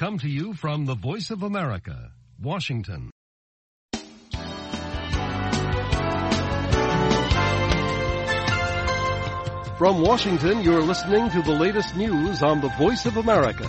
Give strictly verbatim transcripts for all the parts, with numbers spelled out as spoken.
Come to you from the Voice of America, Washington. From Washington, you're listening to the latest news on the Voice of America.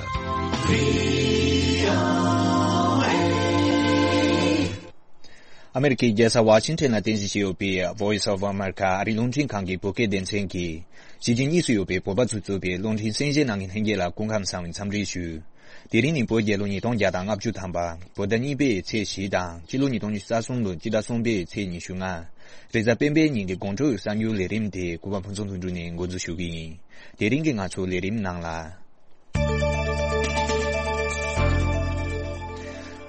ཨ་མེ་རི་ཀའི་རྒྱལ་ས་ཝ་ཤིང་ཊོན་ལ་རྟེན་གཞི་བྱས་ཡོད་པའི་Voice of America ཨ་རིའི་རླུང་འཕྲིན་ཁང་གི་བོད་སྐད་སྡེ་ཚན་གྱིས། གཞིས་བྱེས་གཉིས་སུ་ཡོད་པའི་བོད་པ་ཚོས་གཙོས་པའི་རླུང་འཕྲིན་གསན་གཟིགས་གནང་མཁན་ལྷན་རྒྱས་ལ་སྐུ་ཁམས་བཟང་བའི་འཚམས་འདྲི་ཞུ། དེ་རིང་ནི་བོད་རྒྱལ་ལོ་ཉིས་སྟོང་བརྒྱ་དང་ལྔ་བཅུ་ཐམ་པ། བོད་ཟླ་གཉིས་པའི་ཚེས་བཞི་དང་། སྤྱི་ལོ་ཉིས་སྟོང་ཉི་ཤུ་རྩ་གསུམ་ལོའི་སྤྱི་ཟླ་གསུམ་པའི་ཚེས་ཉི་ཤུ་ལྔ། རེས་གཟའ་སྤེན་པའི་ཉིན་གྱི་དགོང་དྲོའི་གསར་འགྱུར་ལས་རིམ་དེ་གུས་པ་ཕུན་ཚོགས་ལྷུན་གྲུབ་ནས་འགོ་འཛུགས་ཞུ་གི་ཡིན། དེ་རིང་གི་ང་ཚོའི་ལས་རིམ་ནང་ལ།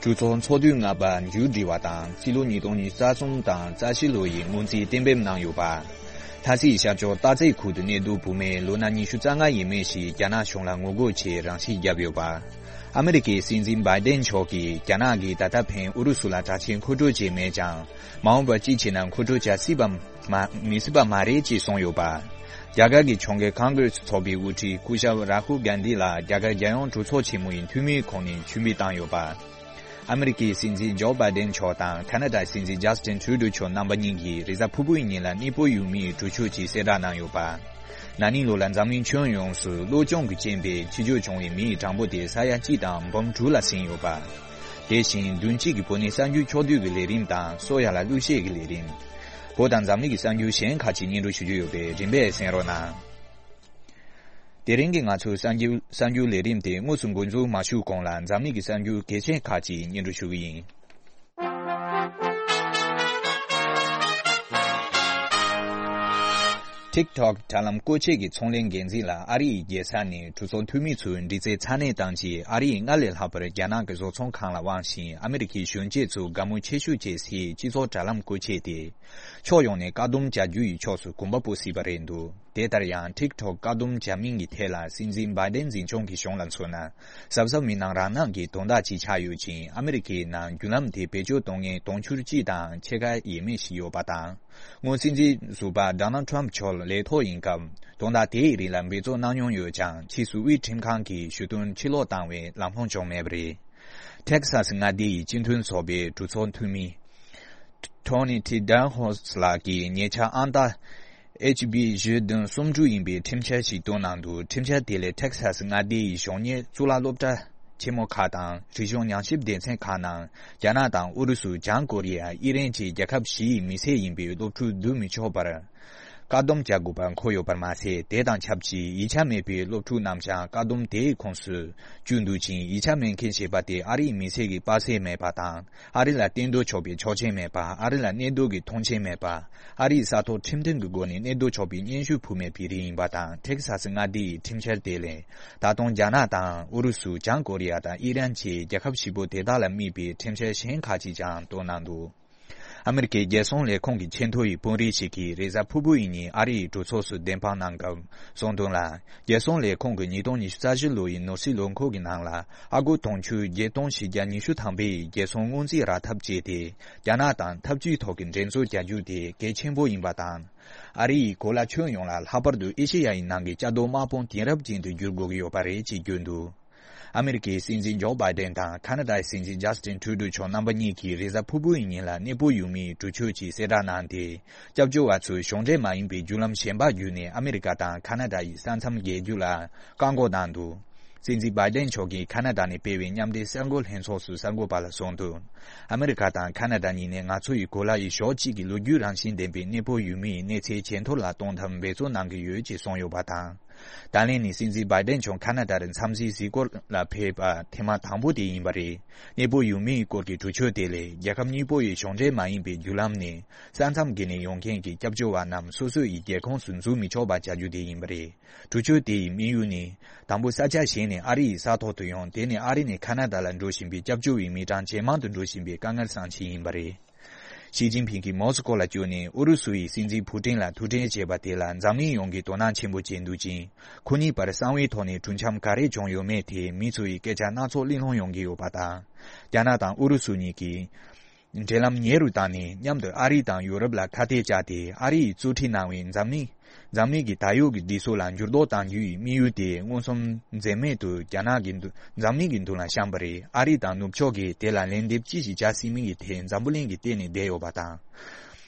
གྲོས་ཚོགས་ཚོགས་དུས་ལྔ་པ་མཇུག་སྒྲིལ་བ་དང་། སྤྱི་ལོ་ཉིས་སྟོང་ཉི་ཤུ་རྩ་གསུམ་དང་རྩ་བཞི་ལོ་ཡི་སྔོན་རྩིས་གཏན་འབེབས་གནང་ཡོད་པ། ཐ་སིའི་ཤར་ཕྱོགས་སྟག་རྩེ་ཁུལ་དུ་གནས་སྡོད་བུད་མེད་ལོ་ན་ཉི་ཤུ་རྩ་ལྔ་ཡས་མས་ཤིག་རྒྱ་ནག་གཞུང་ལ་ངོ་རྒོལ་ཆེད་རང་ཤི་བརྒྱབ་ཡོད་པ། ཨ་མེ་རི་ཀའི་སྲིད་འཛིན་བྷའི་ཏན་མཆོག་གིས་རྒྱ་ནག་གིས་ད་ལྟ་ཕན་ཨུ་རུ་སུ་ལ་དྲག་ཆས་མཁོ་སྤྲོད་བྱས་མེད་ཀྱང་། མ་འོངས་པར་ཅི་བྱེད་ན་མཁོ་སྤྲོད་བྱ་སྲིད་པ་མ་མི་སྲིད་པ་མ་རེད་ཅེས་གསུངས་ཡོད་པ། རྒྱ་གར་གྱི་ཕྱོགས་འགལ་ཀོང་གྷི་རེ་སི་ཚོགས་པའི་དབུ་ཁྲིད་སྐུ་ཞབས་རཱ་ཧུལ་གྷན་དྷི་ལ་རྒྱ་གར་རྒྱལ་ཡོངས་གྲོས་ཚོགས་ཆེན་མོ་ཡི་འཐུས་མིའི་ཁོངས་ནས་ཕྱིར་འབུད་བཏང་ཡོད་པ། ཨ་མེ་རི་ཀའི་སྲིད་འཛིན་ཇོ་བྷའི་ཏན་མཆོག་དང་ཁ་ན་ཌའི་སྲིད་འཛིན་ཇཱ་སི་ཏིན་ཊུ་རུ་ཌོ་མཆོག་རྣམ་པ་གཉིས་ཀྱིས་རེས་གཟའ་ཕུར་བུའི་ཉིན་ལ་གནས་སྤོ་ཡུལ་མིའི་གྲོས་ཆོད་ཅིག་གསལ་བསྒྲགས་གནང་ཡོད་པ། ན་ནིང་ལོ་ལ་འཛམ་གླིང་ཁྱོན་ཡོངས་སུ་གློ་གཅོང་གི་རྐྱེན་པས་འཆི་གཅོད་བྱུང་བའི་མིའི་གྲངས་འབོར་དེ་ས་ཡ་གཅིག་དང་འབུམ་དྲུག་ལ་ཟིན་ཡོད་པ། དེ་བཞིན་བདུན་གཅིག་གི་བོད་ནས་གསར་འགྱུར་ཕྱོགས་བསྡུས་ཀྱི་ལས་རིམ་དང་སྲོལ་ཡ་ལ་གླུ་གཞས་ཀྱི་ལས་རིམ། བོད་དང་འཛམ་གླིང་གི་གསར་འགྱུར་གཞན་ཁག་ཅིག་སྙན་སྒྲོན་ཞུ་རྒྱུ་ཡོད་པས་རིམ་པས་གསན་རོགས་གནང་། དེ་རིང་གི་ང་ཚོའི་གསར་འགྱུར་གསར་འགྱུར་ལས་རིམ་དེ་དངོས་སུ་འགོ་འཛུགས་མ་ཞུས་གོང་ལ་འཛམ་གླིང་གི་གསར་འགྱུར་གལ་ཆེན་ཁག་ཅིག་སྙན་སྒྲོན་ཞུ་གི་ཡིན། ཊིག་ཊོག་དྲ་ལམ་བཀོལ་ཆས་ཀྱི་ཚོང་ལས་འགན་འཛིན་ལ་ཨ་རི་ཡི་རྒྱལ་ས་ནས་གྲོས་ཚོགས་འཐུས་མི་ཚོའི་འདྲི་རྩད་ཚ་ནན་བཏང་རྗེས་ཨ་རི་ཡིས་སྔར་ལས་ལྷག་པར་རྒྱ་ནག་གི་བཟོ་ཚོང་ཁང་ལ་དབང་ཞིང་ཨ་མེ་རི་ཁའི་གཞོན་སྐྱེས་ཚོ་དགའ་མོས་ཆེ་ཤོས་བྱེད་སའི་སྤྱི་ཚོགས་དྲ་ལམ་བཀོལ་ཆས་དེ། ཕྱོགས་ཡོངས་ནས་བཀག་སྡོམ་བྱ་རྒྱུ་ཡི་ཕྱོགས་སུ་གོམ་པ་སྤོ་སྲིད་པ་རེད་འདུག་དེ་ལྟར་ཡང་ཊིག་ཊོག་བཀག་སྡོམ་བྱ་མིན་གྱི་ཐད་ལ་སྲིད་འཛིན་བྷའི་ཏན་འཛིན་སྐྱོང་གི་གཞུང་ལ་མཚོན་ན། གཟབ་གཟབ་མི་གནང་རང་གནང་གི་དོན་དག་ཅིག་ཆགས་ཡོད་ཅིང་ཨ་མེ་རི་ཁའི་ནང་བརྒྱུད་ལམ་དེ་བེད་སྤྱོད་གཏོང་མཁན་དུང་ཕྱུར་གཅིག་དང་ཕྱེད་ཀ་ཡས་མས་ཤིག་ཡོད་པ་དང་། སྔོན་སྲིད་འཛིན་ཟུར་པ་ཌོ་ནལ་ཊམ་མཆོག་ལས་ཐོག་ཡིན་སྐབས་དོན་དག་དེའི་རིགས་ལ་འབད་བརྩོན་གནང་མྱོང་ཡོད་ཀྱང་ཕྱིས་སུ་དབུས་ཁྲིམས་ཁང་གིས་ཞུ་དོན་ཕྱིར་སློག་བཏང་བས་ལམ་ལྷོང་བྱུང་མེད་པ་རེད། ཊེག་སཱ་སི་མངའ་སྡེ་ཡི་སྤྱི་མཐུན་ཚོགས་པའི་གྲོས་ཚོགས་འཐུས་མི། ཊོ་ནི་ཊི་ཌན་ཧོས་ལགས་ཀྱིས་ཉེ་ཆར་ཨང་རྟགས་ཨེཆ་བི་བཞི་བདུན་གསུམ་དྲུག་ཡིན་པའི་ཁྲིམས་འཆར་ཞིག་བཏོན་གནང་འདུག་ཁྲིམས་འཆར་དེ་ལས་ཊེག་སཱ་སི་མངའ་སྡེ་ཡི་གཞོན་ནུ་གཙུག་ལག་སློབ་གྲྭ་ཆེན་མོ་ཁག་དང་རིག་གཞུང་ཉམས་ཞིབ་སྡེ་ཚན་ཁག་ནང་རྒྱ་ནག་དང་ཨུ་རུ་སུ། བྱང་ཀོ་རི་ཡ། ཨི་རན་བཅས་རྒྱལ་ཁབ་བཞི་ཡི་མི་སེར་ཡིན་པའི་སློབ་ཕྲུག་བསྡུ་མི་ཆོག་པར་བཀག་སྡོམ་བྱ་དགོས་པ་འཁོད་ཡོད་པར་མ་ཟད། དེ་དང་ཆབས་ཅིག་ཡིག་ཆ་མེད་པའི་སློབ་ཕྲུག་རྣམས་ཀྱང་བཀག་སྡོམ་དེའི་ཁོངས་སུ་བཅུག་འདུག་ཅིང་། ཡིག་ཆ་མེད་མཁན་ཞེས་པ་དེ་ཨ་རིའི་མི་སེར་གྱི་པར་ཆས་མེད་པ་དང་། ཨ་རི་ལ་གཏན་སྡོད་ཆོག་པའི་ཆོག་མཆན་མེད་པ། ཨ་རི་ལ་གནས་སྡོད་ཀྱི་ཐོངས་མཆན་མེད་པ། ཨ་རིའི་ས་ཐོག་ཁྲིམས་མཐུན་གྱི་སྒོ་ནས་གནས་སྡོད་ཆོག་པའི་སྙན་ཞུ་ཕུལ་མེད་པའི་རིགས་ཡིན་པ་དང་། ཐེག་ས་སི་མངའ་སྡེ་ཡི་ཁྲིམས་འཆར་དེ་ལས་ད་དུང་རྒྱ་ནག་དང་ཨུ་རུ་སུ། བྱང་ཀོ་རི་ཡ་དང་ཨི་རན་བཅས་རྒྱལ་ཁབ་བཞི་པོ་དེ་དག་ལ་དམིགས་པའི་ཁྲིམས་འཆར་གཞན་ཁག་ཅིག་ཀྱང་བཏོན་གནང་འདུག་ཨ་མེ་རི་ཁའི་རྒྱལ་སྲུང་ལས་ཁུངས་ཀྱི་ཆེས་མཐོ་ཡི་དཔོན་རིགས་ཤིག་གིས་རེས་གཟའ་ཕུར་བུ་ཡི་ཉིན་ཨ་རི་ཡི་གྲོས་ཚོགས་སུ་བདེན་དཔང་གནང་སྐབས་གསུངས་དོན་ལ། རྒྱལ་སྲུང་ལས་ཁུངས་ཀྱིས་ཉིས་སྟོང་ཉི་ཤུ་རྩ་བཞི་ལོ་ཡི་ནོར་སྲིད་ལོ་འཁོར་གྱི་ནང་ལ་ཨ་སྒོར་དུང་ཕྱུར་བརྒྱད་སྟོང་བཞི་བརྒྱ་ཉི་ཤུ་ཐམ་པའི་རྒྱལ་སྲུང་སྔོན་རྩིས་རག་ཐབས་བྱས་ཏེ། རྒྱ་ནག་དང་འཐབ་ཇུས་ཐོག་གི་འགྲན་རྩོད་བྱ་རྒྱུ་དེ་གལ་ཆེན་པོ་ཡིན་པ་དང་། ཨ་རི་ཡིས་གོ་ལ་ཁྱོན་ཡོངས་ལ་ལྷག་པར་དུ་ཨེ་ཤེ་ཡ་ཡི་ནང་གི་བཅའ་སྡོད་དམག་དཔུང་དེང་རབས་ཅན་དུ་བསྒྱུར་དགོས་ཀྱི་ཡོད་པ་རེད་ཅེས་བརྗོད་འདུག་ཨ་མེ་རི་ཀའི་སྲིད་འཛིན་ཇོ་བྷའི་ཏན་དང་ཁ་ན་ཌའི་སྲིད་འཛིན་ཇཱ་སི་ཏིན་ཊུ་རུ་ཌོ་མཆོག་རྣམ་པ་གཉིས་ཀྱིས་རེས་གཟའ་ཕུར་བུ་ཡི་ཉིན་ལ་གནས་སྤོ་ཡུལ་མིའི་གྲོས་ཆོད་ཅིག་གསལ་བསྒྲགས་གནང་སྟེ། སྐྱབས་བཅོལ་བ་ཚོས་གཞུང་འབྲེལ་མ་ཡིན་པའི་བརྒྱུད་ལམ་གཞན་པ་བརྒྱུད་ནས་ཨ་མེ་རི་ཀ་དང་ཁ་ན་ཌ་ཡི་ས་མཚམས་བརྒལ་རྒྱུ་ལ་བཀག་འགོག་གནང་འདུག་སྲིད་འཛིན་བྷའི་ཏན་མཆོག་གིས་ཁ་ན་ཌ་ནས་སྤེལ་བའི་མཉམ་འབྲེལ་གསར་འགོད་ལྷན་ཚོགས་སུ་གསར་འགོད་པ་ལ་གསུངས་དོན། ཨ་མེ་རི་ཀ་དང་ཁ་ན་ཌ་གཉིས་ནས་ང་ཚོ་ཡི་གོ་ལ་ཡི་ཕྱོགས་གཅིག་གི་ལོ་རྒྱུས་རང་བཞིན་ལྡན་པའི་གནས་སྤོ་ཡུལ་མིའི་གནས་ཚད་ཇེ་མཐོར་ལ་གཏོང་ཐབས་འབད་བརྩོན་གནང་གི་ཡོད་ཅེས་གསུངས་ཡོད་པ་དང་། ད་ལན་ནི་སྲིད་འཛིན་བྷའི་ཏན་མཆོག་ཁ་ན་ཌ་རུ་འཚམས་གཟིགས་གཟིགས་སྐོར་ལ་ཕེབས་པ་ཐེངས་མ་དང་པོ་དེ་ཡིན་པ་རེད། གནས་སྤོ་ཡུལ་མིའི་སྐོར་གྱི་གྲོས་ཆོད་དེ་ལས་རྒྱལ་ཁབ་གཉིས་པོ་ཡི་གཞུང་འབྲེལ་མ་ཡིན་པའི་བརྒྱུད་ལམ་ནས་ས་མཚམས་བརྒལ་ནས་ཡོང་མཁན་གྱི་སྐྱབས་བཅོལ་བ་རྣམས་སོ་སོ་ཡི་རྒྱལ་ཁོངས་སུ་འཛུལ་མི་ཆོག་པ་བྱ་རྒྱུ་དེ་ཡིན་པ་རེད། གྲོས་ཆོད་དེ་ཡི་དམིགས་ཡུལ་ནི། དང་པོ་ས་ཆ་གཞན་ནས་ཨ་རི་ཡི་ས་ཐོག་ཏུ་ཡོང་། དེ་ནས་ཨ་རི་ནས་ཁ་ན་ཌ་ལ་འགྲོ་བཞིན་པའི་སྐྱབས་བཅོལ་བའི་མི་གྲངས་ཇེ་མང་དུ་འགྲོ་བཞིན་པའི་དཀའ་ངལ་སེལ་ཆེད་ཡིན་པ་རེད། ཞི་ཅིན་ཕིང་གིས་མོ་སི་ཀོ་ལ་བསྐྱོད་ནས་ཨུ་རུ་སུ་ཡི་སྲིད་འཛིན་ཕུ་ཏིན་ལ་ཐུག་འཕྲད་བྱས་པ་དེ་ལ་འཛམ་གླིང་ཡོངས་ཀྱིས་དོ་སྣང་ཆེན་པོ་བྱས་འདུག་ཅིང་། ཁོ་གཉིས་བར་གསང་བའི་ཐོག་ནས་གྲོས་འཆམ་ག་རེ་བྱུང་ཡོད་མེད་དེ་མི་ཚོ་ཡི་སྐད་ཆ་སྣ་ཚོགས་གླེང་སློང་ཡོང་གི་ཡོད་པ་དང་། རྒྱ་ནག་དང་ཨུ་རུ་སུ་གཉིས་ཀྱིས། འབྲེལ་ལམ་ཉེ་རུ་བཏང་ནས། མཉམ་དུ་ཨ་རི་དང་ཡོ་རོབ་ལ་ཁ་གཏད་བཅག་སྟེ། ཨ་རི་ཡིས་གཙོ་ཁྲིད་གནང་བའི་འཛམ་གླིང་འཛམ་གླིང་གི་ད་ཡོད་ཀྱི་འདི་ཚོ་ལ་འགྱུར་ལྡོག་གཏང་རྒྱུ་ཡི་དམིགས་ཡུལ་དེ་མངོན་སུམ་འཛེམ་མེད་དུ་རྒྱ་ནག་གི་མདུན་འཛམ་གླིང་གི་མདུན་ལ་བཤམས་པ་རེད། ཨ་རི་དང་ནུབ་ཕྱོགས་ཀྱིས་དེ་ལ་ལན་འདེབས་ཅི་ཞིག་བྱ་སྲིད་མིན་གྱི་ཐད་འཛམ་བུ་གླིང་གིས་བལྟས་ནས་བསྡད་ཡོད་པ་དང་།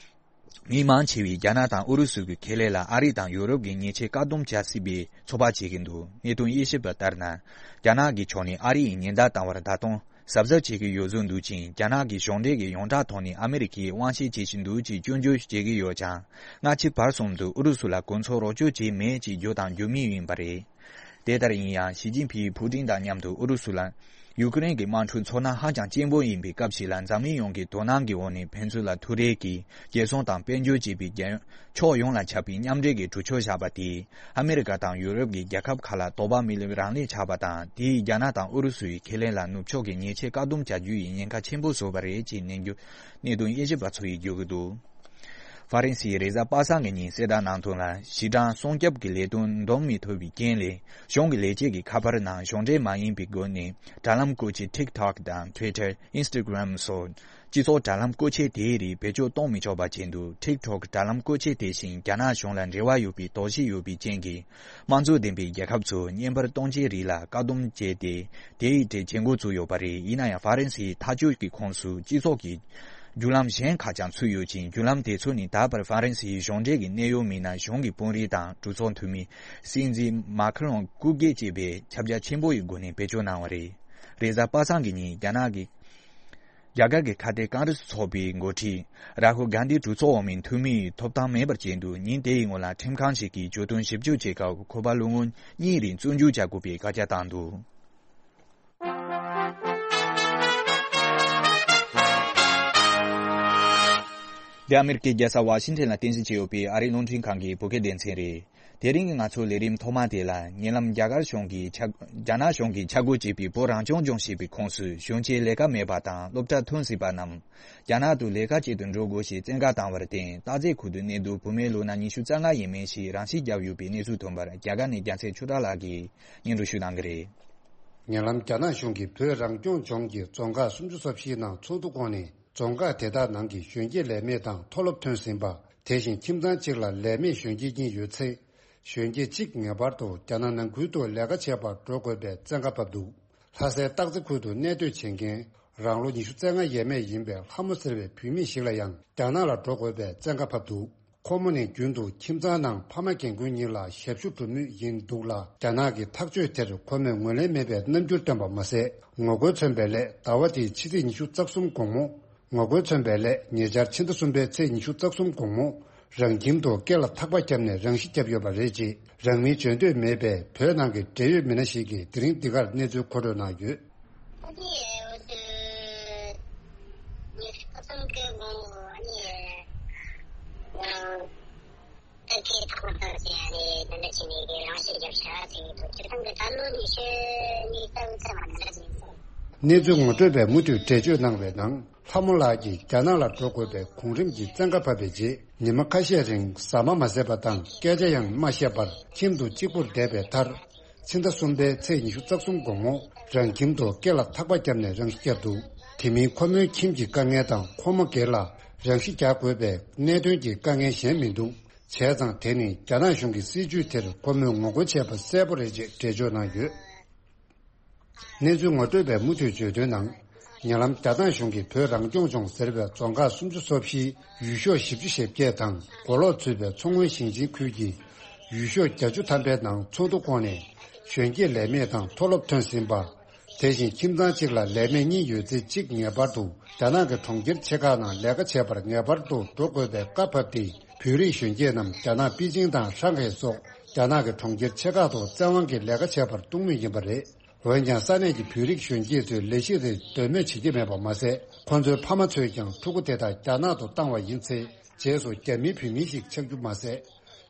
མི་མང་ཆེ་བས་རྒྱ་ནག་དང་ཨུ་རུ་སུ་གི་ཁེ་ལས་ལ་ཨ་རི་དང་ཡོ་རོབ་ཀྱིས་ཉེས་ཆད་བཀག་སྡོམ་བྱ་སྲིད་པའི་ཚོད་དཔག་བྱེད་ཀྱི་འདུག་གནད་དོན་དབྱེ་ཞིབ་པ་ལྟར་ན། རྒྱ་ནག་གི་ཕྱོགས་ནས་ཨ་རི་ཡི་ཉེན་བརྡ་བཏང་བར་ད་དུང་གཟབ་གཟབ་བྱེད་ཀྱི་ཡོད་བཟོ་འདུག་ཅིང་། རྒྱ་ནག་གི་གཞུང་འབྲེལ་གྱི་ཡོངས་གྲགས་ཐོག་ནས་ཨ་མི་རི་ཀས་དབང་ཤེད་བྱེད་བཞིན་འདུག་ཅེས་སྐྱོན་བརྗོད་བྱེད་ཀྱི་ཡོད་ཀྱང་། སྔ་ཕྱི་བར་གསུམ་དུ་ཨུ་རུ་སུ་ལ་གོ་མཚོན་རོགས་སྐྱོར་བྱས་མེད་ཅེས་བརྗོད་དང་འགྱུར་མུས་ཡིན་པ་རེད། དེ་ལྟར་ཡིན་ཡང་། ཞི་ཅིན་ཕིང་ཕུའུ་ཀྲིན་དང་མཉམ་དུ་ཨུ་རུ་སུ་ལ་ཡུ་ཀེ་རེན་གྱི་དམག་འཁྲུག་ཚོར་སྣང་ཧ་ཅང་ཆེན་པོ་ཡིན་པའི་སྐབས་ཤིག་ལ། འཛམ་གླིང་ཡོངས་ཀྱི་དོ་སྣང་གི་འོག་ནས་ཕན་ཚུན་ལ་ཐུག་འཕྲད་ཀྱིས་རྒྱལ་སྲུང་དང་དཔལ་འབྱོར་བཅས་པའི་རྒྱལ་ཕྱོགས་ཡོངས་ལ་ཁྱབ་པའི་མཉམ་འབྲེལ་གྱི་གྲོས་ཆོད་བཞག་པ་དེས། ཨ་མི་རི་ཀ་དང་ཡུ་རོབ་ཀྱི་རྒྱལ་ཁབ་ཁག་ལ་དོགས་པ་མི་སླེབས་རང་ལས་ཆགས་པ་དང་། དེས་རྒྱ་ནག་དང་ཨུ་རུ་སུ་ཡི་ཁེ་ལས་ལ་ནུབ་ཕྱོགས་ཀྱི་ཉེས་ཆད་བཀག་སྡོམ་བྱ་རྒྱུ་ཡི་ཉེན་ཁ་ཆེན་པོ་བཟོས་པ་རེད་ཅེས་ནན་རྒྱུ་གནད་དོན་དབྱེ་ཞིབ་པ་ཚོ་ཡིས་བརྗོད་ཀྱི་འདུག་ཧྥ་རན་སིའི་རེས་གཟའ་པ་སངས་ཀྱི་ཉིན་གསལ་བསྒྲགས་གནང་དོན་ལ། གཞི་གྲངས་སྲུང་སྐྱོབ་ཀྱི་ལས་དོན་འདང་མི་ཐུབ་པའི་རྐྱེན་ལས། གཞུང་གི་ལས་བྱེད་ཀྱི་ཁ་པར་ནང་གཞུང་འབྲེལ་མ་ཡིན་པའི་སྒོ་ནས་དྲ་ལམ་བཀོལ་ཆས་TikTok་དང་Twitter། Instagram་སོགས་སྤྱི་ཚོགས་དྲ་ལམ་བཀོལ་ཆས་དེའི་རིགས་བེད་སྤྱོད་གཏོང་མི་ཆོག་པ་བྱས་འདུག TikTok་དྲ་ལམ་བཀོལ་ཆས་དེ་བཞིན་རྒྱ་ནག་གཞུང་ལ་འབྲེལ་བ་ཡོད་པའི་དོགས་གཞི་ཡོད་པའི་རྐྱེན་གྱིས། དམངས་གཙོ་ལྡན་པའི་རྒྱལ་ཁབ་ཚོས་བརྙན་པར་གཏོང་ཆས་རིགས་ལ་བཀག་སྡོམ་བྱས་ཏེ། དེའི་གྲས་བྱེད་འགོ་བཙུགས་ཡོད་པ་རེད། ཡིན་ན་ཡང་། ཧྥ་རན་སིའི་ཐག་གཅོད་ཀྱི་ཁོངས་སུ་སྤྱི་ཚོགས་ཀྱི་བརྒྱུད་ལམ་གཞན་ཁག་ཀྱང་ཚུད་ཡོད་ཅིང་། བརྒྱུད་ལམ་དེ་ཚོ་ནི་ད་བར་ཧྥ་རན་སིའི་གཞུང་འབྲེལ་གྱི་གནད་ཡོད་མི་སྣ། གཞུང་གི་དཔོན་རིགས་དང་གྲོས་ཚོགས་འཐུས་མི། སྲིད་འཛིན་མཱ་ཁི་རོང་སྐུ་སྒེར་བཅས་པས་ཁྱབ་རྒྱ་ཆེན་པོ་ཡི་སྒོ་ནས་བེད་སྤྱོད་གནང་བ་རེད། རེས་གཟའ་པ་སངས་ཀྱི་ཉིན་རྒྱ་ནག་གི་རྒྱ་གར་གྱི་ཁ་གཏད་ཀོང་རེས་ཚོགས་པའི་འགོ་ཁྲིད་རཱ་ཧུལ་གྷན་དྷི་གྲོས་ཚོགས་འོག་མའི་འཐུས་མི་ཡི་ཐོབ་ཐང་མེད་པར་བྱས་འདུག་ཉིན་དེའི་སྔོན་ལ་ཁྲིམས་ཁང་ཞིག་གིས་གྱོད་དོན་ཞིབ་འཇུག་བྱེད་སྐབས། ཁོ་པ་ལོ་ངོ་གཉིས་རིང་བཙོན་འཇུག་བྱ་དགོས་པའི་བཀའ་རྒྱ་བཏང་འདུག་འདི་ཨ་མེ་རི་ཀའི་རྒྱལ་ས་ཝ་ཤིང་ཊོན་ལ་རྟེན་གཞི་བྱས་ཡོད་པའི་ཨ་རིའི་རླུང་འཕྲིན་ཁང་གི་བོད་སྐད་སྡེ་ཚན་རེད། དེ་རིང་གི་ང་ཚོའི་ལས་རིམ་ཐོག་མ་དེ་ལ། ཉེ་ལམ་རྒྱ་གར་གཞུང་གིས་ཆ་རྒྱ་ནག་གཞུང་གིས་ཆ་བགོས་བྱས་པའི་བོད་རང་སྐྱོང་ལྗོངས་ཞེས་པའི་ཁོངས་སུ་གཞོན་སྐྱེས་ལས་ཀ་མེད་པ་དང་སློབ་གྲྭ་ཐོན་ཟིན་པ་རྣམས་རྒྱ་ནག་ཏུ་ལས་ཀ་བྱེད་དུ་འགྲོ་དགོས་ཞེས་བཙན་བཀའ་བཏང་བར་བརྟེན། སྟག་རྩེ་ཁུལ་དུ་གནས་སྡོད་བུད་མེད་ལོ་ན་ཉི་ཤུ་རྩ་ལྔ་ཡས་མས་ཤིག་རང་ཤི་བརྒྱབ་ཡོད་པའི་གནས་ཚུལ་ཐོན་པར། རྒྱ་གར་ནས་རྒྱལ་མཚན་ཆོས་གྲགས་ལགས་ཀྱིས་སྙན་སྒྲོན་ཞུ་གནང་གི་རེད། ཉེ་ལམ་རྒྱ་ནག་གཞུང་གིས་བོད་རང་སྐྱོང་ལྗོངས་ཀྱི་རྫོང་ཁག་སུམ་ཅུ་སོ་བཞིའི་ནང་ཚོགས་འདུ་བསྐོངས་ནས། རྫོང་ཁག་དེ་དག་ནང་གི་གཞོན་སྐྱེས་ལས་མེད་དང་མཐོ་སློབ་ཐོན་ཟིན་པ། དེ་བཞིན་ཁྱིམ་ཚང་གཅིག་ལ་ལས་མེད་གཞོན་སྐྱེས་གཉིས་ཡོད་ཚེ། གཞོན་སྐྱེས་གཅིག་ངེས་པར་དུ་རྒྱ་ནག་ནང་ཁུལ་དུ་ལས་ཀ་བྱེད་པར་འགྲོ་དགོས་པའི་བཙན་བཀའ་ཕབ་འདུག་ལྷ་སའི་སྟག་རྩེ་ཁུལ་དུ་གནས་སྡོད་བྱེད་མཁན། རང་ལོ་ཉི་ཤུ་རྩ་ལྔ་ཡས་མས་ཡིན་པའི་ལྷ་མོ་ཟེར་བའི་བུད་མེད་ཞིག་ལ་ཡང་། རྒྱ་ནག་ལ་འགྲོ་དགོས་པའི་བཙན་བཀའ་ཕབ་འདུག་ཁོ་མོ་ནི་རྒྱུན་དུ་ཁྱིམ་ཚང་ནང་ཕ་མ་རྒན་རྒོན་གཉིས་ལ་ཞབས་ཞུ་སྒྲུབ་མུས་ཡིན་འདུག་ལ། རྒྱ་ནག་གི་ཐག་གཅོད་དེར་ཁོ་མོས་ངོས་ལེན་མེད་པའི་རྣམ་འགྱུར་བཏོན་པ་མ་ཟད། ངོ་རྒོལ་མཚོན་པའི་སླད། ཟླ་བ་འདིའི་ཕྱི་ཚེས་ཉི་ཤུ་རྩ་གསུམ་དགོང་མོ། ངོ་རྒོལ་མཚོན་པའི་སླད། ཉེ་ཆར་ཕྱི་ཟླ་གསུམ་པའི་ཚེས་ཉི་ཤུ་རྩ་གསུམ་དགོང་མོ། རང་ཁྱིམ་དུ་སྐེ་ལ་ཐག་པ་བརྒྱབ་ནས་རང་ཤི་བརྒྱབ་ཡོད་པ་རེད། ཅེས་རང་མིང་བརྗོད་འདོད་མེད་པའི་བོད་ནང་གི་འབྲེལ་ཡོད་མི་སྣ་ཞིག་གིས་དེ་རིང་འདི་གར་གནས་ཚུལ་མཁོ་སྤྲོད་གནང་ཡོད། ཨ་ནི་འོ་དེ་ཉི་ཤུ་རྩ་གསུམ་གྱི་དགོང་དག་ཨ་ནི་ང་རང་ཨ་ཁེ་ཐོག་མ་ཐག་ཅིག་ཨ་ནི་ད་ལྟ་བྱས་ནས་ཀྱི་རང་ཤི་བརྒྱབ་ཤག་ཟེར་གྱི་འདུག་སྤྱིར་བཏང་གི་ད་ལོ་ཉི་ཤུ་གཉིས་རྩ་དགུ་ཙམ་མ་ད་ལྟ་ཟིན་སོང་། གནས་ཚུལ་ངོ་སྤྲོད་པས་མུ་མཐུད་འགྲེལ་བརྗོད་གནང་བའི་ནང་། ལྷ་མོ་ལགས་ཀྱིས་རྒྱ་ནག་ལ་འགྲོ་དགོས་པའི་གོང་རིམ་གྱི་བཙན་བཀའ་ཕབ་པའི་རྗེས། ཉི་མ་ཁ་ཤས་རིང་ཟ་མ་མ་ཟས་པ་དང་སྐད་ཆ་ཡང་མ་བཤད་པར་ཁྱིམ་དུ་གཅིག་པུར་བསྡད་པའི་མཐར། ཕྱི་ཟླ་གསུམ་པའི་ཚེས་ཉི་ཤུ་རྩ་གསུམ་དགོང་མོ། རང་ཁྱིམ་དུ་སྐེ་ལ་ཐག་པ་བརྒྱབ་ནས་རང་ཤི་བརྒྱབ་འདུག་དེ་མིན་ཁོ་མོའི་ཁྱིམ་གྱི་དཀའ་ངལ་དང་ཁོ་མོ་སྒེར་ལ་རང་ཤི་རྒྱག་དགོས་པའི་གནད་དོན་གྱི་དཀའ་ངལ་གཞན་མི་འདུག་བྱས་ཙང་དེ་ནི་རྒྱ་ནག་གཞུང་གི་སྲིད་ཇུས་དེར་ཁོ་མོས་ངོ་རྒོལ་བྱས་པ་གསལ་པོ་རེད་ཅེས་འགྲེལ་བརྗོད་གནང་ཡོད། གནས་ཚུལ་ངོ་སྤྲོད་པས་མུ་མཐུད་བརྗོད་དོན་ནང་། ཉེ་ལམ་རྒྱ་ནག་གཞུང་གིས་བོད་རང་སྐྱོང་ལྗོངས་ཟེར་བའི་རྫོང་ཁག་སུམ་ཅུ་སོ་བཞིའི་ཡུལ་ཤོག་བཞི་བཅུ་ཞེ་བརྒྱད་དང་གོ་ལོག་ཚུད་པའི་མཚོ་སྔོན་ཞིང་ཆེན་ཁུལ་གྱི་ཡུལ་ཤོག་བརྒྱད་ཅུ་ཐམ་པའི་ནང་ཚོགས་འདུ་བསྐོངས་ནས། གཞོན་སྐྱེས་ལས་མེད་དང་མཐོ་སློབ་ཐོན་ཟིན་པ། དེ་བཞིན་ཁྱིམ་ཚང་གཅིག་ལ་ལས་མེད་གཉིས་ཡོད་ཚེ་གཅིག་ངེས་པར་དུ་རྒྱ་ནག་གི་གྲོང་ཁྱེར་ཆེ་ཁག་ནང་ལས་ཀ་བྱེད་པར་ངེས་པར་དུ་འགྲོ་དགོས་པའི་བཀའ་ཕབ་སྟེ། བོད་རིགས་གཞོན་སྐྱེས་རྣམས་རྒྱ་ནག་པེ་ཅིང་དང་ཧྲང་ཧའེ་སོགས་རྒྱ་ནག་གི་གྲོང་ཁྱེར་ཆེ་ཁག་ཏུ་བཙན་དབང་གིས་ལས་ཀ་བྱེད་པར་གཏོང་མུས་ཡིན་པ་རེད། འོན་ཀྱང་ས་གནས་ཀྱི་བོད་རིགས་གཞོན་སྐྱེས་ཚོས་ལས་གཞི་དེ་འདོད་མོས་བྱེད་ཀྱི་མེད་པ་མ་ཟད། ཁོ་ཚོའི་ཕ་མ་ཚོས་ཀྱང་ཕྲུ་གུ་དེ་དག་རྒྱ་ནག་ཏུ་བཏང་བ་ཡིན་ཚེ། རྗེས་སུ་རྒྱ་མིའི་བུད་མེད་ཞིག་ཆགས་རྒྱུ་མ་ཟད།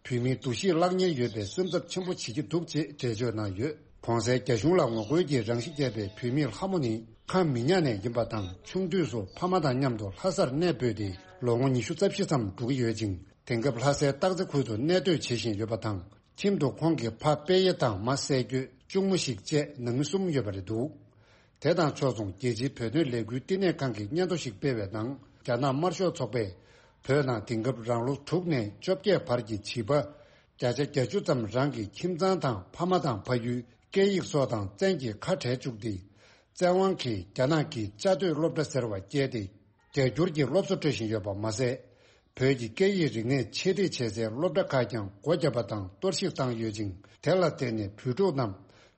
བུད་མེད་འདུ་ཤེས་བརླག་ཉེན་ཡོད་པའི་སེམས་འཚབ་ཆེན་པོ་བྱེད་ཀྱི་འདུག་ཅེས་འགྲེལ་བརྗོད་གནང་ཡོད། གོང་གསལ་རྒྱ་གཞུང་ལ་ངོ་རྒོལ་གྱིས་རང་ཤི་བརྒྱབ་པའི་བུད་མེད་ལྷ་མོ་ནི་ཁམས་མི་ཉག་ནས་ཡིན་པ་དང་། ཆུང་དུས་སུ་ཕ་མ་དང་མཉམ་དུ་ལྷ་སར་གནས་སྤོས་ཏེ་ལོ་ངོ་ཉི་ཤུ་རྩ་བཞི་ཙམ་འགྲོ་གི་ཡོད་ཅིང་། དེང་སྐབས་ལྷ་སའི་སྟག་རྩེ་ཁུལ་དུ་གནས་སྡོད་བྱེད་བཞིན་ཡོད་པ་དང་། ཁྱིམ་དུ་ཁོང་གི་ཕ་དཔལ་ཡེ་དང་མ་སྲས་སྐྱོས། གཅུང་མོ་ཞིག་བཅས་ནང་མི་གསུམ་ཡོད་པ་རེད་འདུག་དེ་དང་ཕྱོགས་མཚུངས། རྒྱལ་སྤྱིའི་བོད་དོན་ལས་འགུལ་བསྟི་གནས་ཁང་གིས་སྙན་ཐོ་ཞིག་སྤེལ་བའི་ནང་། རྒྱ་ནག་དམར་ཤོག་ཚོགས་པས་བོད་ནང་དེང་སྐབས་རང་ལོ་དྲུག་ནས་བཅོ་བརྒྱད་བར་གྱི་བྱིས་པ་བརྒྱ་ཆ་བརྒྱད་ཅུ་ཙམ་རང་གི་ཁྱིམ་ཚང་དང་ཕ་མ་དང་ཕ་ཡུལ། སྐད་ཡིག་སོགས་དང་བཙན་གྱིས་ཁ་བྲལ་བཅུག་སྟེ། བཙན་དབང་གིས་རྒྱ་ནག་གི་བཅའ་སྡོད་སློབ་གྲྭ་ཟེར་བ་བསྐྱལ་ཏེ། རྒྱ་སྒྱུར་གྱི་སློབ་གསོ་སྤྲོད་བཞིན་ཡོད་པ་མ་ཟད། བོད་ཀྱི་སྐད་ཡིག་རིག་གནས་ཆེད་སྒྲིག་བྱེད་སའི་སློབ་གྲྭ་ཁག་ཀྱང་སྒོ་བརྒྱབ་པ་དང་གཏོར་བཤིག་བཏང་ཡོད་ཅིང་། དེ་ལ་བརྟེན་ནས་བོད་ཕྲུག་རྣམས་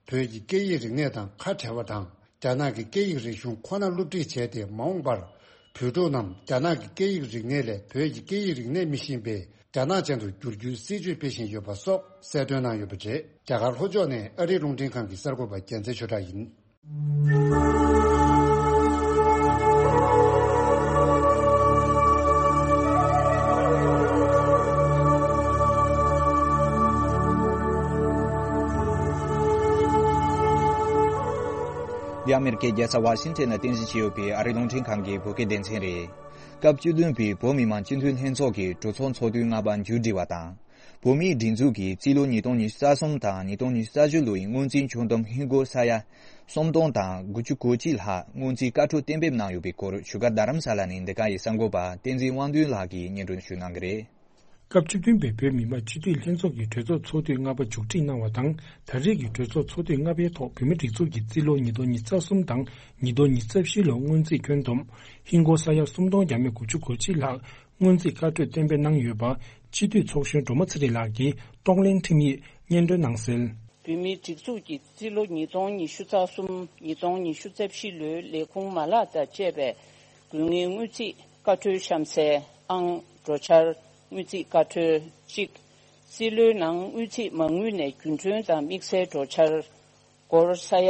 བོད་ཀྱི་སྐད་ཡིག་རིག་གནས་དང་ཁ་བྲལ་བ་དང་། རྒྱ་ནག་གི་སྐད་ཡིག་རིག་གཞུང་ཁོ་ན་སློབ་ཁྲིད་བྱས་ཏེ། མ་འོངས་པར་བོད་ཕྲུག་རྣམས་རྒྱ་ནག་གི་སྐད་ཡིག་རིག་གནས་ལས་བོད་ཀྱི་སྐད་ཡིག་རིག་གནས་མི་ཤེས་པའི་རྒྱ་ནག་ཅན་དུ་བསྒྱུར་རྒྱུའི་སྲིད་ཇུས་སྤེལ་བཞིན་ཡོད་པ་སོགས་གསལ་སྟོན་གནང་ཡོད་པ་རེད། རྒྱ་གར་ལྷོ་ཕྱོགས་ནས་ཨ་རིའི་རླུང་འཕྲིན་ཁང་གི་གསར་འགོད་པ་རྒྱལ་མཚན་ཆོས་གྲགས་ཡིན། འདི་ཨ་མེ་རི་ཁའི་རྒྱལ་ས་ཝ་ཤིང་ཊོན་ནས་རྟེན་གཞི་བྱས་ཡོད་པའི་ཨ་རིའི་རླུང་འཕྲིན་ཁང་གི་བོད་སྐད་སྡེ་ཚན་རེད། སྐབས་བཅུ་བདུན་པའི་བོད་མི་མང་སྤྱི་འཐུས་ལྷན་ཚོགས་ཀྱི་གྲོས་ཚོགས་ཚོགས་དུས་ལྔ་པ་མཇུག་སྒྲིལ་བ་དང་། བོད་མིའི་སྒྲིག་འཛུགས་ཀྱི་རྩིས་ལོ་ཉིས་སྟོང་ཉི་ཤུ་རྩ་གསུམ་དང་ཉིས་སྟོང་ཉི་ཤུ་རྩ་བཞི་ལོའི་སྔོན་རྩིས་ཆོད་གཏམ་ཧིན་སྒོར་ས་ཡ་སུམ་སྟོང་དང་དགུ་བཅུ་གོ་གཅིག་ལྷག་སྔོན་རྩིས་བཀའ་འཁྲོལ་གཏན་འབེབས་གནང་ཡོད་པའི་སྐོར་བཞུགས་སྒར་རྡ་རམ་ས་ལ་ནས་འདི་ག་ཡི་གསར་འགོད་པ་བསྟན་འཛིན་དབང་འདུས་ལགས་ཀྱིས་སྙན་སྒྲོན་ཞུ་གནང་གི་རེད། སྐབས་བཅུ་བདུན་པའི་བོད་མི་མང་སྤྱི་འཐུས་ལྷན་ཚོགས་ཀྱི་གྲོས་ཚོགས་ཚོགས་དུས་ལྔ་པ་མཇུག་སྒྲིལ་གནང་བ་དང་། ད་རེས་ཀྱི་གྲོས་ཚོགས་ཚོགས་དུས་ལྔ་པའི་ཐོག་བོད་མིའི་སྒྲིག་འཛུགས་ཀྱི་རྩིས་ལོ་ཉིས་སྟོང་ཉི་ཤུ་རྩ་གསུམ་དང་ཉིས་སྟོང་ཉི་ཤུ་རྩ་བཞི་ལོའི་སྔོན་རྩིས་ཁྱོན་བསྡོམས་ཧིན་སྒོར་ས་ཡ་སུམ་སྟོང་བརྒྱ་མེད་དགུ་བཅུ་གོ་གཅིག་ལྷག་སྔོན་རྩིས་བཀའ་འཁྲོལ་གཏན་འབེབས་གནང་ཡོད་པ། སྤྱི་འཐུས་ཚོགས་གཞོན་སྒྲོལ་མ་ཚེ་རིང་ལགས་ཀྱིས་གཏོང་ལེན་ཁྲིམས་ཡིག་སྙན་སྒྲོན་གནང་གསལ། བོད་མིའི་སྒྲིག་འཛུགས་ཀྱི་རྩིས་ལོ་ཉིས་སྟོང་ཉི་ཤུ་རྩ་གསུམ་ཉིས་སྟོང་ཉི་ཤུ་རྩ་བཞི་ལོའི་ལས་ཁུངས་མ་ལག་དང་བཅས་པའི་དགོས་ངེས་དངུལ་རྩིས་བཀའ་འཁྲོལ་གཤམ་གསལ། ཨང་། འགྲོ་འཆར། དངུལ་རྩིས་བཀའ་འཁྲོལ་གཅིག་རྩིས་ལོའི་ནང་དངུལ་རྩིས་མ་དངུལ་ནས་རྒྱུན་གྲོན་དང་དམིགས་བསལ་འགྲོ་འཆར། སྒོར་ས་ཡ་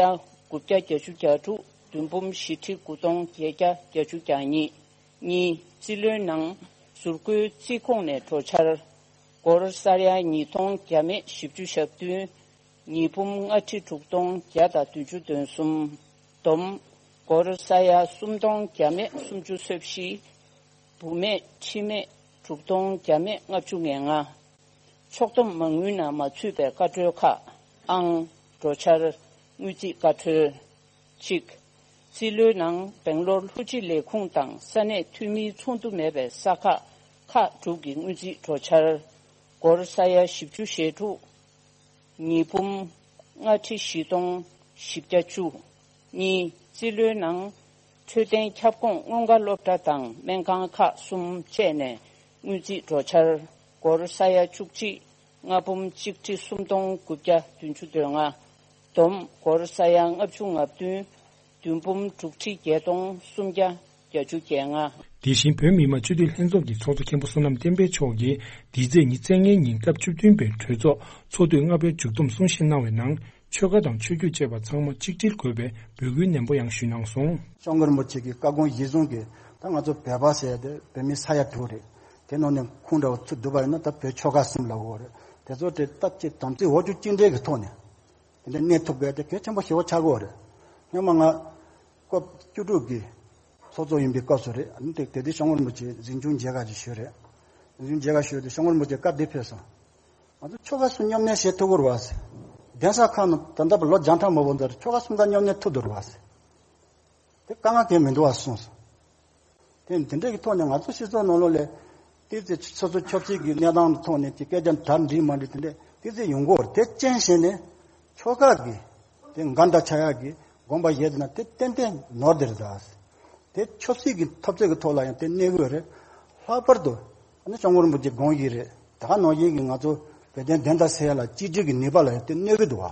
དགུ་བརྒྱ་བརྒྱད་ཅུ་གྱ་དྲུག་བདུན་འབུམ་བཞི་ཁྲི་དགུ་སྟོང་བརྒྱད་བརྒྱ་བརྒྱད་ཅུ་གྱ་གཉིས། གཉིས། རྩིས་ལོའི་ནང་ཟུར་བཀོལ་རྩིས་ཁོངས་ནས་འགྲོ་འཆར། སྒོར་ས་ཡ་ཉིས་སྟོང་བརྒྱ་མེད་བཞི་བཅུ་ཞེ་བདུན། ཉིས་འབུམ་ལྔ་ཁྲི་དྲུག་སྟོང་བརྒྱ་དང་བདུན་ཅུ་དོན་གསུམ། བསྡོམས། སྒོར་ས་ཡ་སུམ་སྟོང་བརྒྱ་མེད་སུམ་ཅུ་སོ་བཞི། བུ་མེད་ཁྲི་མེད་དྲུག་སྟོང་བརྒྱ་མེད་ལྔ་བཅུ་ང་ལྔ། ཕྱོགས་བསྡོམས་མ་དངུལ་ནང་མ་ཚུད་པའི་བཀའ་འཁྲོལ་ཁག་ཨང་། འགྲོ་འཆར། དངུལ་རྩིས་བཀའ་འཁྲོལ། གཅིག་རྩིས་ལོའི་ནང་སྦེང་ལོར་ལྷུ་ཅི་ལས་ཁུངས་དང་ས་གནས་འཐུས་མིའི་ཚོགས་འདུ་མེད་པའི་ས་ཁག་ཁག་དྲུག་གི་དངུལ་རྩིས་འགྲོ་འཆར། སྒོར་ས་ཡ་བཞི་བཅུ་ཞེ་དྲུག་ཉིས་འབུམ་ལྔ་ཁྲི་བཞི་སྟོང་བཞི་བརྒྱ་བཅུ། གཉིས། རྩིས་ལོའི་ནང་འཕྲོད་བསྟེན་ཁྱབ་ཁོངས་སྔོན་འགྲོ་སློབ་གྲྭ་དང་སྨན་ཁང་ཁག་གསུམ་བཅས་ནས་དངུལ་རྩིས་འགྲོ་འཆར། སྒོར་ས་ཡ་བཅུ་གཅིག་ལྔ་འབུམ་གཅིག་ཁྲི་སུམ་སྟོང་དགུ་བརྒྱ་བདུན་ཅུ་དོན་ལྔ། བསྡོམས་སྒོར་ས་ཡ་ལྔ་བཅུ་ང་བདུན་བདུན་འབུམ་དྲུག་ཁྲི་བརྒྱད་སྟོང་སུམ་བརྒྱ་བརྒྱད་ཅུ་གྱ་ལྔ། དེ་བཞིན་བོད་མི་མང་སྤྱི་འཐུས་ལྷན་ཚོགས་ཀྱི་ཚོགས་གཙོ་མཁན་པོ་བསོད་ནམས་བསྟན་འཕེལ་མཆོག་གིས་འདི་ཚེས་ཉི་ཤུ་རྩ་ལྔའི་ཉིན་སྐབས་བཅུ་བདུན་པའི་གྲོས་ཚོགས་ཚོགས་དུས་ལྔ་པའི་མཇུག་བསྡོམས་གསུང་བཤད་གནང་བའི་ནང་། ཆོལ་ཁ་དང་ཆོས་བརྒྱུད་བཅས་པ་ཚང་མ་གཅིག་སྒྲིལ་དགོས་པའི་འབོད་སྐུལ་ནན་པོ་ཡང་ཞུས་གནང་སོང་། སྐྱབས་མགོན་རིན་པོ་ཆེ་གི་བཀའ་དགོངས་གཞིར་བཟུང་གིས་ད་ང་ཚོ་བོད་པ་ཟེར་ཡ་དེ་བོད་མི་ས་ཡ་དྲུག་རེད། དེ་ནང་ནས་ཁུངས་འདྲ་བོ་ཚུར་བསྡུ་བ་ཡིན་ན་ད་བོད་ཆོལ་ཁ་གསུམ་ལབ་དགོས་རེད། དེ་ཚོ་དེ་སྟབས་གཅིག་དམ་ཚིག་འོག་བཅུག་གཅིག་འདྲེས་ཀྱི་ཐོག་ནས་དེ་འདྲ་གནས་ཐུབ་དགོས་དེ་གལ་ཆེན་པོ་ཞེ་པོ་ཆགས་ཀྱི་ཡོད་རེད། སྔོན་མ་ང་སྐབས་བཅུ་དྲུག་གི་ཚོགས་གཙོ་ཡིན་པའི་སྐབས་སུ་རེད། ཨ་ནི་དེ་དེ་དུས་སྐྱབས་མགོན་རིན་པོ་ཆེ་གཟིམ་ཆུང་མཇལ་ཁ་ཅིག་ཞུས་རེད། གཟིམ་ཆུང་མཇལ་ཁ་ཞུས་དུས་སྐྱབས་མགོན་རིན་པོ་ཆེ་བཀའ་འདི་ཕེབས་སོང་། ང་ཚོ་ཆོལ་ཁ་གསུམ་མཉམ་གནས་བྱེད་ཐུབ་ཀྱི་རེད་བ། གདན་ས་ཁག་ནང་ད་ལྟ་བར་ལོ་བརྒྱ་ཕྲག་མང་པོ་འདིར་ཆོལ་ཁ་གསུམ་ཀ་མཉམ་གནས་ཐུབ་འདུག་རེད་བ། དེ་དཀའ་ངལ་གང་ཡང་མི་འདུག་བ་གསུངས་སོང་། དེ་དེ་འདྲའི་གི་ཐོག་ནས་ང་ཚོ་སྤྱི་ཚོགས་ནང་ལོགས་ལ་ཏོག་ཙམ་སོ་སོ་ཆབ་སྲིད་ཀྱི་གནས་སྟངས་ཐོག་ནས་ཀྱི་སྐད་ཆ་དར་འགྲིག་མ་འགྲིག་དེ་འདྲ་ཏོག་ཙམ་ཡོང་གི་ཡོད་རེད། དེ་རྐྱེན་བྱས་ནས་ཆོལ་ཁ་གི་དེ་འགལ་ཟླ་ཆགས་ཡག་གི་དགོངས་པ་བཞེས་ན་དེ་ཏན་ཏན་ནོར་འདི་རེད་ད། དེ་ཆབ་སྲིད་ཀྱི་འཐབ་རྩོད་ཀྱི་ཐོག་ལ་ཡང་དེ་གནོད་ཀྱི་ཡོད་རེད། ལྷག་པར་དུ་ཨ་ནི་སྐྱབས་མགོན་རིན་པོ་ཆེ་དགོངས་ཡིག་རེད། ད་ག་ནང་བཞིན་གྱི་ང་ཚོ་བོད་དོན་བདེན་མཐའ་གསལ་ཡག་ལ་གཅིག་སྒྲིལ་གྱི་ནུས་པ་ལ་ཡང་དེ་གནོད་ཀྱི་འདུག་བ།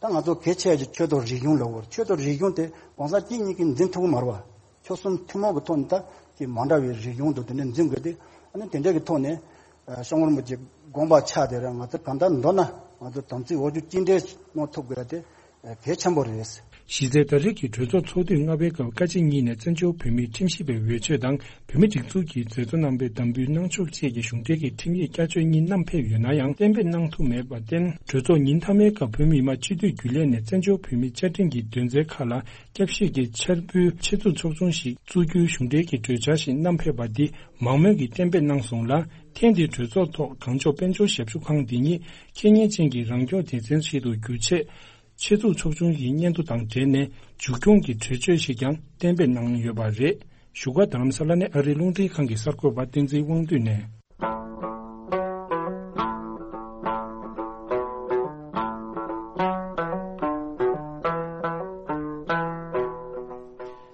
ད་ང་ཚོ་གལ་ཆེ་ཡག་ཆོས་དང་རིག་གཞུང་ལབ་དགོས་རེད། ཆོས་དང་རིག་གཞུང་དེ་གང་ཟག་གཅིག་གཉིས་ཀྱིས་འཛིན་ཐུབ་ཀྱི་མ་རེད་བ། ཆོལ་གསུམ་ཐུན་མོང་གི་ཐོག་ནས་ད་ཀྱི་མ་འདྲ་བའི་རིག་གཞུང་དང་དེ་འདྲ་འཛིན་དགོས་ཏེ། ཨ་ནི་དེ་འདྲ་གི་ཐོག་ནས་སྐྱབས་མགོན་རིན་པོ་ཆེ་དགོངས་པ་ཆགས་དེ་ར་ང་ཚོ་གང་ལྟར་མདོར་ན་ང་ཚོ་དམ་ཚིག་འོག་བཅུག་གཅིག་འདྲེས་གནང་ཐུབ་དགོས་ཡག་དེ་གལ་ཆེན་པོ་རེད། གཞི་རྩའི་ད་རེས་ཀྱི་གྲོས་ཚོགས་ཚོགས་དུས་ལྔ་པའི་སྐབས་བཀའ་སྤྱི་གཉིས་ནས་བཙན་བྱོལ་བོད་མིའི་ཁྲིམས་ཞིབ་པའི་འོས་ཆོས་དང་བོད་མིའི་སྒྲིག་འཛུགས་ཀྱི་མཛད་གཙོ་རྣམ་པས་དམ་འབུལ་གནང་ཕྱོགས་བཅས་ཀྱི་གཞུང་འབྲེལ་གྱི་ཁྲིམས་ཡིག་བསྐྱར་བཅོས་གཉིས་བསྣམས་ཕེབས་ཡོད་ན་ཡང་གཏན་འབེབས་གནང་ཐུབ་མེད་པར་བརྟེན། གྲོས་ཚོགས་ཉིན་མཐའ་མའི་སྐབས་བོད་མི་མང་སྤྱི་འཐུས་རྒྱུན་ལས་ནས་བཙན་བྱོལ་བོད་མིའི་བཅའ་ཁྲིམས་ཀྱི་དོན་ཚན་ཁག་ལ་བསྐྱར་ཞིབ་ཀྱི་འཆར་འབུལ་ཆེད་འཛུགས་ཚོགས་ཆུང་ཞིག་བཙུགས་རྒྱུའི་གཞུང་འབྲེལ་གྱི་གྲོས་འཆར་ཞིག་བསྣམས་ཕེབས་པ་འདི་མང་མོས་ཀྱིས་གཏན་འབེབས་གནང་སོང་ལ། ཐེངས་འདིའི་གྲོས་ཚོགས་ཐོག་གངས་ལྗོངས་དཔལ་འབྱོར་ཞབས་ཞུ་ཁང་འདི་ཉིད་ཁེ་ཉེན་ཅན་གྱི་རང་སྐྱོང་སྡེ་ཚན་ཞིག་ཏུ་བསྒྱུར་ཆེད། ཆེད་འཛུགས་ཚོགས་ཆུང་གི་སྙན་ཐོ་དང་འབྲེལ་ནས་མཇུག་སྐྱོང་གི་གྲོས་ཆོད་ཞིག་ཀྱང་གཏན་འབེབས་གནང་ཡོད་པ་རེད། བཞུགས་སྒར་རྡ་རམ་ས་ལ་ནས་ཨ་རིའི་རླུང་འཕྲིན་ཁང་གི་གསར་འགོད་པ་བསྟན་འཛིན་དབང་འདུས་ནས།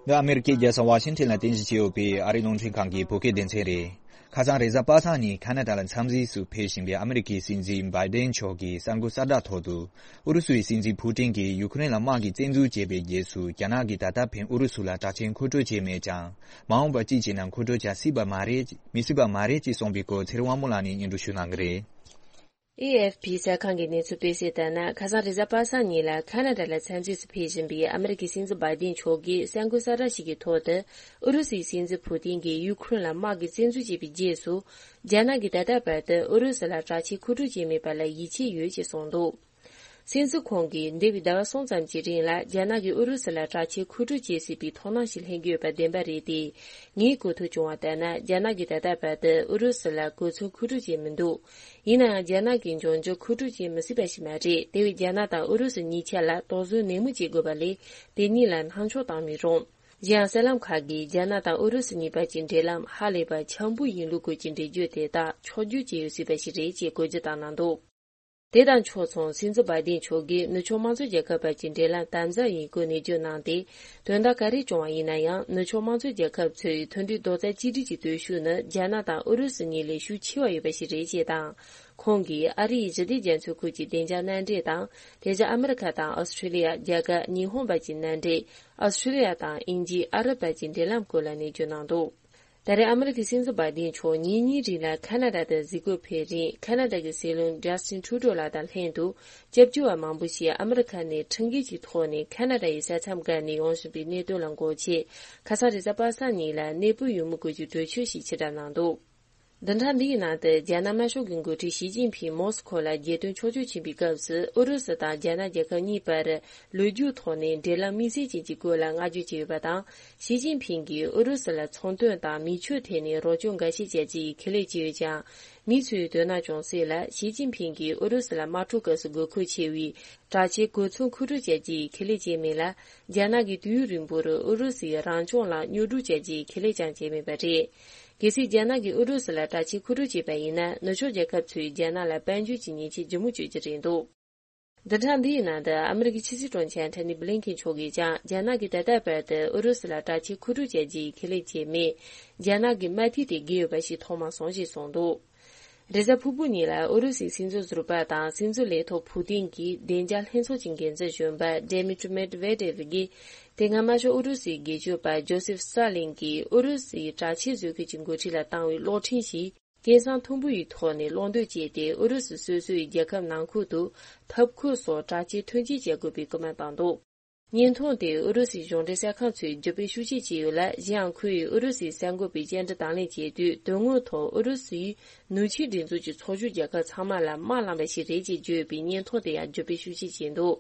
འདི་ཨ་མེ་རི་ཀའི་རྒྱལ་ས་ཝ་ཤིང་ཊོན་ལ་རྟེན་གཞི་བྱས་ཡོད་པའི་ཨ་རིའི་རླུང་འཕྲིན་ཁང་གི་བོད་སྐད་སྡེ་ཚན་རེད། ཁ་སང་རེས་གཟའ་པ་སངས་ཉིན་ཁ་ན་ཌ་ལ་འཚམས་གཟིགས་སུ་ཕེབས་བཞིན་པའི་ཨ་མེ་རི་ཀའི་སྲིད་འཛིན་བྷའི་ཌེན་མཆོག་གིས་གསར་འགོད་གསལ་བསྒྲགས་ཐོག་ཏུ། ཨུ་རུ་སུའི་སྲིད་འཛིན་ཕུ་ཏིན་གྱིས་ཡུ་ཁུ་རེན་ལ་དམག་གི་བཙན་འཛུལ་བྱས་པའི་རྗེས་སུ། རྒྱ་ནག་གིས་ད་ལྟ་བར་ཨུ་རུ་སུ་ལ་དྲག་ཆས་མཁོ་སྤྲོད་བྱས་མེད་ཀྱང་། མ་འོངས་པར་ཅི་བྱས་ན་མཁོ་སྤྲོད་བྱ་སྲིད་པ་མ་རེད། མི་སྲིད་པ་མ་རེད་ཅེས་གསུངས་པའི་སྐོར་ཚེ་རིང་དབང་མོ་ལགས་ནས་སྙན་སྒྲོན་ཞུ་གནང་གི་རེད། ཨེ་ཨེཕ་པི་གསར་ཁང་གི་གནས་ཚུལ་སྤེལ་གསལ་ལྟར་ན། ཁ་སང་རེས་གཟའ་པ་སངས་ཉིན་ལ་ཁ་ན་ཌ་ལ་འཚམས་གཟིགས་སུ་ཕེབས་བཞིན་པའི་ཨ་མེ་རི་ཀའི་སྲིད་འཛིན་བྷའི་ཌེན་མཆོག་གིས་གསར་འགོད་གསལ་བསྒྲགས་ཤིག་གི་ཐོག་ཏུ། ཨུ་རུ་སུའི་སྲིད་འཛིན་ཕུ་ཏིན་གྱིས་ཡུ་ཁུ་རེན་ལ་དམག་གི་བཙན་འཛུལ་བྱས་པའི་རྗེས་སུ། རྒྱ་ནག་གིས་ད་ལྟ་བར་དུ་ཨུ་རུ་སུ་ལ་དྲག་ཆས་མཁོ་སྤྲོད་བྱས་མེད་པ་ལ་ཡིད་ཆེས་ཡོད་ཅེས་གསུངས་འདུག། སྲིད་འཛིན་ཁོང་གིས་འདས་པའི་ཟླ་བ་གསུམ་ཙམ་གྱི་རིང་ལ་རྒྱ་ནག་གིས་ཨུ་རུ་སུ་ལ་དྲག་ཆས་མཁོ་སྤྲོད་བྱེད་སྲིད་པའི་དོ་སྣང་ཞིག་ལྷན་དགོས་པ་བདེན་པ་རེད་དེ། ངས་གོ་ཐོས་བྱུང་བ་ལྟར་ན། རྒྱ་ནག་གིས་ད་ལྟ་བར་དུ་ཨུ་རུ་སུ་ལ་གོ་མཚོན་མཁོ་སྤྲོད་བྱས་མི་འདུག། ཡིན་ནའང་རྒྱ་ནག་གིས་འབྱུང་འགྱུར་མཁོ་སྤྲོད་བྱེད་མི་སྲིད་པ་ཞིག་མ་རེད། དེ་བས་རྒྱ་ནག་དང་ཨུ་རུ་སུ་གཉིས་ཆ་ལ་དོགས་ཟོན་ནན་མོ་བྱེད་དགོས་པ་ལས། དེ་གཉིས་ལ་སྣང་ཆུང་བཏང་མི་རུང་། གཞན་གསར་ལམ་ཁག་གིས་རྒྱ་ནག་དང་ཨུ་རུ་སུ་གཉིས་བར་གྱི་འབྲེལ་ལམ་ཧ་ལས་པ་འཆམ་པོ་ཡིན་ལུགས་སྐོར་གྱི་འགྲེལ་བརྗོད་དེ་དག་ཕྱོགས་བསྒྱུར་བྱས་ཡོད་སྲིད་པ་ཞིག་རེད་ཅེས་གོ་རྒྱུ་བཏང་གནང་འདུག། དེ་དང་ཕྱོགས་མཚུངས། སྲིད་འཛིན་བྷའི་ཌེན་མཆོག་གིས་ནུབ་ཕྱོགས་དམངས་གཙོ་རྒྱལ་ཁབ་བར་གྱི་འབྲེལ་ལམ་དམ་ཟབ་ཡིན་སྐོར་ནན་བརྗོད་གནང་སྟེ། དོན་དག་ག་རེ་བྱུང་བ་ཡིན་ན་ཡང་། ནུབ་ཕྱོགས་དམངས་གཙོ་རྒྱལ་ཁབ་ཚོས་མཐུན་སྒྲིལ་རྡོག་རྩ་གཅིག་སྒྲིལ་གྱི་སྟོབས་ཤུགས་ནི་རྒྱ་ནག་དང་ཨུ་རུ་སུ་གཉིས་ལས་ཤུགས་ཆེ་བ་ཡོད་པ་ཞིག་རེད་ཅེས་དང་། ཁོང་གིས་ཨ་རིའི་ཞི་བདེ་རྒྱ་མཚོའི་ཁུལ་གྱི་བདེ་འཇགས་མནའ་འབྲེལ་དང་། དེ་བཞིན་ཨ་མི་རི་ཁ་དང་ཨོ་སི་ཁྲི་ལི་ཡ། རྒྱ་གར། ཉི་ཧོང་བར་གྱི་མནའ་འབྲེལ། ཨོ་སི་ཁྲི་ལི་ཡ་དང་དབྱིན་ཇི། ཨ་རབ་བར་གྱི་འབྲེལ་ལམ་སྐོར་ལ་ནན་བརྗོད་གནང་འདུག། ད་རེས་ཨ་མི་རི་ཀའི་སྲིད་འཛིན་བྷའི་ཌེན་མཆོག་ཉིན་གཉིས་རིང་ལ་ཁ་ན་ཌ་དུ་གཟིགས་སྐོར་ཕེབས་རིང་། ཁ་ན་ཌ་གི་སྲིད་བློན་ཇ་སི་ཊིན་ཊུ་ཌོ་ལགས་དང་ལྷན་དུ། སྐྱབས་བཅོལ་བ་མང་པོ་ཞིག་ཨ་མི་རི་ཁ་ནས་ཁྲིམས་འགལ་གྱི་ཐོག་ནས་ཁ་ན་ཌ་ཡི་ས་མཚམས་བརྒལ་ནས་ཡོང་བཞིན་པའི་གནད་དོན་ལ་མགོ་ཆེ། ཁ་སང་རེས་གཟའ་པ་སངས་ཉིན་ལ་གནས་སྤོས་ཡོད་མེད་སྐོར་གྱི་གྲོས་ཆོད་ཞིག་ཕྱིར་བསྒྲགས་གནང་འདུག། བདུན་ཕྲག་འདིའི་ནང་དུ་རྒྱ་ནག་དམར་ཤོག་གི་འགོ་ཁྲིད་ཞི་ཅིན་ཕིང་མོ་སི་ཁོ་ལ་རྒྱལ་དོན་ཕྱོགས་བསྐྱོད་ཕྱིན་པའི་སྐབས་སུ། ཨུ་རུ་སུ་དང་རྒྱ་ནག་རྒྱལ་ཁབ་གཉིས་བར་ལོ་རྒྱུས་ཐོག་ནས་འབྲེལ་ལམ་དམིགས་བསལ་ཅན་གྱི་སྐོར་ལ་བསྔགས་བརྗོད་བྱས་ཡོད་པ་དང་། ཞི་ཅིན་ཕིང་གིས་ཨུ་རུ་སུ་ལ་ཚོང་དོན་དང་མི་ཆོས་ཐད་ནས་རོགས་སྐྱོར་འགའ་ཤས་བྱ་རྒྱུ་ཡི་ཁས་ལེན་བྱས་ཡོད་ཀྱང་། མི་ཚོའི་དོ་སྣང་བྱུང་སྲིད་ལ། ཞི་ཅིན་ཕིང་གིས་ཨུ་རུ་སུ་ལ་དམག་འཁྲུག་སྐབས་སུ་དགོས་མཁོ་ཆེ་བའི་དྲག་ཆས་གོ་མཚོན་མཁོ་སྤྲོད་བྱ་རྒྱུ་ཡི་ཁས་ལེན་བྱས་མེད་ལ། རྒྱ་ནག་གིས་དུས་ཡུན་རིང་པོར་ཨུ་རུ་སུའི་རང་སྐྱོང་ལ་གཉོག་སྒྲུབ་བྱ་རྒྱུ་ཡི་ཁས་ལེན་ཀྱང་བྱས་མེད་པ་རེད། གལ་སྲིད་རྒྱ་ནག་གིས་ཨུ་རུ་སུ་ལ་དྲག་ཆས་མཁོ་སྤྲོད་བྱས་པ་ཡིན་ན། ནུབ་ཕྱོགས་རྒྱལ་ཁབ་ཚོས་རྒྱ་ནག་ལ་དཔལ་འབྱོར་གྱི་ཉེས་ཆད་ལྗིད་མོ་གཅོད་རྒྱུ་རེད་འདུག། བདུན་ཕྲག་འདིའི་ནང་དུ་ཨ་མི་རི་ཀའི་ཕྱི་སྲིད་དྲུང་ཆེ་ཨན་ཐོ་ནི་བྷི་ལིན་ཁེན་མཆོག་གིས་ཀྱང་། རྒྱ་ནག་གིས་ད་ལྟ་བར་དུ་ཨུ་རུ་སུ་ལ་དྲག་ཆས་མཁོ་སྤྲོད་བྱ་རྒྱུ་ཡི་ཁས་ལེན་བྱས་མེད། རྒྱ་ནག་གི་མ་མཐའི་དེ་འགལ་ཡོད་པ་ཞིག་མཐོང་མ་སོང་ཞེས་གསུངས་འདུག། རེས་གཟའ་ཕུར་བུ་ཉིན་ལ་ཨུ་རུ་སུའི་སྲིད་འཛིན་ཟུར་པ་དང་སྲིད་འཛིན་ལས་ཐོག་ཕུ་ཏིན་གྱི་བདེ་འཇགས་ལྷན་ཚོགས་ཀྱི་འགན་འཛིན་གཞོན་པ་ཌེ་མི་ཏྲི་མེད་ཝེ་ཏེ་ཝི་གིས། དེ་སྔ་དམར་ཤོག་ཨུ་རུ་སུའི་སྒེར་གཅོད་པ་ཇོ་སེབ་སི་ཏཱ་ལིན་གྱིས་ཨུ་རུ་སུའི་དྲག་ཆས་བཟོ་མཁན་གྱི་འགོ་ཁྲིད་ལ་བཏང་བའི་གློག་འཕྲིན་ཞིག་སྐད་གསང་མཐོན་པོ་ཡི་ཐོག་ནས་གློག་འདོན་བྱས་ཏེ། ཨུ་རུ་སུ་སོ་སོའི་རྒྱལ་ཁབ་ནང་ཁུལ་དུ་ཐབ་ཁུལ་སོགས་དྲག་ཆས་ཐོན་སྐྱེད་བྱ་དགོས་པའི་སྐུལ་མ་བཏང་འདུག། བརྙན་ཐུང་དེ་ཨུ་རུ་སུའི་གཞུང་འབྲེལ་གསར་ཁང་ཚོས་བརྒྱུད་སྤེལ་ཤུགས་ཆེ་བྱས་ཡོད་ལ། གཞན་ཡང་ཁོས་ཨུ་རུ་སུའི་གསར་འགོད་པའི་བཅར་འདྲི་དང་ལེན་བྱས་དུས། དོན་དངོས་ཐོག་ཨུ་རུ་སུའི་ནུབ་ཕྱོགས་སྒྲིག་འཛུགས་ཀྱི་ཚོགས་ཞུགས་རྒྱལ་ཁབ་ཚང་མ་ལ་དམག་བསླངས་པ་ཞིག་རེད་ཅེས་བརྗོད་པའི་བརྙན་ཐུང་དེ་ཡང་བརྒྱུད་སྤེལ་ཤུགས་ཆེ་བྱས་འདུག།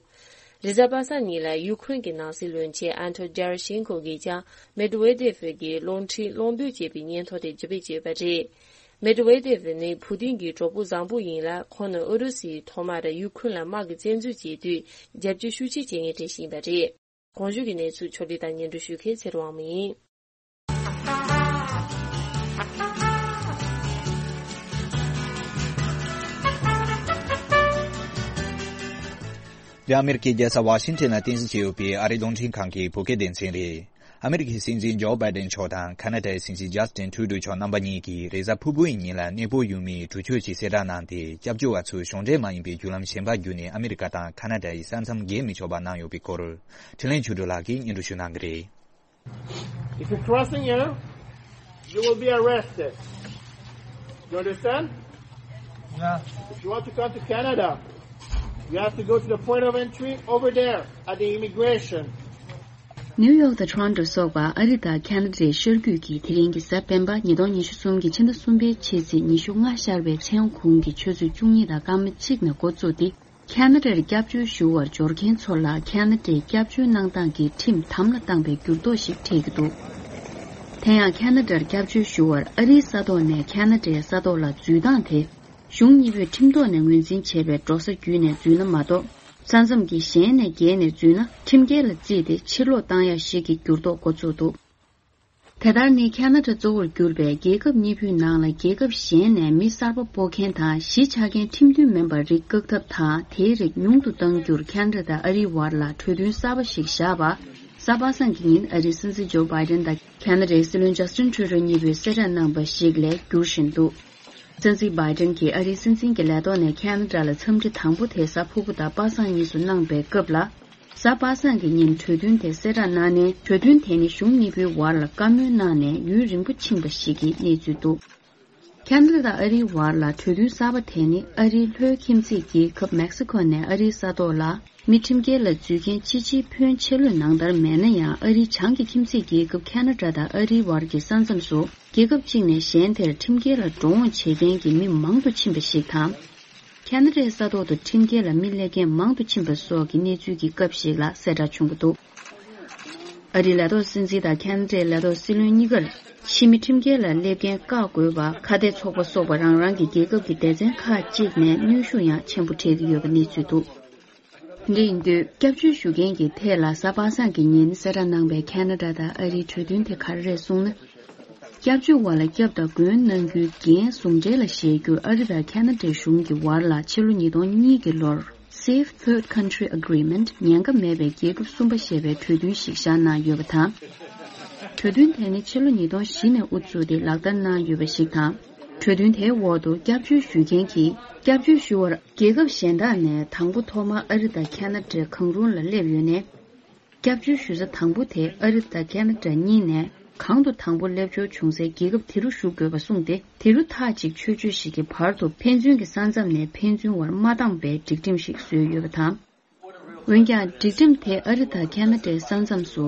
རེས་གཟའ་པ་སངས་ཉིན་ལ་ཡུ་ཁུ་རེན་གྱི་ནང་སྲིད་བློན་ཆེན་ཨན་ཐོ་ཇར་ཤེན་ཁོ་གིས་ཀྱང་མེད་ཝེ་ཏེ་ཝི་གི་གློག་འཕྲིན་གློག་འདོན་བྱས་པའི་བརྙན་ཐུང་དེ་བརྒྱུད་སྤེལ་བྱས་ཡོད་པ་རེད། མེད་ཝེ་ཏེ་ཝི་ནི་ཕུ་ཏིན་གྱི་གྲོགས་པོ་བཟང་པོ་ཡིན་ལ། ཁོང་ནི་ཨུ་རུ་སུས་ཐོག་མར་ཡུ་ཁུ་རེན་ལ་དམག་གི་བཙན་འཛུལ་བྱས་དུས་རྒྱབ་སྐྱོར་ཤུགས་ཆེ་བྱེད་མཁན་དེ་ཞིག་ཡིན་པ་རེད། གོང་ཞུས་ཀྱི་གནས་ཚུལ་ཕྱོགས་བསྒྲིགས་དང་སྙན་སྒྲོན་ཞུ་མཁན་ཚེ་རིང་དབང་མོ་ཡིན། འདི་ཨ་མེ་རི་ཀའི་རྒྱལ་ས་ཝ་ཤིང་ཊོན་ལ་རྟེན་གཞི་བྱས་ཡོད་པའི་ཨ་རིའི་རླུང་འཕྲིན་ཁང་གི་བོད་སྐད་སྡེ་ཚན་རེད། ཨ་མེ་རི་ཀའི་སྲིད་འཛིན་ཇོ་བྷའི་ཌེན་མཆོག་དང་ཁ་ན་ཌའི་སྲིད་འཛིན་ཇ་སི་ཊིན་ཊུ་རུ་ཌོ་མཆོག་རྣམ་པ་གཉིས་ཀྱིས་རེས་གཟའ་ཕུར་བུའི་ཉིན་ལ་གནས་སྤོ་ཡོད་མེད་གྲོས་ཆོད་ཅིག་གསལ་བསྒྲགས་གནང་སྟེ། སྐྱབས་བཅོལ་བ་ཚོས་གཞུང་འབྲེལ་མ་ཡིན་པའི་བརྒྱུད་ལམ་གཞན་པ་བརྒྱུད་ནས་ཨ་མེ་རི་ཀ་དང་ཁ་ན་ཌ་ཡི་ས་མཚམས་བརྒལ་མི་ཆོག་པ་གནང་ཡོད་པའི་སྐོར། འཕྲིན་ལས་ཆོས་སྒྲོན་ལགས་ཀྱིས་སྙན་སྒྲོན་ཞུ་གནང་གི་རེད། If you're crossing here, you will be arrested. You understand? Yeah. If you want to come to Canada, you have to go to the point of entry over there at the immigration. ནིའུ་ཡོག་དང་ཊོ་རོན་ཊོ་སོགས་པ་ཨ་རི་དང་ཁ་ན་ཌའི་ཤར་རྒྱུད་ཀྱི་དེ་རིང་གི་གཟའ་སྤེན་པ་ཉིས་སྟོང་ཉི་ཤུ་གསུམ་གྱི་ཕྱི་ཟླ་གསུམ་པའི་ཕྱི་ཚེས་ཉི་ཤུ་ལྔ་ཤར་བའི་མཚན་གུང་གི་ཆུ་ཚོད་བཅུ་གཉིས་དང་སྐར་མ་གཅིག་ནས་འགོ་བཙུགས་ཏེ། ཁ་ན་ཌར་སྐྱབས་བཅོལ་ཞུ་བར་འབྱོར་མཁན་ཚོ་ལ་ཁ་ན་ཌའི་སྐྱབས་བཅོལ་གནང་སྟངས་ཀྱི་ཁྲིམས་དམ་ལ་བཏང་པའི་འགྱུར་ལྡོག་ཞིག་འཕྲད་ཀྱི་འདུག། དེ་ཡང་ཁ་ན་ཌར་སྐྱབས་བཅོལ་ཞུ་བར་ཨ་རིའི་ས་ཐོག་ནས་ཁ་ན་ཌའི་ས་ཐོག་ལ་འཛུལ་སྟངས་དེ། གཞུང་གཉིས་པོས་ཁྲིམས་ཐོག་ནས་ངོས་འཛིན་བྱས་པའི་འགྲོ་ས་བརྒྱུད་ནས་འཛུལ་ན་མ་གཏོགས། ས་མཚམས་ཀྱི་གཞན་ནས་བརྒལ་ནས་འཛུལ་ན་ཁྲིམས་འགལ་ལ་བརྩིས་ཏེ་ཕྱིར་སློག་བཏང་ཡ་ཞིག་གི་འགྱུར་ལྡོག་འགོ་ཚུགས་འདུག། དེ་ལྟར་ནི་ཁ་ན་ཌ་གཙོ་བོར་གྱུར་པའི་རྒྱལ་ཁབ་གཉིས་པོའི་ནང་ལ་རྒྱལ་ཁབ་གཞན་ནས་མི་གསར་པ་སྤོ་མཁན་དང་གཞིས་ཆགས་མཁན་ཁྲིམས་མཐུན་མིན་པར་རིགས་བཀག་ཐབས་དང་དེའི་རིགས་ཉུང་དུ་གཏང་རྒྱུར་ཁ་ན་ཌ་དང་ཨ་རིའི་བར་ལ་གྲོས་མཐུན་གསར་པ་ཞིག་བཞག་པ། གཟའ་པ་སངས་ཀྱི་ཉིན་ཨ་རིའི་སྲིད་འཛིན་ཇོ་བྷའི་ཌེན་དང་ཁ་ན་ཌའི་སྲིད་བློན་ཇ་སི་ཊིན་ཁྲུ་ཌོ་གཉིས་པོས་གསལ་བསྒྲགས་གནང་པ་ཞིག་ལས་འགྱུར་བཞིན་འདུག་སྲིད་འཛིན་བྷའི་ཌེན་གྱིས་ཨ་རིའི་སྲིད་འཛིན་གྱི་ལས་ཐོག་ནས་ཁ་ན་ཌ་ལ་འཚམས་འདྲི་དང་པོ་དེ་གཟའ་ཕུར་བུ་དང་པ་སངས་གཉིས་སུ་གནང་པའི་སྐབས་ལ། གཟའ་པ་སངས་ཀྱི་ཉིན་གྲོས་མཐུན་དེ་གསལ་བསྒྲགས་གནང་ནས། གྲོས་མཐུན་དེ་ནི་གཞུང་གཉིས་པོའི་བར་ལ་བཀའ་མོལ་གནང་ནས་ཡུན་རིང་པོ་ཕྱིན་པ་ཞིག་གི་གནས་ཚུལ་འདུག་ཁ་ན་ཌ་དང་ཨ་རིའི་བར་ལ་གྲོས་མཐུན་གསར་པ་དེ་ནི་ཨ་རིའི་ལྷོའི་ཁྱིམ་མཚེས་རྒྱལ་ཁབ་མེག་སི་ཁོ་ནས་ཨ་རིའི་ས་ཐོག་ལ་མི་ཁྲིམས་འགལ་ལ་འཛུལ་མཁན་ཕྱི་ཕྱིའི་ཕོན་ཆེ་ལོས་ནང་ལྟར་མེད་ན་ཡང་། ཨ་རིའི་བྱང་གི་ཁྱིམ་མཚེས་རྒྱལ་ཁབ་ཁ་ན་ཌ་དང་ཨ་རིའི་བར་གྱི་ས་མཚམས་སུ་རྒྱལ་ཁབ་གཅིག་ནས་གཞན་དེར་ཁྲིམས་འགལ་ལ་འགྲོ་འོང་བྱེད་མཁན་གྱི་མི་མང་དུ་ཕྱིན་པ་ཞིག་དང་། ཁ་ན་ཌའི་ས་ཐོག་ཏུ་ཁྲིམས་འགལ་ལ་མི་སླེབས་མཁན་མང་དུ་ཕྱིན་པ་སོགས་ཀྱི་གནས་ཚུལ་གྱི་སྐབས་ཤིག་ལ་གསལ་བསྒྲགས་བྱུང་གི་འདུག་ཨ་རིའི་ལས་ཐོག་སྲིད་འཛིན་དང་ཁ་ན་ཌའི་ལས་ཐོག་སྲིད་བློན་གཉིས་ཀར་ཕྱི་མི་ཁྲིམས་འགལ་ལ་སླེབས་མཁན་བཀག་དགོས་པ་ཁ་གཏད་ཚོགས་པ་སོགས་པ་རང་རང་གི་རྒྱལ་ཁབ་ཀྱི་སྡེ་ཚན་ཁག་ཅིག་ནས་གནོན་ཤུགས་ཡང་ཆེན་པོ་སྤྲད་ཀྱི་ཡོད་པ་གནས་ཚུལ་འདུག་འདི་ཡིན་དུས་སྐྱབས་བཅོལ་ཞུ་མཁན་གྱི་ཐད་ལ་གཟའ་པ་སངས་ཀྱི་ཉིན་གསལ་བསྒྲགས་གནང་པའི་ཁ་ན་ཌ་དང་ཨ་རིའི་གྲོས་མཐུན་དེ་ག་རེ་རེད་གསུངས་ན། སྐྱབས་བཅོལ་བ་ལ་སྐྱབས་དང་མགོན་གནང་རྒྱུའི་འགན་ཟུང་འབྲེལ་ལ་བཞེས་རྒྱུར་ཨ་རི་དང་ཁ་ན་ཌའི་གཞུང་གི་བར་ལ་ཕྱི་ལོ་ཉིས་སྟོང་གཉིས་ཀྱི་ལོར་Safe Third Country Agreement ཉེན་ཁ་མེད་པའི་རྒྱལ་ཁབ་གསུམ་པ་ཞེས་པའི་གྲོས་མཐུན་ཞིག་བཞག་གནང་ཡོད་པ་དང་། གྲོས་མཐུན་དེ་ནི་ཕྱི་ལོ་ཉིས་སྟོང་བཞི་ནས་དབུ་བཙུགས་ཏེ་ལག་བསྟར་གནང་ཡོད་པ་ཞིག་དང་། གྲོས་མཐུན་དེའི་འོག་ཏུ་སྐྱབས་བཅོལ་ཞུ་མཁན་གྱིས་སྐྱབས་བཅོལ་ཞུ་བར་རྒྱལ་ཁབ་གཞན་དག་ནས་དང་པོ་ཐོག་མར་ཨ་རི་དང་ཁ་ན་ཌའི་གང་རུང་ལ་སླེབས་ཡོད་ནས། སྐྱབས་བཅོལ་ཞུ་ས་དང་པོ་དེ་ཨ་རི་དང་ཁ་ན་ཌ་གཉིས་ནས་གང་དུ་དང་པོ་སླེབས་འབྱོར་བྱུང་སའི་རྒྱལ་ཁབ་དེ་རུ་བཞུགས་དགོས་པ་གསུངས་ཏེ། དེ་རུ་མཐའ་གཅིག་ཆོས་སྤྱོད་ཞིག་གི་བར་དུ་ཕན་ཚུན་གྱི་ས་མཚམས་ནས་ཕན་ཚུན་བར་མ་འདང་བའི་སྒྲིག་ཁྲིམས་ཤིག་བཟོས་ཡོད་པ་དང་། འོན་ཀྱང་། སྒྲིག་ཁྲིམས་དེ་ཨ་རི་དང་ཁ་ན་ཌའི་ས་མཚམས་སུ་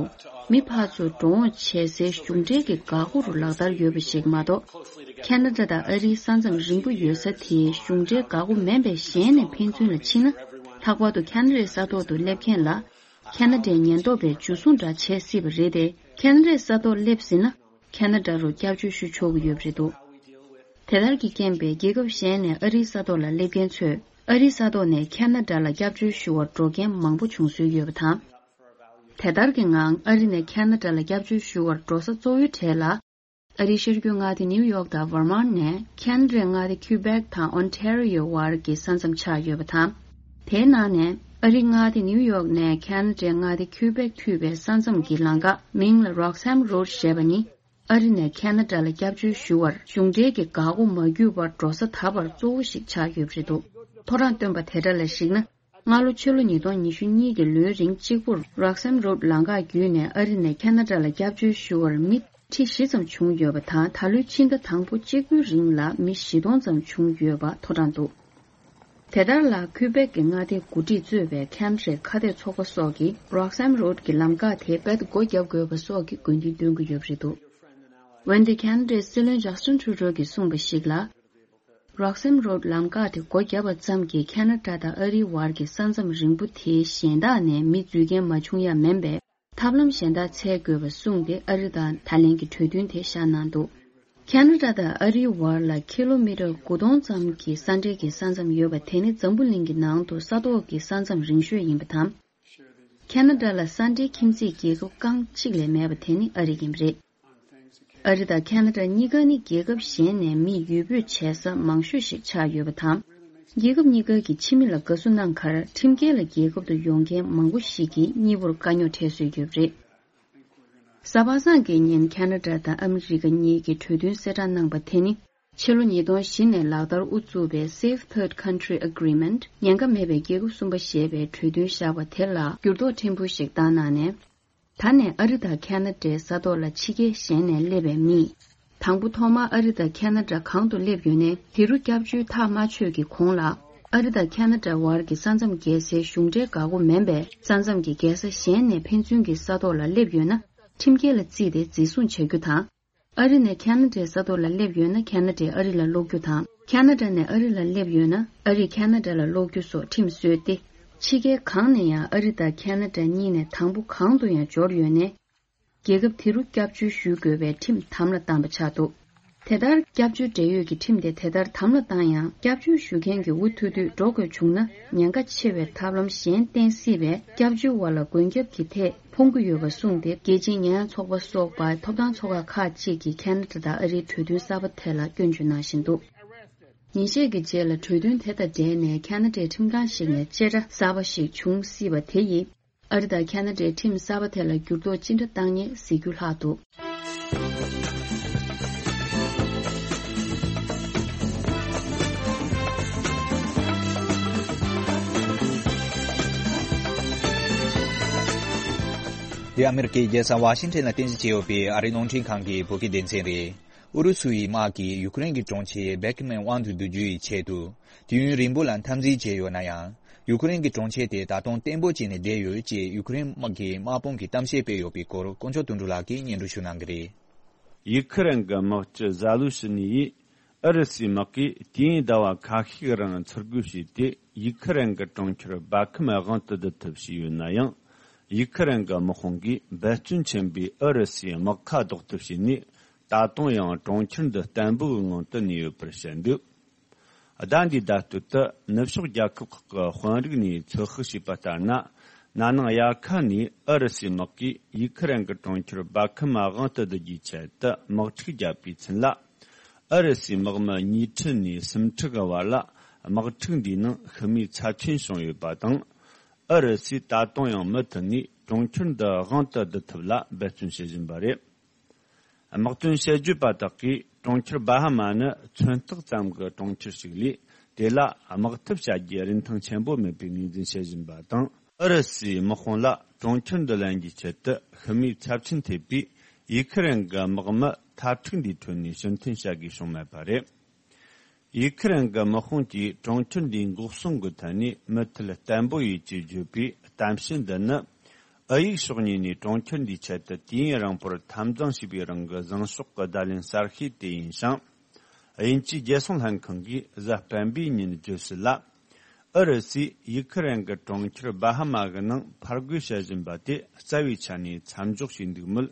མི་ཕར་ཚུར་འགྲོ་འོང་བྱེད་སའི་གཞུང་འབྲེལ་གྱི་འགག་སྒོ་རུ་ལག་བསྟར་ཡོད་པ་ཞིག་མ་གཏོགས། ཁ་ན་ཌ་དང་ཨ་རིའི་ས་མཚམས་རིང་པོ་ཡོད་ས་དེའི་གཞུང་འབྲེལ་འགག་སྒོ་མིན་པའི་གཞན་ནས་ཕན་ཚུན་ལ་ཕྱིན་ན། ལྷག་པར་དུ་ཁ་ན་ཌའི་ས་ཐོག་ཏུ་སླེབས་མཁན་ལ། ཁ་ན་ཌའི་ཉེན་རྟོག་པས་འཇུ་བཟུང་འདྲ་བྱེད་སྲིད་པ་རེད་དེ། ཁ་ན་ཌའི་ས་ཐོག་སླེབས་ཟིན་ན། ཁ་ན་ཌ་རུ་སྐྱབས་བཅོལ་ཞུ་ཆོག་གི་ཡོད་པ་རེད་འདུག་དེ་ལྟར་གྱི་རྐྱེན་པས་རྒྱལ་ཁབ་གཞན་ནས་ཨ་རིའི་ས་ཐོག་ལ་སླེབས་མཁན་ཚོས་ཨ་རིའི་ས་ཐོག་ནས་ཁ་ན་ཌ་ལ་སྐྱབས་བཅོལ་ཞུ་བར་འགྲོ་མཁན་མང་པོ་བྱུང་སྲོལ་ཡོད་པ་དང་། དེ་ལྟར་གྱི་ངང་ཨ་རི་ནས་ཁ་ན་ཌ་ལ་སྐྱབས་བཅོལ་ཞུ་བར་འགྲོ་ས་གཙོ་བོའི་གྲས་ལ། ཨ་རིའི་ཤར་རྒྱུད་མངའ་སྡེ་ནིའུ་ཡོག་དང་ཝར་མཱན་ནས་ཁ་ན་ཌའི་མངའ་སྡེ་ཁུ་བེག་དང་ཨོན་ཊེ་རི་ཡོ་བར་གྱི་ས་མཚམས་ཆགས་ཡོད་པ་དང་། དེའི་ནང་ནས་ཨ་རིའི་མངའ་སྡེ་ནིའུ་ཡོག་ནས་ཁ་ན་ཌའི་མངའ་སྡེ་ཁུ་བེག་མཐུད་པའི་ས་མཚམས་ཀྱི་ལམ་ཁ་མིང་ལ་རོག་སམ་རོད་ཞེས་པ་ནི། ཨ་རི་ནས་ཁ་ན་ཌ་ལ་སྐྱབས་བཅོལ་ཞུ་བར་གཞུང་འབྲེལ་གྱི་འགག་སྒོ་མ་བརྒྱུད་པར་འགྲོ་ས་ད་བར་གཙོ་བོ་ཞིག་ཆགས་ཡོད་པ་རེད་འདུག་ཐོ་རངས་བཏོན་པ་དེ་འདྲ་ལ་གཞིགས་ན། སྔ་ལོ་ཕྱི་ལོ་ཉིས་སྟོང་ཉི་ཤུ་གཉིས་ཀྱི་ལོའི་རིང་གཅིག་པུར་རོག་སམ་རོད་ལམ་ཁ་བརྒྱུད་ནས་ཨ་རི་ནས་ཁ་ན་ཌ་ལ་སྐྱབས་བཅོལ་ཞུ་བར་མི་ཁྲི་བཞི་ཙམ་བྱུང་ཡོད་པ་དང་། ད་ལོའི་ཕྱི་ཟླ་དང་པོ་གཅིག་པུའི་རིང་ལ་མི་བཞི་སྟོང་ཙམ་བྱུང་ཡོད་པ་ཐོ་རངས་འདུག་དེ་ལྟར་ལ་ཁུ་བེག་གི་མངའ་སྡེའི་འགོ་ཁྲིད་གཙོས་པའི་ཁ་ན་ཌའི་ཁ་གཏད་ཚོགས་པ་སོགས་ཀྱིས་རོག་སམ་རོད་ཀྱི་ལམ་ཁ་དེ་རྦད་དེ་སྒོ་བརྒྱབ་དགོས་པ་སོགས་ཀྱི་དགོས་འདུན་འདོན་གྱི་ཡོད་པ་རེད་འདུག་འོན་ཏེ་ཁ་ན་ཌའི་སྲིད་བློན་ཇ་སི་ཊིན་ཁྲུ་ཌོ་གིས་གསུངས་པ་ཞིག་ལ། རོག་སམ་རོད་ལམ་ཁ་དེ་སྒོ་བརྒྱབ་པ་ཙམ་གྱིས་ཁ་ན་ཌ་དང་ཨ་རིའི་བར་གྱི་ས་མཚམས་རིང་པོ་དེའི་གཞན་དག་ནས་མི་འཛུལ་མཁན་མ་བྱུང་ཡ་མིན་པས། ཐབས་ལམ་གཞན་དག་འཚོལ་དགོས་པ་གསུངས་ཏེ། ཨ་རི་དང་ད་ལན་གྱི་གྲོས་མཐུན་དེ་བཞག་གནང་འདུག་ཁ་ན་ཌ་དང་ཨ་རིའི་བར་ལ་ཁི་ལོ་མི་ཊར་དགུ་སྟོང་ཙམ་གྱི་ས་འབྲེལ་གྱི་ས་མཚམས་ཡོད་པ་དེ་ནི་འཛམ་བུ་གླིང་གི་ནང་དུ་ས་ཐོག་གི་ས་མཚམས་རིང་ཤོས་ཡིན་པ་དང་། ཁ་ན་ཌ་ལ་ས་འབྲེལ་ཁྱིམ་མཚེས་རྒྱལ་ཁབ་རྐང་གཅིག་ལས་མེད་པ་དེ་ནི་ཨ་རི་ཡིན་པ་རེད། ཨ་རི་དང་ཁ་ན་ཌ་གཉིས་ཀ་ནི་རྒྱལ་ཁབ་གཞན་ནས་མི་ཡུལ་སྤོས་བྱེད་ས་མང་ཤོས་ཤིག་ཆགས་ཡོད་པ་དང་། རྒྱལ་ཁབ་གཉིས་ཀ་གི་ཕྱི་མི་ལ་དགའ་བསུ་གནང་ཁར་ཁྲིམས་འགལ་ལ་རྒྱལ་ཁབ་ཏུ་ཡོང་མཁན་མང་པོ་ཞིག་གིས་གཉིས་པོར་དཀའ་རྙོག་འཕྲད་སྲོལ་ཡོད་པ་རེད། གཟའ་པ་སངས་ཀྱི་ཉིན་ཁ་ན་ཌ་དང་ཨ་མི་རི་ཀ་གཉིས་ཀྱིས་གྲོས་མཐུན་གསལ་བསྒྲགས་གནང་པ་དེ་ནི། ཕྱི་ལོ་ཉིས་སྟོང་བཞི་ནས་ལག་བསྟར་དབུ་བཙུགས་པའི་Safe Third Country Agreement ཉེན་ཁ་མེད་པའི་རྒྱལ་ཁབ་གསུམ་པ་ཞེས་པའི་གྲོས་མཐུན་བཞག་པ་དེ་ལ་འགྱུར་ལྡོག་ཕྲན་བུ་ཞིག་བཏང་གནང་ནས། ད་ནས་ཨ་རི་དང་ཁ་ན་ཌའི་ས་ཐོག་ལ་ཕྱི་རྒྱལ་གཞན་ནས་སླེབས་པའི་མིས། དང་པོ་ཐོག་མར་ཨ་རི་དང་ཁ་ན་ཌ་གང་དུ་སླེབས་ཡོད་ནའི་དེ་རུ་སྐྱབས་བཅོལ་ཐག་མ་ཆོད་ཀྱི་གོང་ལ། ཨ་རི་དང་ཁ་ན་ཌ་བར་གྱི་ས་མཚམས་བརྒལ་སའི་གཞུང་འབྲེལ་འགག་སྒོ་མིན་པའི་ས་མཚམས་ཀྱི་རྒྱལ་ས་གཞན་ནས་ཕན་ཚུན་གྱི་ས་ཐོག་ལ་སླེབས་ཡོད་ན། ཁྲིམས་འགལ་ལ་བརྩིས་ཏེ་འཛིན་བཟུང་བྱ་རྒྱུ་དང་། ཨ་རི་ནས་ཁ་ན་ཌའི་ས་ཐོག་ལ་སླེབས་ཡོད་ན་ཁ་ན་ཌས་ཨ་རི་ལ་སློག་རྒྱུ་དང་། ཁ་ན་ཌ་ནས་ཨ་རི་ལ་སླེབས་ཡོད་ན་ཨ་རིས་ཁ་ན་ཌ་ལ་སློག་རྒྱུ་སོགས་ཁྲིམས་བཟོས་ཏེ། ཕྱི་རྒྱལ་གང་ནས་ཡང་ཨ་རི་དང་ཁ་ན་ཌ་གཉིས་ནས་དང་པོ་གང་དུ་ཡང་འབྱོར་ཡོད་ནའི། རྒྱལ་ཁབ་དེ་རུ་སྐྱབས་བཅོལ་ཞུ་དགོས་པའི་ཁྲིམས་དམ་ལ་བཏང་པ་ཆགས་འདུག་དེ་ལྟར་སྐྱབས་བཅོལ་འབྲེལ་ཡོད་ཀྱི་ཁྲིམས་དེ་དེ་ལྟར་དམ་ལ་བཏང་ཡང་། སྐྱབས་བཅོལ་ཞུ་མཁན་གྱི་འུ་ཐུག་དུས་འགྲོ་དགོས་བྱུང་ན། ཉེན་ཁ་ཆེ་བའི་ཐབས་ལམ་གཞན་བསྟེན་སྲིད་པས། སྐྱབས་བཅོལ་བ་ལ་མགོན་སྐྱབས་ཀྱི་ཐད་ཕོངས་ཀྱི་ཡོད་པ་གསུངས་ཏེ། རྒྱལ་སྤྱིའི་ཉེས་ཡངས་ཚོགས་པ་སོགས་པ་ཐོབ་ཐང་ཚོགས་ཁག་ཁག་ཅིག་གིས་ཁ་ན་ཌ་དང་ཨ་རིའི་གྲོས་མཐུན་གསར་པ་དེ་ལ་སྐྱོན་བརྗོད་གནང་བཞིན་འདུག་ཉིན་ཤས་ཀྱི་རྗེས་ལ་གྲོས་མཐུན་དེ་དང་འབྲེལ་ནས་ཁ་ན་ཌའི་ཁྲིམས་ཁང་ཞིག་ནས་བཅད་ཁྲ་གསར་པ་ཞིག་འབྱུང་སྲིད་པ་དེ་ཡིས། ཨ་རི་དང་ཁ་ན་ཌའི་ཁྲིམས་གསར་པ་དེ་ལ་འགྱུར་ལྡོག་ཅི་འདྲ་བཏང་ངེས་གཟིགས་རྒྱུ་ལྷག་འདུག་འདི་ཨ་མེ་རི་ཀའི་རྒྱལ་ས་ཝ་ཤིང་ཊོན་ལ་རྟེན་གཞི་བྱས་ཡོད་པའི་ཨ་རིའི་རླུང་འཕྲིན་ཁང་གི་བོད་སྐད་སྡེ་ཚན་རེད། ཨུ་རུ་སུ་ཡི་དམག་གིས་ཡུ་ཀེ་རེན་གྱི་གྲོང་ཁྱེར་བྷེ་ཁི་མན་དབང་དུ་བསྡུ་རྒྱུ་ཡི་ཆེད་དུ། དུས་ཡུན་རིང་པོ་ལ་འཐབ་འཛིང་བྱས་ཡོད་ན་ཡང་། ཡུ་ཀེ་རེན་གྱི་གྲོང་ཁྱེར་དེ་ད་དུང་བརྟན་པོ་བྱས་ནས་བསྡད་ཡོད་ཅེས་ཡུ་ཀེ་རེན་དམག་གི་དམག་དཔུང་གིས་གཏམ་བཤད་སྤེལ་ཡོད་པའི་སྐོར། དཀོན་མཆོག་དོན་གྲུབ་ལགས་ཀྱིས་སྙན་སྒྲོན་ཞུ་གནང་གི་རེད། ཡུ་ཁི་རན་གྱི་དམག་སྤྱི་ཟ་ལུ་ཤི་ནི་ཡིས། ཨུ་རུ་སུའི་དམག་གིས་དུས་ཡུན་ཟླ་བ་ཁ་ཤས་རིང་ཚུར་རྒོལ་བྱས་ཏེ། ཡུ་ཁི་རན་གྱི་གྲོང་ཁྱེར་སྦ་ཁི་མ་དབང་དུ་བསྡུ་ཐབས་བྱས་ཡོད་ན་ཡང་། ཡུ་ཁི་རན་གྱི་དམག་དཔུང་གིས་འབད་བརྩོན་ཆེན་པོས་ཨུ་རུ་སུའི་དམག་ཁ་ཟློག་ཐབས་བྱས་ནས། ད་དུང་ཡང་གྲོང་ཁྱེར་འདི་བརྟན་པོའི་ངང་དུ་གནས་ཡོད་པར་བཤད་འདུག་ཟླ་འདིའི་ཟླ་སྟོད་དུ་ནུབ་ཕྱོགས་རྒྱལ་ཁབ་ཁག་གི་དཔོན་རིགས་ནས་ཚོད་དཔག་བྱས་པ་ལྟར་ན། ན་ནིང་དབྱར་ཁ་ནས་ཨུ་རུ་སུའི་དམག་གིས་ཡུ་ཁི་རན་གྱི་གྲོང་ཁྱེར་སྦ་ཁི་མ་དབང་དུ་བསྡུ་རྒྱུའི་ཆེད་དུ་དམག་འཁྲུག་བརྒྱབ་པའི་ཚུན་ལ། ཨུ་རུ་སུའི་དམག་མི་ཉིས་ཁྲི་ནས་སུམ་ཁྲི་གི་བར་ལ་དམག་འཁྲུག་འདིའི་ནང་ཤི་རྨས་ཚབས་ཆེན་བྱུང་ཡོད་པ་དང་། ཨུ་རུ་སུས་ད་དུང་ཡང་མུ་མཐུད་ནས་གྲོང་ཁྱེར་འདི་དབང་དུ་བསྡུ་ཐབས་ལ་འབད་བརྩོན་བྱེད་བཞིན་པ་རེད། དམག་དོན་དཔྱད་བརྗོད་པ་དག་གིས་གྲོང་ཁྱེར་སྦ་ཧ་མ་ནི་མཚོན་རྟགས་ཙམ་གྱི་གྲོང་ཁྱེར་ཞིག་ལས། དེ་ལ་དམག་འཐབ་བྱ་རྒྱུའི་རིན་ཐང་ཆེན་པོ་མེད་པའི་ངོས་འཛིན་བྱེད་བཞིན་པ་དང་། ཨུ་རུ་སུའི་དམག་དཔུང་ལ་གྲོང་ཁྱེར་འདི་ལེན་རྒྱུའི་ཆེད་དུ་ཤི་རྨས་ཚབས་ཆེན་ཐེབས་པས། ཡུ་ཁི་རན་གྱི་དམག་མི་འཐབ་འཁྲུག་འདིའི་ཁྲོད་ནས་ཕྱིར་འཐེན་བྱ་དགོས་བྱུང་མེད་པ་རེད། ཡུ་ཁི་རན་གྱི་དམག་དཔུང་གིས་གྲོང་ཁྱེར་འདིའི་འགོག་སྲུང་གི་ཐད་ནས་མུ་མཐུད་བརྟན་པོ་ཡོད་ཅེས་བརྗོད་པའི་གཏམ་བཤད་འདི་ནི། ཨུ་ཡིག་ཕྱོགས་གཉིས་ནས་གྲོང་ཁྱེར་འདིའི་ཆེད་དུ་དུས་ཡུན་རིང་པོར་འཐབ་འཛིང་བྱས་པའི་རིང་གི་བཟང་ཕྱོགས་ཀྱི་བརྡ་ལན་གསར་ཤོས་དེ་ཡིན་ཞིང་། དབྱིན་ཇིའི་རྒྱལ་སྲུང་ལྷན་ཁང་གིས་གཟའ་སྤེན་པའི་ཉིན་བརྗོད་གསལ་ལ། ཨུ་རུ་སུས་ཡུ་ཁི་རན་གྱི་གྲོང་ཁྱེར་སྦ་ཧ་མ་གི་ནང་ཕར་རྒོལ་བྱེད་བཞིན་པ་དེ་རྩ་བའི་ཆ་ནས་མཚམས་འཇོག་བྱས་འདུག་མོད།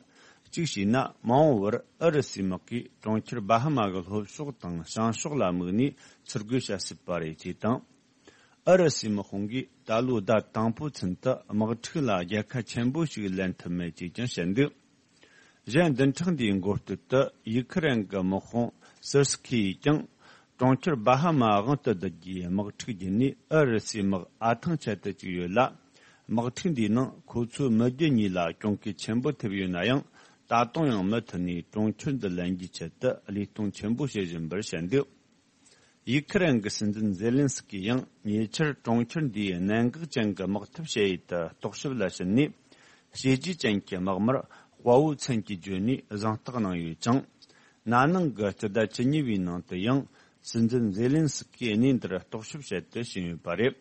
གཅིག་བྱས་ན་མ་འོངས་པར་ཨུ་རུ་སུའི་དམག་གིས་གྲོང་ཁྱེར་སྦ་ཧ་མ་གི་ལྷོ་ཕྱོགས་དང་བྱང་ཕྱོགས་ལ་དམིགས་ནས་ཚུར་རྒོལ་བྱ་སྲིད་པ་རེད་ཅེས་དང་། ཨུ་རུ་སུའི་དམག་དཔུང་གིས་ད་ལོའི་ཟླ་དང་པོའི་ཚུན་དུ་དམག་འཁྲུག་ལ་རྒྱལ་ཁ་ཆེན་པོ་ཞིག་ལེན་ཐུབ་མེད་ཅེས་ཀྱང་བཤད་འདུག་གཞན་བདུན་ཕྲག་འདིའི་འགོ་སྟོད་དུ་ཡུ་ཁི་རན་གྱི་དམག་དཔུང་སིར་སི་ཁི་ཡིས་ཀྱང་། གྲོང་ཁྱེར་སྦ་ཧ་མ་དབང་དུ་བསྡུ་རྒྱུའི་དམག་འཁྲུག་བརྒྱུད་ནས་ཨུ་རུ་སུའི་དམག་ཨ་ཐང་ཆད་དུ་བཅུག་ཡོད་ལ། དམག་འཁྲུག་འདིའི་ནང་ཁོ་ཚོའི་མི་རྒྱུ་གཉིས་ལ་གྱོང་གུན་ཆེན་པོ་ཐེབས་ཡོད་ན་ཡང་། ད་དུང་ཡང་མུ་མཐུད་ནས་གྲོང་ཁྱེར་འདི་ལེན་རྒྱུའི་ཆེད་དུ་བློས་གཏོང་ཆེན་པོ་བྱེད་བཞིན་པར་བཤད་འདུག་ཡུ་ཁི་རན་གྱི་སྲིད་འཛིན་ཛེ་ལིན་སི་ཀི་ཡིས་ཉེ་ཆར་གྲོང་ཁྱེར་འདིའི་གནད་འགག་ཅན་གྱི་དམག་འཐབ་བྱེད་ཡུལ་དུ་རྟོག་ཞིབ་ལ་ཕྱིན་ནས། བྱས་རྗེས་ཅན་གྱི་དམག་མིར་དཔའ་བོའི་མཚན་གྱིས་བརྗོད་ནས་གཟེངས་རྟགས་གནང་ཡོད་ཅིང་། ན་ནིང་གི་སྤྱི་ཟླ་བཅུ་གཉིས་པའི་ནང་དུ་ཡང་། སྲིད་འཛིན་ཛེ་ལིན་སི་ཀིས་གནས་འདིར་རྟོག་ཞིབ་བྱེད་དུ་ཕྱིན་ཡོད་པ་རེད།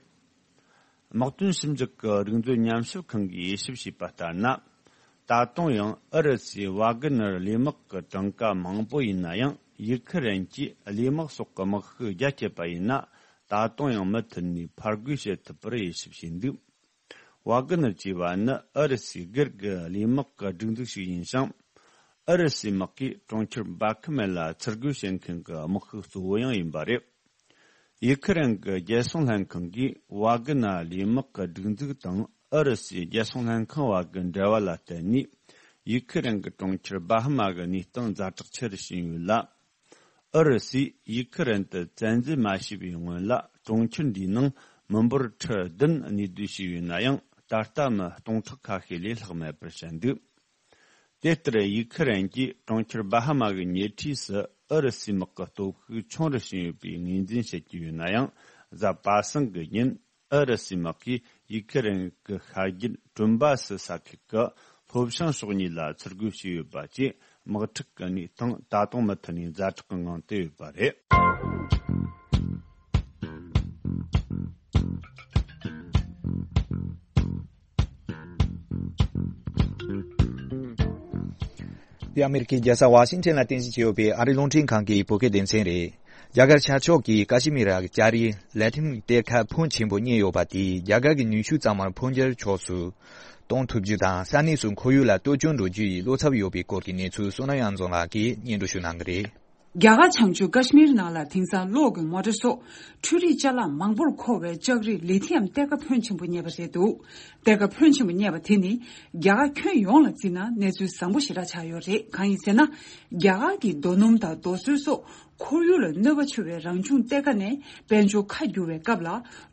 དམག་དོན་ཞིབ་འཇུག་གི་རིག་མཛོད་ཉམས་ཞིབ་ཁང་གིས་དབྱེ་ཞིབ་བྱས་པ་ལྟར་ན། ད་དུང་ཡང་ཨུ་རུ་སུའི་ཝཱ་གི་ནར་ལས་དམག་གི་གྲངས་ཀ་མང་པོ་ཡིན་ན་ཡང་། ཡུ་ཁི་རན་གྱིས་ལས་དམག་སོགས་ཀྱི་དམག་ཤུགས་རྒྱ་བསྐྱེད་པ་ཡིན་ན། ད་དུང་ཡང་མུ་མཐུད་ནས་ཕར་རྒོལ་བྱེད་ཐུབ་པར་དབྱེ་ཞིབ་བྱས་འདུག་ཝཱ་གི་ནར་ཅེས་པ་ནི་ཨུ་རུ་སུའི་སྒེར་གྱི་ལས་དམག་གི་སྒྲིག་འཛུགས་ཤིག་ཡིན་ཞིང་། ཨུ་རུ་སུའི་དམག་གིས་གྲོང་ཁྱེར་སྦ་ཁི་མེ་ལ་ཚུར་རྒོལ་བྱེད་མཁན་གྱི་དམག་ཤུགས་གཙོ་བོ་ཡང་ཡིན་པ་རེད། ཡུ་ཁི་རན་གྱི་རྒྱལ་སྲུང་ལྷན་ཁང་གིས་ཝཱ་གི་ནར་ལས་དམག་གི་སྒྲིག་འཛུགས་དང་ཨུ་རུ་སུའི་རྒྱལ་སྲུང་ལྷན་ཁང་བར་གྱི་འབྲེལ་བ་ལ་བརྟེན་ནས། ཡུ་ཁི་རན་གྱི་གྲོང་ཁྱེར་སྦ་ཧ་མ་གི་གནས་སྟངས་ཛ་དྲག་ཆེ་རུ་ཕྱིན་ཡོད་ལ། ཨུ་རུ་སུས་ཡུ་ཁི་རན་དུ་བཙན་འཛུལ་མ་བྱས་པའི་སྔོན་ལ། གྲོང་ཁྱེར་འདིའི་ནང་མི་འབོར་ཁྲི་བདུན་གནས་སྡོད་བྱས་ཡོད་ན་ཡང་། ད་ལྟ་མི་སྟོང་ཕྲག་ཁ་ཤས་ལས་ལྷག་མེད་པར་བཤད་འདུག་དེ་ལྟར་ཡུ་ཁི་རན་གྱིས་གྲོང་ཁྱེར་སྦ་ཧ་མ་གི་ཉེ་འཁྲིས་སུ་ཨུ་རུ་སུའི་དམག་གི་སྟོབས་ཤུགས་ཆུང་རུ་ཕྱིན་ཡོད་པའི་ངོས་འཛིན་བྱེད་ཀྱི་ཡོད་ན་ཡང་། གཟའ་པ་སངས་ཀྱི་ཉིན་ཨུ་རུ་སུའི་དམག་གིས་ཡུ་ཁི་རན་གྱི་ཤར་རྒྱུད་ཀྲུམ་བ་སི་ས་ཁུལ་གྱི་ལྷོ་བྱང་ཕྱོགས་གཉིས་ལ་ཚུར་རྒོལ་བྱས་ཡོད་པ་བཅས། དམག་འཁྲུག་གི་གནས་སྟངས་ད་དུང་མུ་མཐུད་ནས་ཛ་དྲག་གི་ངང་དུ་ཡོད་པ་རེད། འདི་ཨ་མེ་རི་ཁའི་རྒྱལ་ས་ཝ་ཤིང་ཊོན་ལ་རྟེན་གཞི་བྱས་ཡོད་པའི་ཨ་རིའི་རླུང་འཕྲིན་ཁང་གི་བོད་སྐད་སྡེ་ཚན་རེད། རྒྱ་གར་ཤར་ཕྱོགས་ཀྱི་ཀ་ཤི་མིར་ར་ལྕགས་རིའི་ལ་ཏིན་གཏེར་ཁ་ཕོན་ཆེན་པོ་རྙེད་ཡོད་པ་དེས་རྒྱ་གར་གྱི་ནུས་ཤུགས་གཙང་མར་འཕོ་འགྱུར་ཕྱོགས་སུ་གཏོང་ཐུབ་རྒྱུ་དང་། ས་གནས་སུ་ཁོར་ཡུག་ལ་གཏོར་སྐྱོན་འགྲོ་རྒྱུ་ཡི་བློ་འཚབ་ཡོད་པའི་སྐོར་གྱི་གནས་ཚུལ། བསོད་ནམས་དབྱངས་འཛོམས་ལགས་ཀྱིས་སྙན་སྒྲོན་ཞུ་གནང་གི་རེད། རྒྱ་གར་བྱང་ཕྱོགས་ཀ་ཤི་མིར་ནང་ལ་དེང་སང་གློག་གི་མོ་ཊ་སོགས་འཕྲུལ་རིག་ཅ་ལག་མང་པོར་མཁོ་བའི་ལྕགས་རིགས་ལི་ཐི་ཡམ་གཏེར་ཁ་ཕོན་ཆེན་པོ་རྙེད་པ་རེད་འདུག་གཏེར་ཁ་ཕོན་ཆེན་པོ་རྙེད་པ་དེ་ནི་རྒྱ་གར་ཁྱོན་ཡོངས་ལ་བརྩིས་ན་གནས་ཚུལ་བཟང་པོ་ཞེ་དྲག་ཆགས་ཡོད་རེད། གང་ཡིན་ཟེར་ན། རྒྱ་གར་གྱི་རྡོ་སྣུམ་དང་རྡོ་སོལ་སོགས་ཁོར་ཡུག་ལ་གནོད་པ་ཆེ་བའི་རང་བྱུང་གཏེར་ཁ་ནས་དཔལ་འབྱོར་ཁ་བསྒྱུར་བའི་སྐབས་ལ་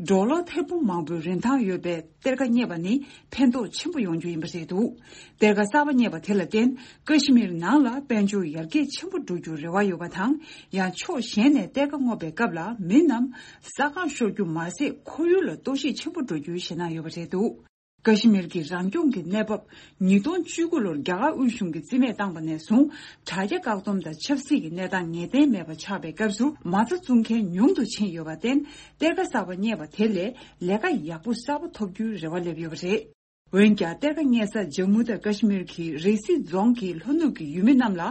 ཌོ་ལར་ཐེར་འབུམ་མང་པོའི་རིན་ཐང་ཡོད་པའི་གཏེར་ཁ་རྙེད་པ་ནི་ཕན་ཐོགས་ཆེན་པོ་ཡོང་རྒྱུ་ཡིན་པ་རེད་འདུག་གཏེར་ཁ་གསར་པ་རྙེད་པ་དེ་ལ་བརྟེན་ཀ་ཤི་མིར་ནང་ལ་དཔལ་འབྱོར་ཡར་རྒྱས་ཆེན་པོ་འགྲོ་རྒྱུར་རེ་བ་ཡོད་པ་དང་། ཡང་ཕྱོགས་གཞན་ནས་གཏེར་ཁ་རྔོག་པའི་སྐབས་ལ་མི་རྣམས་ས་ཁར་ཤོར་རྒྱུ་མ་ཟད་ཁོར་ཡུག་ལ་གཏོར་བཤིག་ཆེན་པོ་འགྲོ་རྒྱུའི་ཞེད་སྣང་ཡོད་པ་རེད་འདུག་ཀ་ཤི་མིར་གྱི་རང་སྐྱོང་གི་གནས་བབ་ཉིས་སྟོང་བཅུ་དགུ་ལོར་རྒྱ་གར་དབུས་གཞུང་གིས་རྩིས་མེད་བཏང་པ་ནས་བཟུང་དྲ་རྒྱ་བཀག་སྡོམ་དང་ཆབ་སྲིད་ཀྱི་གནས་སྟངས་ངེས་གཏན་མེད་པ་ཆགས་པའི་སྐབས་སུ་མ་རྩ་བཙུགས་མཁན་ཉུང་དུ་ཕྱིན་ཡོད་པར་བརྟེན། གཏེར་ཁ་གསར་པ་རྙེད་པ་དེ་ལས་ལས་ཀ་ཡག་པོ་གསར་པ་ཐོབ་རྒྱུའི་རེ་བ་སླེབས་ཡོད་པ་རེད། འོན་ཀྱང་གཏེར་ཁ་རྙེད་ས་ཇམ་མུ་དང་ཀ་ཤི་མིར་གྱི་རི་སི་རྫོང་གི་ལྷོ་ནུབ་ཀྱི་ཡུལ་མི་རྣམས་ལ་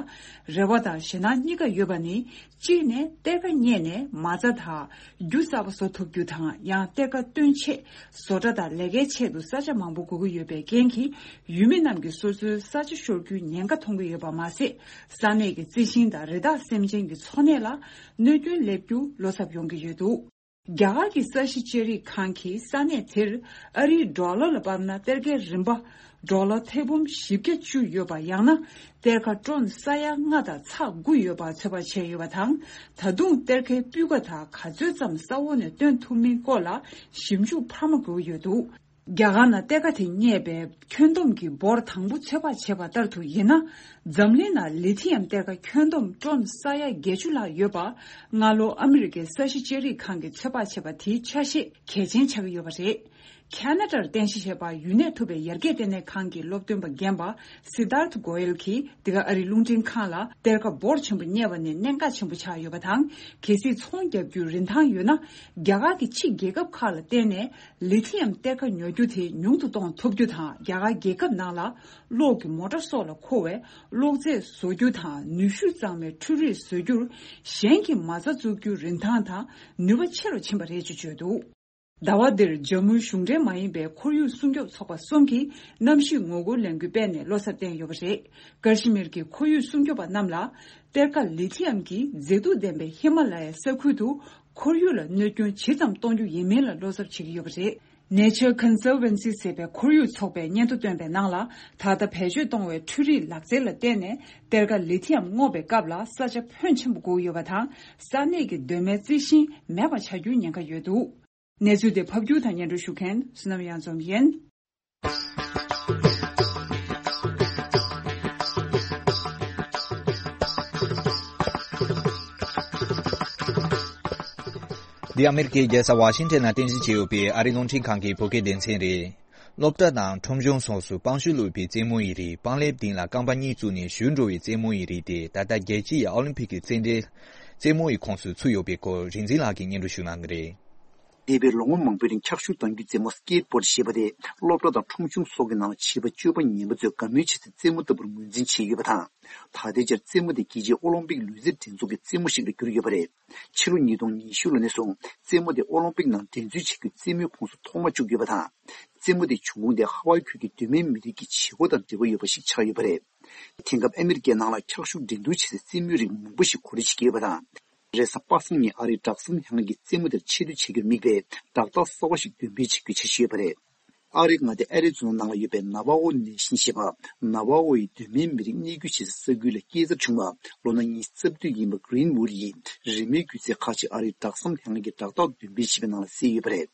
རེ་བ་དང་ཞེད་སྣང་གཉིས་ཀ་ཡོད་པ་ནི། གཅིག་ནས་གཏེར་ཁ་རྙེད་ནས་མ་རྩ་དང་རྒྱུ་གསར་པ་བཟོ་ཐུབ་རྒྱུ་དང་ཡང་གཏེར་ཁ་བཏོན་ཆེད་བཟོ་གྲྭ་དང་ལས་ཀའི་ཆེད་དུ་ས་ཆ་མང་པོ་དགོས་ཀྱི་ཡོད་པའི་རྐྱེན་གྱིས་ཡུལ་མི་རྣམས་ཀྱིས་སོ་སོའི་ས་ཆ་ཤོར་རྒྱུའི་ཉེན་ཁ་མཐོང་གི་ཡོད་པ་མ་ཟད། ས་གནས་ཀྱི་རྩི་ཤིང་དང་རི་དྭགས་སེམས་ཅན་གྱི་འཚོ་གནས་ལ་གནོད་སྐྱོན་སླེབས་རྒྱུ་བློ་འཚབ་ཡོང་གི་ཡོད་འདུག་རྒྱ་གར་གྱི་ས་གཞི་ཆེ་རིགས་ཁང་གིས་ས་གནས་དེར་ཨ་རིའི་ཌོ་ལར་ལ་དཔག་ན་གཏེར་ཁའི་རིན་པ་ཌོ་ལར་ཐེར་འབུམ་བཞི་བརྒྱ་བཅུ་ཡོད་པ། ཡང་ན་གཏེར་ཁ་ཀྲོན་ས་ཡ་ལྔ་དང་ཚེག་དགུ་ཡོད་པ་ཚོད་དཔག་བྱས་ཡོད་པ་དང་། ད་དུང་གཏེར་ཁའི་སྤུས་ཀ་དང་ག་ཚོད་ཙམ་ས་འོག་ནས་བཏོན་ཐུབ་མིན་སྐོར་ལ་ཞིབ་འཇུག་འཕར་མ་དགོས་ཀྱི་ཡོད་འདུག་རྒྱ་གར་ནང་གཏེར་ཁ་དེ་རྙེད་པའི་ཁྱོན་བསྡོམས་ཀྱི་འབོར་དང་པོ་ཚོད་དཔག་བྱས་པ་ལྟར་དུ་ཡིན་ན། འཛམ་གླིང་ནང་ལི་ཐི་ཡམ་གཏེར་ཁ་ཁྱོན་བསྡོམས་ཀྲོན་ས་ཡ་བརྒྱད་ཅུ་ལྷག་ཡོད་པ། སྔ་ལོ་ཨ་མི་རི་ཀའི་ས་གཞི་ལྕགས་རིགས་ཁང་གིས་ཚོད་དཔག་བྱས་པ་དེའི་ཆ་ཤས་གལ་ཆེན་ཆགས་ཀྱི་ཡོད་པ་རེད། ཁ་ན་ཌར་རྟེན་གཞི་བྱས་པ་ཡུན་གནས་ཐུབ་པའི་ཡར་རྒྱས་ལྟེ་གནས་ཁང་གི་སློབ་སྟོན་པ་རྒན་པ་སི་དཱརཐ་གོ་ཡལ་གྱིས་འདི་ག་ཨ་རིའི་རླུང་འཕྲིན་ཁང་ལ་གཏེར་ཁ་འབོར་ཆེན་པོ་རྙེད་པ་ནི་གནད་འགག་ཆེན་པོ་ཆགས་ཡོད་པ་དང་། གལ་སྲིད་ཚོང་རྒྱག་རྒྱུའི་རིན་ཐང་ཡོད་ན། རྒྱ་གར་གྱི་ཕྱི་རྒྱལ་ཁབ་ཁག་ལ་བརྟེན་ནས། ལི་ཐི་ཡམ་གཏེར་ཁ་ཉོ་རྒྱུ་དེ་ཉུང་དུ་གཏོང་ཐུབ་རྒྱུ་དང་། རྒྱ་གར་རྒྱལ་ཁབ་ནང་ལ་གློག་གི་མོ་ཊ་སོགས་ལ་མཁོ་བའི་གློག་རྫས་བཟོ་རྒྱུ་དང་། ནུས་ཤུགས་གཙང་མའི་འཕྲུལ་རིག་བཟོ་རྒྱུར་གཞན་གྱིས་མ་རྩ་བཙུགས་རྒྱུའི་རིན་ཐང་དང་ནུས་པ་ཆེ་རུ་ཕྱིན་པ་རེད་ཅེས་བརྗོད་འདུག་ཟླ་བ་འདིར་ཇམ་མུའི་གཞུང་འབྲེལ་མ་ཡིན་པའི་ཁོར་ཡུག་སྲུང་སྐྱོབ་ཚོགས་པ་གསུམ་གྱིས་གནམ་གཤིས་ངོ་རྒོལ་ལས་འགུལ་སྤེལ་ནས་བློ་འཚབ་བསྟན་ཡོད་པ་རེད། ཀ་ཤི་མིར་གྱི་ཁོར་ཡུག་སྲུང་སྐྱོབ་པ་རྣམས་ལ་གཏེར་ཁ་ལི་ཐི་ཡམ་གྱི་མཛེས་སྡུག་ལྡན་པའི་ཧི་མ་ལ་ཡའི་ས་ཁུལ་དུ། ཁོར་ཡུག་ལ་གནོད་སྐྱོན་ཇི་ཙམ་གཏོང་རྒྱུ་ཡིན་མིན་ལ་བློ་འཚབ་བྱེད་ཀྱི་ཡོད་པ་རེད། Nature Conservancy ཟེར་བའི་ཁོར་ཡུག་ཚོགས་པས་སྙན་ཐོ་བཏོན་པའི་ནང་ལ། ད་ལྟ་བེད་སྤྱོད་གཏོང་བའི་འཕྲུལ་རིག་ལག་རྩལ་ལ་བརྟེན་ནས་གཏེར་ཁ་ལི་ཐི་ཡམ་རྔོག་པའི་སྐབས་ལ་ས་ཆ་ཕོན་ཆེན་པོ་དགོས་ཡོད་པ་དང་། ས་གནས་ཀྱི་གདོད་མའི་རྩི་ཤིང་མེད་པར་ཆགས་རྒྱུའི་ཉེན་ཁ་ཡོད་འདུག་གནས་ཚུལ་དེ་ཕབ་སྒྱུར་དང་སྙན་སྒྲོན་ཞུ་མཁན་བསོད་ནམས་གཡང་འཛོམས་ཡིན། འདི་ཨ་མེ་རི་ཀའི་རྒྱལ་ས་ཝ་ཤིང་ཊོན་ནང་རྟེན་གཞི་བྱས་ཡོད་པའི་ཨ་རིའི་རླུང་འཕྲིན་ཁང་གི་བོད་སྐད་སྡེ་ཚན་རེད། སློབ་གྲྭ་དང་ཁྲོམ་གཞུང་སོགས་སུ་སྤང་ཤུ་བླུགས་པའི་རྩེད་མོ་ཡི་རིགས་སྤང་ལེབ་སྟེང་ལ་རྐང་པ་གཉིས་བཙུགས་ནས་གཞུ་འགྲོ་བའི་རྩེད་མོ་ཡི་རིགས་དེ་ད་ལྟ་རྒྱལ་སྤྱི་ཡི་ཨོ་ལིམ་ཕིག་གི་རྩེད་འགྲན་རྩེད་མོ་ཡི་ཁོངས་སུ་ཚུད་ཡོད་པའི་སྐོར་རིག་འཛིན་ལགས་ཀྱིས་སྙན་སྒྲོན་ཞུ་གནང་གི་རེད། འདས་པའི་ལོ་ངོ་མང་པོའི་རིང་འཁྱག་ཤུགས་གཏོང་རྒྱུའི་རྩེད་མོ་སྐེ་ཊི་བྷོར་ཌི་ཞེས་པ་དེ་སློབ་གྲྭ་དང་ཁྲོམ་གཞུང་སོགས་ཀྱི་ནང་ལ་བྱིས་པ་སྤྱོད་པ་ངན་པ་ཚོས་དགའ་མོས་བྱེད་སའི་རྩེད་མོ་ལྟ་བུར་ངོས་འཛིན་བྱས་ཡོད་པ་དང་། ད་ལྟའི་ཆར་རྩེད་མོ་དེ་རྒྱལ་སྤྱིའི་ཨོ་ལིམ་པིག་ལུས་རྩལ་འགྲན་ཚོགས་ཀྱི་རྩེད་མོ་ཞིག་ལ་གྱུར་ཡོད་པ་རེད། ཕྱི་ལོ་ཉིས་སྟོང་ཉི་ཤུ་ལོ་ནས་བཟུང་རྩེད་མོ་དེ་ཨོ་ལིམ་པིག་ནང་འགྲན་རྩོད་བྱེད་རྒྱུའི་རྩེད་མོའི་ཁོངས་སུ་ཐོག་མར་བཅུག་ཡོད་པ་དང་། རྩེད་མོ་དེའི་བྱུང་ཁུངས་དེ་ཧ་ཝའི་ཁུལ་གྱི་གདོད་མའི་མི་རིགས་ཀྱི་བྱེད་སྒོ་དང་འབྲེལ་བ་ཡོད་པ་ཞིག་ཆགས་ཡོད་པ་རེད། དེང་སྐབས་ཨ་མི་རི་ཀའི་ནང་ལ་འཁྱག་ཤུགས་འགྲན་བསྡུར་བྱེད་སའི་རྩེད་མོའི་རིགས་མང་པོ་ཞིག་གོ་སྒྲིག་བྱེད་ཀྱི་ཡོད་པ་དང་། རེས་གཟའ་པ་སངས་ཉིན་ཨ་རིའི་སྦྲག་སྲམ་ལྷན་ཁང་གིས་རྩེད་མོ་དེར་ཆེ་བསྟོད་བྱེད་རྒྱུར་དམིགས་པའི་བསྒྲགས་རྟགས་གསར་བ་ཞིག་འདོན་སྤེལ་བྱེད་རྒྱུའི་འཆར་གཞི་ཡོད་པ་རེད། ཨ་རིའི་མངའ་སྡེ་ཨེ་རི་ཛོ་ན་ནང་ལ་ཡོད་པའི་ནཱ་ཝ་ཧོ་ནེ་ཤན་ཞེས་པ། ནཱ་ཝ་ཧོ་ཡི་གདོད་མའི་མི་རིགས་གནས་སྡོད་བྱེད་སའི་ས་ཁུལ་ལ་སྐྱེས་འཚར་བྱུང་བ། ལོ་ན་ཉི་ཤུ་རྩ་བདུན་ཡིན་པ་གྷི་རིན་ཝུཌ་ཡིས་རི་མོའི་སྒྱུ་རྩལ་ཁག་ཅིག་ཨ་རིའི་སྦྲག་སྲམ་ལྷན་ཁང་གི་བསྒྲགས་རྟགས་འདོན་སྤེལ་བྱས་པའི་ནང་ལ་གསལ་ཡོད་པ་རེད།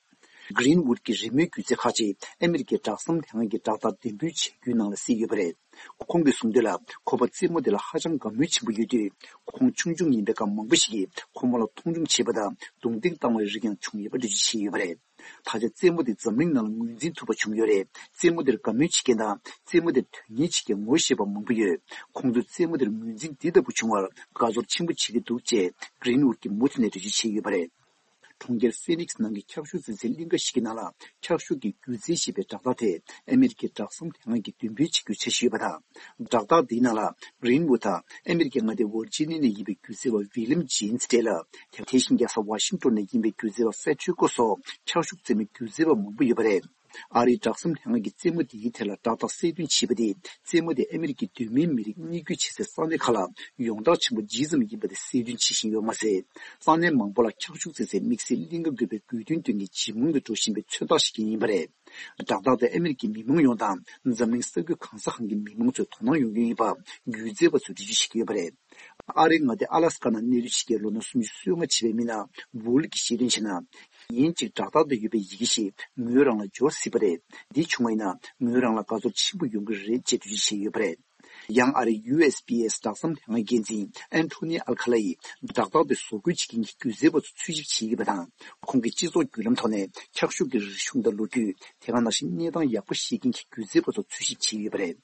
གྷི་རིན་ཝུཌ་ཀྱི་རི་མོའི་སྒྱུ་རྩལ་ཁག་ཅིག་ཨ་མི་རི་ཀའི་སྦྲག་སྲམ་ལྷན་ཁང་གི་བསྒྲགས་རྟགས་འདོན་སྤེལ་བྱ་རྒྱུའི་ནང་ལ་གསལ་ཡོད་པ་རེད། ཁོང་གིས་གསུངས་དོན་ལ། ཁོ་པ་རྩེད་མོ་དེ་ལ་ཧ་ཅང་དགའ་མོས་ཆེན་པོ་ཡོད་དུས། ཁོང་ཆུང་ཆུང་ཡིན་པའི་སྐབས་མང་པོ་ཞིག་གིས་ཁོ་མོ་ལ་མཐོང་ཆུང་བྱས་པ་དང་རྡུང་རྡེག་བཏང་བའི་རིགས་ཀྱང་བྱུང་ཡོད་པ་འགྲེལ་བརྗོད་བྱས་ཡོད་པ་རེད། ད་ཆ་རྩེད་མོ་དེ་འཛམ་གླིང་ནང་ལ་ངོས་འཛིན་ཐུབ་པ་བྱུང་ཡོད་རེད། རྩེད་མོ་དེར་དགའ་མོས་བྱེད་མཁན་དང་རྩེད་མོ་དེར་དོན་གཉེར་བྱེད་མཁན་ངོ་ཤེས་པ་མང་པོ་ཡོད། ཁོང་ཚོས་རྩེད་མོ་དེར་ངོས་འཛིན་འདི་ལྟ་བུ་བྱུང་བར་དགའ་ཚོར་ཆེན་པོ་བྱེད་ཀྱི་འདུག་ཅེས་གྷི་རིན་ཝུཌ་ཀྱིས་མུ་མཐུད་ནས་འགྲེལ་བརྗོད་བྱས་ཡོད་པ་རེད། གྲོང་ཁྱེར་ཕི་ནིག་སི་ནང་གི་འཁྱག་ཤུགས་འཛིན་སའི་གླིང་ག་ཞིག་གི་ནང་ལ་འཁྱག་ཤུགས་ཀྱི་སྒྱུ་རྩལ་ཞེས་པའི་བསྒྲགས་རྟགས་དེ་ཨ་མེ་རི་ཀའི་སྦྲག་སྲམ་ལྷན་ཁང་གིས་འདོན་སྤེལ་བྱེད་རྒྱུའི་འཆར་གཞི་ཡོད་པ་དང་། བསྒྲགས་རྟགས་འདིའི་ནང་ལ་གྷི་རིན་ཝུཌ་དང་ཨ་མེ་རི་ཀའི་མངའ་སྡེ་ཝར་ཇི་ནི་ཡ་ནས་ཡིན་པའི་སྒྱུ་རྩལ་བ་ཝི་ལིམ་ཇེན་སི་འབྲེལ་ལ། དེ་བཞིན་རྒྱལ་ས་ཝ་ཤིང་ཊོན་ནས་ཡིན་པའི་སྒྱུ་རྩལ་བ་ཧྥེ་ཌེ་རི་ཀོ་སོགས་འཁྱག་ཤུགས་འཛིན་མའི་སྒྱུ་རྩལ་བ་མང་པོ་ཡོད་པ་རེད། ཨ་རིའི་དྲག་གསུམ་ལྷན་ཁང་གིས་རྩེད་མོ་དེའི་ཐད་ལ་བཀྲག་མདངས་གསལ་སྟོན་བྱས་པ་དེས། རྩེད་མོ་དེ་ཨ་མི་རི་ཀའི་གདོད་མའི་མི་རིགས་གཉིས་བརྒྱུད་བྱེད་སའི་ས་གནས་ཁག་ལ་ཡོངས་གྲགས་ཆེན་པོ་ཇི་ཙམ་ཡིན་པ་དེ་གསལ་སྟོན་བྱེད་བཞིན་ཡོད་མ་ཟད། ས་གནས་མང་པོ་ལ་འཁྱག་ཤུགས་བཙིར་སའི་དམིགས་བསལ་གླིང་ག་དགོས་པའི་དགོས་འདུན་བཏོན་མཁན་ཇེ་མང་དུ་འགྲོ་བཞིན་པའི་མཚོན་རྟགས་ཤིག་ཀྱང་ཡིན་པ་རེད། བཀྲག་མདངས་དེ་ཨ་མི་རི་ཀའི་མི་མང་ཡོངས་དང་འཛམ་གླིང་ས་ཁུལ་གང་ས་གང་གི་མི་མང་ཚོས་དོ་སྣང་ཡོང་རྒྱུ་ཡིན་པ་སྒྱུ་རྩལ་པ་ཚོས་འགྲེལ་བརྗོད་བྱེད་ཀྱི་ཡོད་པ་རེད། ཨ་རིའི་མངའ་སྡེ་ཨ་ལ་སི་ཀ་ནང་གནས་སྡོད་བྱེད་མཁན་ལོ་ན་སུམ་ཅུ་སོ་ལྔ་བྱས་པའི་མི་སྣ་ཝུ་ལི་གིས་ཤེས་དོན་བྱས་ན། ཡིན་གཅིག་བཀྲག་མདངས་དེ་ཡོད་པའི་ཡི་གེ་ཞིག་མོས་རང་ལ་འབྱོར་སྲིད་པ་རེད། འདི་བྱུང་བ་ཡིན་ན་མོས་རང་ལ་དགའ་ཚོར་ཆེན་པོ་ཡོང་གི་རེད་ཅེས་འགྲེལ་བརྗོད་བྱས་ཡོད་པ་རེད། ཡང་ཨ་རིའི་ཡུ་ཨེས་པི་ཨེས་དྲག་གསུམ་ལྷན་ཁང་འགན་འཛིན་ཨན་ཐོ་ནི་ཨལ་ཁ་ལ་ཡིས་བཀྲག་མདངས་དེ་བཟོ་བཀོད་བྱེད་མཁན་གྱི་སྒྱུ་རྩལ་པ་ཚོ་འཚོལ་ཞིབ་བྱེད་ཀྱི་ཡོད་པ་དང་། ཁོང་གིས་སྤྱི་ཚོགས་བརྒྱུད་ལམ་ཐོག་ནས་འཁྱག་ཤུགས་ཀྱི་རིག་གཞུང་དང་ལོ་རྒྱུས། དེ་ག་ནང་བཞིན་གནས་སྟངས་ཡག་པོ་ཤེས་མཁན་གྱི་སྒྱུ་རྩལ་པ་ཚོ་འཚོལ་ཞིབ་བྱེད་ཀྱི་ཡོད་པ་རེད།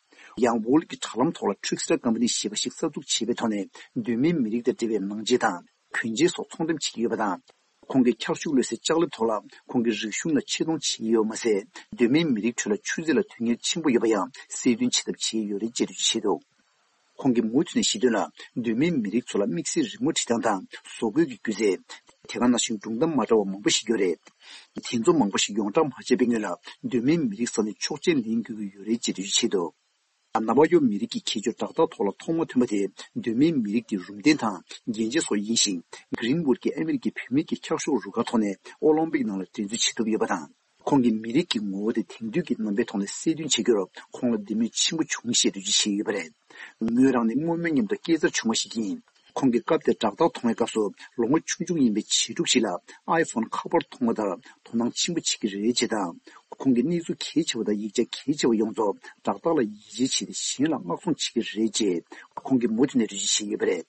ཡང་ཝུ་ལི་གི་དྲ་ལམ་ཐོག་ལ་Trickster Company ཞེས་པ་ཞིག་གསར་འཛུགས་བྱས་པའི་ཐོག་ནས་གདོད་མའི་མི་རིགས་དང་འབྲེལ་བའི་ནང་ཆས་དང་གོན་ཆས་སོགས་ཚོང་འགྲེམས་བྱེད་ཀྱི་ཡོད་པ་དང་། ཁོང་གིས་འཁྱག་ཤུགས་གློད་སའི་ལྕགས་ལེབ་ཐོག་ལ་ཁོང་གི་རིག་གཞུང་ལ་ཆེ་མཐོང་བྱེད་ཀྱི་ཡོད་མ་ཟད། གདོད་མའི་མི་རིགས་ཁྲོད་ལ་ཆུ་ཚད་ལ་དོན་གཉེར་ཆེན་པོ་ཡོད་པ་ཡང་གསལ་སྟོན་བྱེད་ཐབས་བྱས་ཡོད་རེད་ཅེས་འགྲེལ་བརྗོད་བྱས་འདུག་ཁོང་གིས་མུ་མཐུད་ནས་བཤད་དོན་ལ། གདོད་མའི་མི་རིགས་ཚོ་ལ་དམིགས་བསལ་རི་མོ་བྲིས་སྟངས་དང་བཟོ་བཀོད་ཀྱི་སྒྱུ་རྩལ། དེ་ག་ནང་བཞིན་སྒྲུང་གཏམ་མ་འདྲ་བ་མང་པོ་ཞིག་ཡོད་རེད། དེ་ཚོ་མང་པོ་ཞིག་ཡོངས་བསྒྲགས་མ་བྱས་པའི་སྔོན་ལ་གདོད་མའི་མི་རིགས་ས་ནས་ཆོག་མཆན་ལེན་དགོས་ཀྱི་ཡོད་རེད་ཅེས་འགྲེལ་བརྗོད་བྱས་འདུག་ནཱ་བ་ཡོ་མི་རིགས་ཀྱི་ཁྱད་ཆོས་བཀྲག་མདངས་ཐོག་ལ་ཐོག་མ་ཐོན་པ་དེ་གདོད་མའི་མི་རིགས་ཀྱི་རུམ་གདན་དང་རྒྱན་ཆ་སོགས་ཡིན་ཞིང་། གྷི་རིན་ཝུཌ་ཀྱིས་ཨ་མི་རི་ཀའི་བུད་མེད་ཀྱི་འཁྱག་ཤོག་རུ་ཁག་ཐོག་ནས་ཨོ་ལིམ་པིག་ནང་ལ་འགྲན་རྩོད་བྱེད་ཐུབ་ཡོད་པ་དང་། ཁོང་གིས་མི་རིགས་ཀྱི་ངོ་བོ་དེ་དེང་དུས་ཀྱི་རྣམ་པའི་ཐོག་ནས་གསལ་སྟོན་བྱེད་རྒྱུར་ཁོང་ལ་འདི་མོས་ཆེན་པོ་བྱུང་ཞེས་འགྲེལ་བརྗོད་བྱས་ཡོད་པ་རེད། ངོས་རང་ནི་སྔོན་མའི་མཉམ་དུ་སྐྱེས་འཚར་བྱུང་བ་ཞིག་ཡིན། ཁོང་གིས་སྐབས་དེར་བཀྲག་མདངས་མཐོང་བའི་སྐབས་སུ་ལོ་ངོ་ཆུང་ཆུང་ཡིན་པའི་བྱིས་ཕྲུག་ཞིག་ལ་ཨའི་ཕོན་ཁ་པར་མཐོང་བ་ལྟར་དོ་སྣང་ཆེན་པོ་བྱེད་ཀྱི་རེད་ཅེས་དང་། ཁོང་གིས་གནས་ཚུལ་གལ་ཆེ་བ་དང་ཡིག་ཆ་གལ་ཆེ་བ་ཡོངས་རྫོགས་བཀྲག་མདངས་ལ་ཡིད་ཆེས་བྱས་ཏེ་གཞན་ལ་མངགས་ཚོང་བྱེད་ཀྱི་རེད་ཅེས་ཁོང་གིས་མུ་མཐུད་ནས་འགྲེལ་བརྗོད་བྱས་ཡོད་པ་རེད།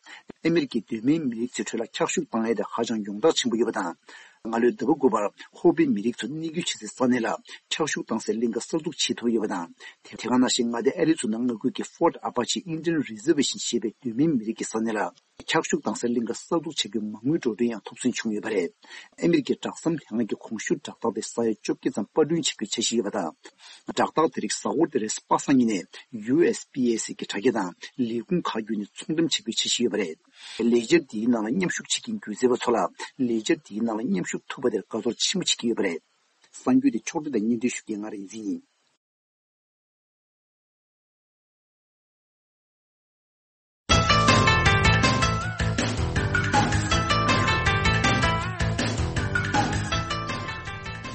ཨ་མི་རི་ཀའི་གདོད་མའི་མི་རིགས་ཚོའི་ཁྲོད་ལ་འཁྱག་ཤུགས་བཏང་ཡས་དེ་ཧ་ཅང་ཡོངས་གྲགས་ཆེན་པོ་ཡོད་པ་དང་། སྔ་ལོའི་ཟླ་བ་དགུ་པར་ཧོ་པི་མི་རིགས་ཚོ་གནས་སྡོད་བྱེད་སའི་ས་གནས་ལ་འཁྱག་ཤུགས་བཏང་སའི་གླིང་ག་གསར་འཛུགས་བྱེད་ཐུབ་ཡོད་པ་དང་། དེ་དེ་ག་ནང་བཞིན་མངའ་སྡེ་ཨ་རི་ཚོ་ནང་མངའ་ཁུལ་གྱི་Fort Apache Indian Reservation ཞེས་པའི་གདོད་མའི་མི་རིགས་ཀྱི་ས་གནས་ལ་འཁྱག་ཤུགས་བཏང་སའི་གླིང་ག་གསར་འཛུགས་བྱ་རྒྱུའི་མ་དངུལ་འགྲོ་གྲོན་ཡང་ཐོབ་སོན་བྱུང་ཡོད་པ་རེད། ཨ་མི་རི་ཀའི་དྲག་གསུམ་ལྷན་ཁང་གི་གོང་ཞུས་བཀྲག་མདངས་དེ་ས་ཡ་བཅོ་བརྒྱད་ཙམ་པར་སྐྲུན་བྱེད་རྒྱུའི་འཆར་གཞི་ཡོད་པ་དང་། བཀྲག་མདངས་དེ་རིགས་གཟའ་འཁོར་འདིར་པ་སངས་ཉིན་ནས་ཡུ་ཨེས་པི་ཨེ་སི་གི་དྲ་རྒྱ་དང་ལས་ཁུངས་ཁག་བརྒྱུད་ནས་ཚོང་འགྲེམས་བྱ་རྒྱུའི་འཆར་གཞི་ཡོད་པ་རེད། ལས་འཆར་འདིའི་ནང་ལ་མཉམ་ཞུགས་བྱེད་མཁན་སྒྱུ་རྩལ་པ་ཚོ་ལ་ལས་འཆར་འདིའི་ནང་ལ་མཉམ་ཞུགས་ཐུབ་པ་དེར་དགའ་ཚོར་ཆེན་པོ་བྱེད་ཀྱི་ཡོད་པ་རེད། གསར་འགྱུར་དེ་ཕྱོགས་སྒྲིག་དང་སྙན་སྒྲོན་ཞུ་མཁན་ང་རིག་འཛིན་ཡིན།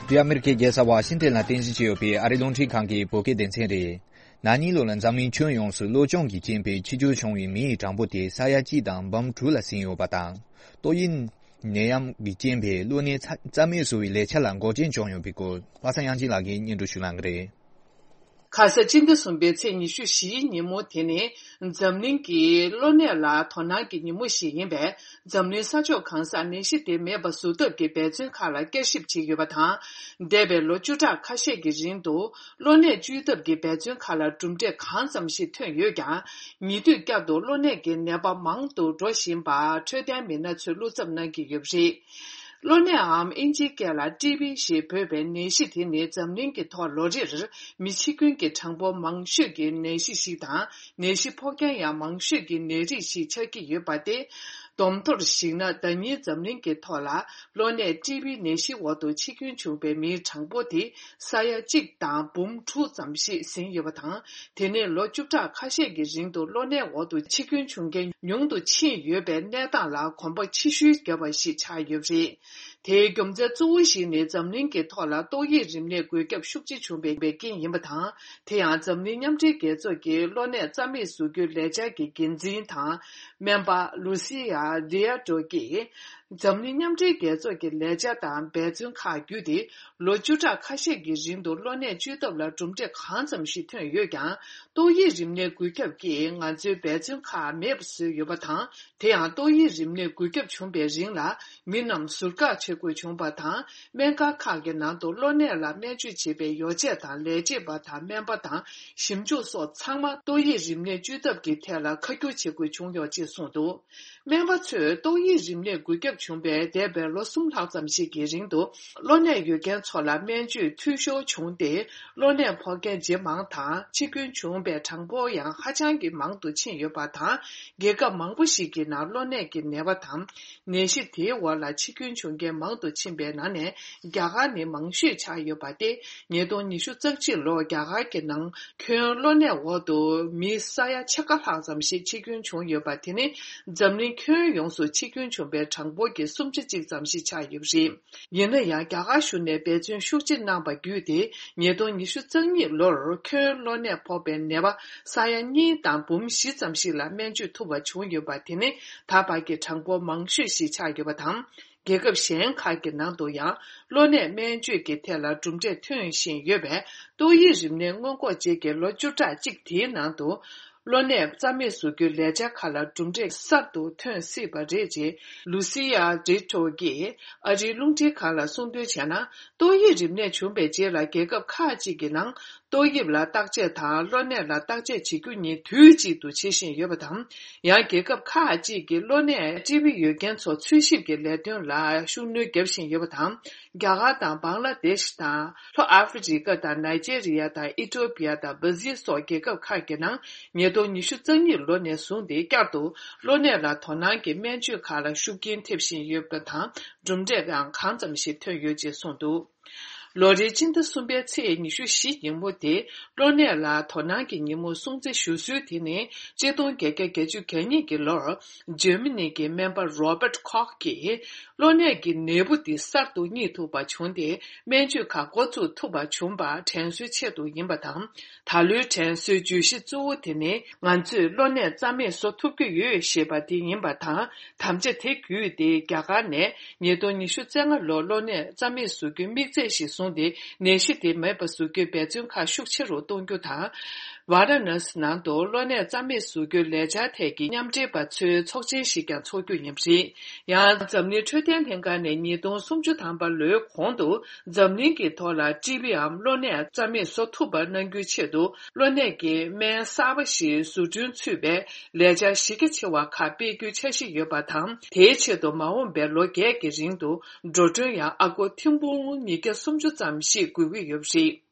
འདི་ཨ་མེ་རི་ཁའི་རྒྱལ་ས་ཝ་ཤིང་ཏན་ལ་རྟེན་གཞི་བྱས་ཡོད་པའི་ཨ་རིའི་རླུང་འཕྲིན་ཁང་གི་བོད་སྐད་སྡེ་ཚན་རེད། ན་ནིང་ལོ་ལ་འཛམ་གླིང་ཁྱོན་ཡོངས་སུ་གློ་གཅོང་གི་རྐྱེན་པས་འཆི་སྐྱོན་བྱུང་བའི་མི་ཡི་གྲངས་འབོར་དེ་ས་ཡ་གཅིག་དང་འབུམ་དྲུག་ལ་ཟིན་ཡོད་པ་དང་། ཏོག་དབྱིབས་ནད་ཡམས་ཀྱི་རྐྱེན་པས་གློ་ནད་རྩ་རྩ་མེད་བཟོ་བའི་ལས་འཆར་ལ་འགོག་རྐྱེན་བྱུང་ཡོད་པའི་སྐོར། པ་སངས་དབྱངས་ཅན་ལགས་ཀྱིས་སྙན་སྒྲོན་ཞུ་གནང་གི་རེད། ཁ་ས་སྤྱི་ཟླ་གསུམ་པའི་ཚེས་ཉི་ཤུ་བཞིའི་ཉིན་མོ་དེ་ནི་འཛམ་གླིང་གི་གློ་ནད་ལ་དོ་སྣང་གི་ཉིན་མོ་ཞིག་ཡིན་པས། འཛམ་གླིང་ས་ཕྱོགས་གང་སར་ནད་གཞི་དེ་མེད་པ་བཟོ་ཐབས་ཀྱི་འབད་བརྩོན་ཁག་ལ་བསྐྱར་ཞིབ་བྱེད་ཀྱི་ཡོད་པ་དང་། འདས་པའི་ལོ་བཅུ་ཕྲག་ཁ་ཤས་ཀྱི་རིང་དུ་གློ་ནད་བཅོས་ཐབས་ཀྱི་འབད་བརྩོན་ཁག་ལ་གྲུབ་འབྲས་གང་ཙམ་ཞིག་ཐོན་ཡོད་ཀྱང་། ཉེ་དུས་བསྐྱར་དུ་གློ་ནད་ཀྱི་ནད་པ་མང་དུ་འགྲོ་བཞིན་པ་འཕྲོད་བསྟེན་མི་སྣ་ཚོས་བློ་འཚབ་གནང་གི་ཡོད་པ་རེད། གློ་ནད་འམ་ཨིན་ཇིའི་སྐད་ལ་ཊི་བི་ཞེས་འབོད་པའི་ནད་གཞི་དེ་ནི་འཛམ་གླིང་གི་ཐོག་ལོ་རེར་མི་འཆི་སྐྱོན་གྱི་གྲངས་འབོར་མང་ཤོས་ཀྱི་ནད་གཞི་ཞིག་དང་། ནད་གཞི་ཕོག་མཁན་ཡང་མང་ཤོས་ཀྱི་ནད་རིགས་ཤིག་ཆགས་ཀྱི་ཡོད་པ་སྟེ། བསྡོམས་ཐོར་གཞིགས་ན་ཟླ་ཉིན་འཛམ་གླིང་གི་ཐོག་ལ་གློ་ནད་ཊི་བི་ནད་གཞི་འོག་ཏུ་འཆི་སྐྱོན་བྱུང་བའི་མིའི་གྲངས་འབོར་དེ་ས་ཡ་གཅིག་དང་འབུམ་དྲུག་ཙམ་ཞིག་ཟིན་ཡོད་པ་དང་། དེ་ནས་ལོ་བཅུ་ཕྲག་ཁ་ཤས་ཀྱི་རིང་དུ་གློ་ནད་འོག་ཏུ་འཆི་སྐྱོན་བྱུང་མཁན་ཉུང་དུ་ཕྱིན་ཡོད་པའི་གནས་སྟངས་ལ་གོམ་པ་ཕྱི་བཤོལ་བརྒྱབ་པ་ཞིག་ཆགས་ཡོད་པ་རེད། དེའི་རྒྱུ་མཚན་གཙོ་བོ་ཞིག་ནི་འཛམ་གླིང་གི་ཐོག་ལ་ཏོག་དབྱིབས་རིམས་ནད་འགོས་ཁྱབ་ཤུགས་ཆེ་བྱུང་བའི་རྐྱེན་ཡིན་པ་དང་། དེ་ཡང་འཛམ་གླིང་མཉམ་འབྲེལ་རྒྱལ་ཚོགས་ཀྱི་གློ་ནད་རྩ་མེད་བཟོ་རྒྱུའི་ལས་འཆར་གྱི་འགན་འཛིན་དང་སྨན་པ་ལུ་སི་ཡ་རི་ཡ་ཏྲོ་ཀྱིས། འཛམ་གླིང་མཉམ་འབྲེལ་རྒྱལ་ཚོགས་ཀྱི་ལས་འཆར་དང་འབད་བརྩོན་ཁག་བརྒྱུད་དེ། ལོ་བཅུ་ཕྲག་ཁ་ཤས་ཀྱི་རིང་དུ་གློ་ནད་བཅོས་ཐབས་ལ་གྲུབ་འབྲས་གང་ཙམ་ཞིག་ཐོན་ཡོད་ཀྱང་། ཏོག་དབྱིབས་རིམས་ནད་འགོས་ཁྱབ་ཀྱིས་ང་ཚོའི་འབད་བརྩོན་ཁག་མེད་པ་བཟོས་ཡོད་པ་དང་། དེ་ཡང་ཏོག་དབྱིབས་རིམས་ནད་འགོས་ཁྱབ་བྱུང་བའི་རིང་ལ་མི་རྣམས་ཟུར་བཀག་བྱེད་དགོས་བྱུང་བ་དང་། སྨན་ཁང་ཁག་གི་ནང་དུ་གློ་ནད་ལ་སྨན་བཅོས་བྱེད་པའི་ཡོ་བྱད་དང་ལས་བྱེད་པ་དང་སྨན་པ་དང་ཞིབ་འཇུག་སོགས་ཚང་མ་ཏོག་དབྱིབས་རིམས་ནད་བཅོས་ཐབས་ཀྱི་ཐད་ལ་ཁ་སྒྱུར་བྱེད་དགོས་བྱུང་ཡོད་ཅེས་གསུངས་འདུག་སྨན་པ་ ཚོས་ཏོག་དབྱིབས་རིམས་ནད་འགོས་ཁྱབ་བྱུང་བའི་འདས་པའི་ལོ་གསུམ་ལྷག་ཙམ་ཞིག་གི་རིང་དུ། གློ་ནད་ཡོད་མཁན་ཚོ་ལ་སྨན་བཅོས་འཐུས་ཤོར་བྱུང་སྟེ། གློ་ནད་ཕོག་མཁན་ཇེ་མང་དང་འཆི་སྐྱོན་བྱུང་བའི་གྲངས་འབོར་ཡང་ཧ་ཅང་གི་མང་དུ་ཕྱིན་ཡོད་པ་དང་། རྒྱལ་ཁབ་མང་པོ་ཞིག་གི་ནང་གློ་ནད་ཀྱི་ནད་པ་དང་། ནད་གཞི་དེའི་འོག་ལ་འཆི་སྐྱོན་བྱུང་མཁན་མང་དུ་ཕྱིན་པའི་ནང་ནས། རྒྱ་གར་ནི་མང་ཤོས་ཆགས་ཡོད་པ་སྟེ། ཉིས་སྟོང་ཉི་ཤུ་རྩ་གཅིག་ལོར་རྒྱ་གར་གྱི་ནང་ཁྱོན་གློ་ནད་འོག་ཏུ་མི་ས་ཡ་ཕྱེད་ཀ་ལྷག་ཙམ་ཞིག་འཆི་སྐྱོན་བྱུང་ཡོད་པ། དེ་ནི་འཛམ་གླིང་ཁྱོན་ཡོངས་སུ་འཆི་སྐྱོན་བྱུང་པའི་གྲངས་འབོར་གྱི་གསུམ་ཆ་གཅིག་ཙམ་ཞིག་ཆགས་ཡོད་པ་རེད། ཡིན་ན་ཡང་། རྒྱ་གར་གཞུང་ནས་འབད་བརྩོན་ཤུགས་ཆེ་གནང་པ་བརྒྱུད་དེ། ཉིས་སྟོང་ཉི་ཤུ་རྩ་གཉིས་ལོར་ཁྱོན་གློ་ནད་ཕོག་པའི་ནད་པ་ས་ཡ་གཉིས་དང་འབུམ་བཞི་ཙམ་ཞིག་ལ་སྨན་བཅོས་ཐུབ་པ་བྱུང་ཡོད་པ། དེ་ནི་ད་བར་གྱི་གྲངས་འབོར་མང་ཤོས་ཤིག་ཆགས་ཡོད་པ་དང་། རྒྱལ་ཁབ་གཞན་ཁག་གི་ནང་དུ་ཡང་། གློ་ནད་སྨན་བཅོས་ཀྱི་ཐད་ལ་གྲུབ་འབྲས་ཐོན་བཞིན་ཡོད་པས། ཏོག་དབྱིབས་རིམས་ནད་སྔོན་འགོག་བཅས་ཀྱི་ལོ་བཅུ་ཕྲག་གཅིག་དེའི་ནང་དུ། གློ་ནད་རྩ་མེད་བཟོ་རྒྱུའི་ལས་འཆར་ཁག་ལ་གྲུབ་འབྲས་གསར་དུ་ཐོན་སྲིད་པ་རེད་ཅེས། ལུ་སི་ཡ་ཌི་ཊོ་གིས་ཨ་རིའི་རླུང་འཕྲིན་ཁང་ལ་གསུངས་དོན་བྱས་ན། ཏོག་དབྱིབས་རིམས་ནད་བྱུང་བའི་རྗེས་ལ། རྒྱལ་ཁབ་ཁག་ཅིག་གི་ནང་ཏོག་དབྱིབས་ལ་བརྟག་དཔྱད་དང་། གློ་ནད་ལ་བརྟག་དཔྱད་བྱེད་རྒྱུ་གཉིས་དུས་གཅིག་ཏུ་བྱེད་བཞིན་ཡོད་པ་དང་། ཡང་། རྒྱལ་ཁབ་ཁག་ཅིག་གིས་གློ་ནད་ཊི་བི་ཡོད་མཁན་ཚོ་འཚོལ་ཞིབ་ཀྱི་ལས་དོན་ལ་ཤུགས་སྣོན་བརྒྱབ་བཞིན་ཡོད་པ་དང་། རྒྱ་གར་དང་། བང་ལ་དེཤ་དང་། ལྷོ་ཨ་ཧྥེ་རི་ཀ་དང་། ནཱི་ཇེ་རི་ཡ་དང་། ཨི་ཏོ་པི་ཡ་དང་། བྷ་ཟིལ་སོགས་རྒྱལ་ཁབ་ཁག་གི་ནང་། ཉིས་སྟོང་ཉི་ཤུ་རྩ་གཉིས་ལོ་ནས་བཟུང་སྟེ། བསྐྱར་དུ་གློ་ནད་ལ་དོ་སྣང་གི་སྨན་བཅོས་ཁག་ལ་ཤུགས་རྐྱེན་ཐེབས་བཞིན་ཡོད་པ་དང་། གྲུབ་འབྲས་ཡང་གང་ཙམ་ཞིག་ཐོན་ཡོད་ཅེས་གསུངས་འདུག་ལོ་རེའི་སྤྱི་ཟླ་གསུམ་པའི་ཚེས་ཉི་ཤུ་བཞི་ཉིན་མོ་དེ། གློ་ནད་ལ་དོ་སྣང་གི་ཉིན་མོ་སྲུང་བརྩི་ཞུ་སྲོལ་དེ་ནི། གཅིག་སྟོང་བརྒྱད་བརྒྱ་བརྒྱད་ཅུ་གྱ་གཉིས་ཀྱི་ལོར། འཇར་མ་ནི་གི་སྨན་པ་རོ་བརྟ་ཁོག་གིས། གློ་ནད་ཀྱི་ནད་འབུ་འདི་གསར་དུ་རྙེད་ཐུབ་པ་བྱུང་སྟེ། སྨན་བཅོས་ཁག་འགོ་བཙུགས་ཐུབ་པ་བྱུང་བ་དྲན་གསོའི་ཆེད་དུ་ཡིན་པ་དང་། ད་ལོའི་དྲན་གསོའི་བརྗོད་གཞི་གཙོ་བོ་དེ་ནི། ང་ཚོས་གློ་ནད་རྩ་མེད་བཟོ་ཐུབ་ཀྱི་ཡོད་ཞེས་པ་དེ་ཡིན་པ་དང་། དམ་བཅའ་དེ་བརྒྱུད་དེ། རྒྱ་གར་ནས་ཉིས་སྟོང་ཉི་ཤུ་རྩ་ལྔ་ལོར་གློ་ནད་རྩ་མེད་བཟོ་རྒྱུའི་དམིགས་ཚད་ཞིག་བཟུང་སྟེ། ནད་གཞི་དེ་མེད་པ་བཟོ་རྒྱུའི་འབད་བརྩོན་ཁག་ཤུགས་ཆེ་རུ་གཏོང་རྒྱུ་དང་། ཝཱ་ར་ཎ་སི་ནང་དུ་གློ་ནད་རྩ་མེད་བཟོ་རྒྱུའི་ལས་འཆར་ཐད་ཀྱི་མཉམ་འབྲེལ་པ་ཚོའི་ཚོགས་ཆེན་ཞིག་ཀྱང་འཚོགས་རྒྱུ་ཡིན་པ་རེད། ཡང་། འཛམ་གླིང་འཕྲོད་བསྟེན་ལྷན་ཁང་ནས་ཉིས་སྟོང་སུམ་ཅུ་ཐམ་པ་ལོའི་གོང་དུ། འཛམ་གླིང་གི་ཐོག་ལ་ཊི་བི་འམ་གློ་ནད་རྩ་མེད་བཟོ་ཐུབ་པ་གནང་རྒྱུའི་ཆེད་དུ། གློ་ནད་ཀྱི་སྨན་གསར་པ་ཞིག་བཟོ་སྐྲུན་ཚུད་པའི་ལས་འཆར་གཞི་རྒྱ་ཆེ་བ་ཁག་སྤེལ་རྒྱུའི་འཆར་གཞི་ཡོད་པ་དང་། དེའི་ཆེད་དུ་མ་འོངས་པའི་ལོ་བརྒྱད་ཀྱི་རིང་དུ། འགྲོ་གྲོན་ཡང་ཨ་སྒོར་ཐེར་འབུམ་ཉིས་བརྒྱ་སུམ་ཅུ་ཙམ་ཞིག་དགོས་ཀྱི་ཡོད་པ་རེད།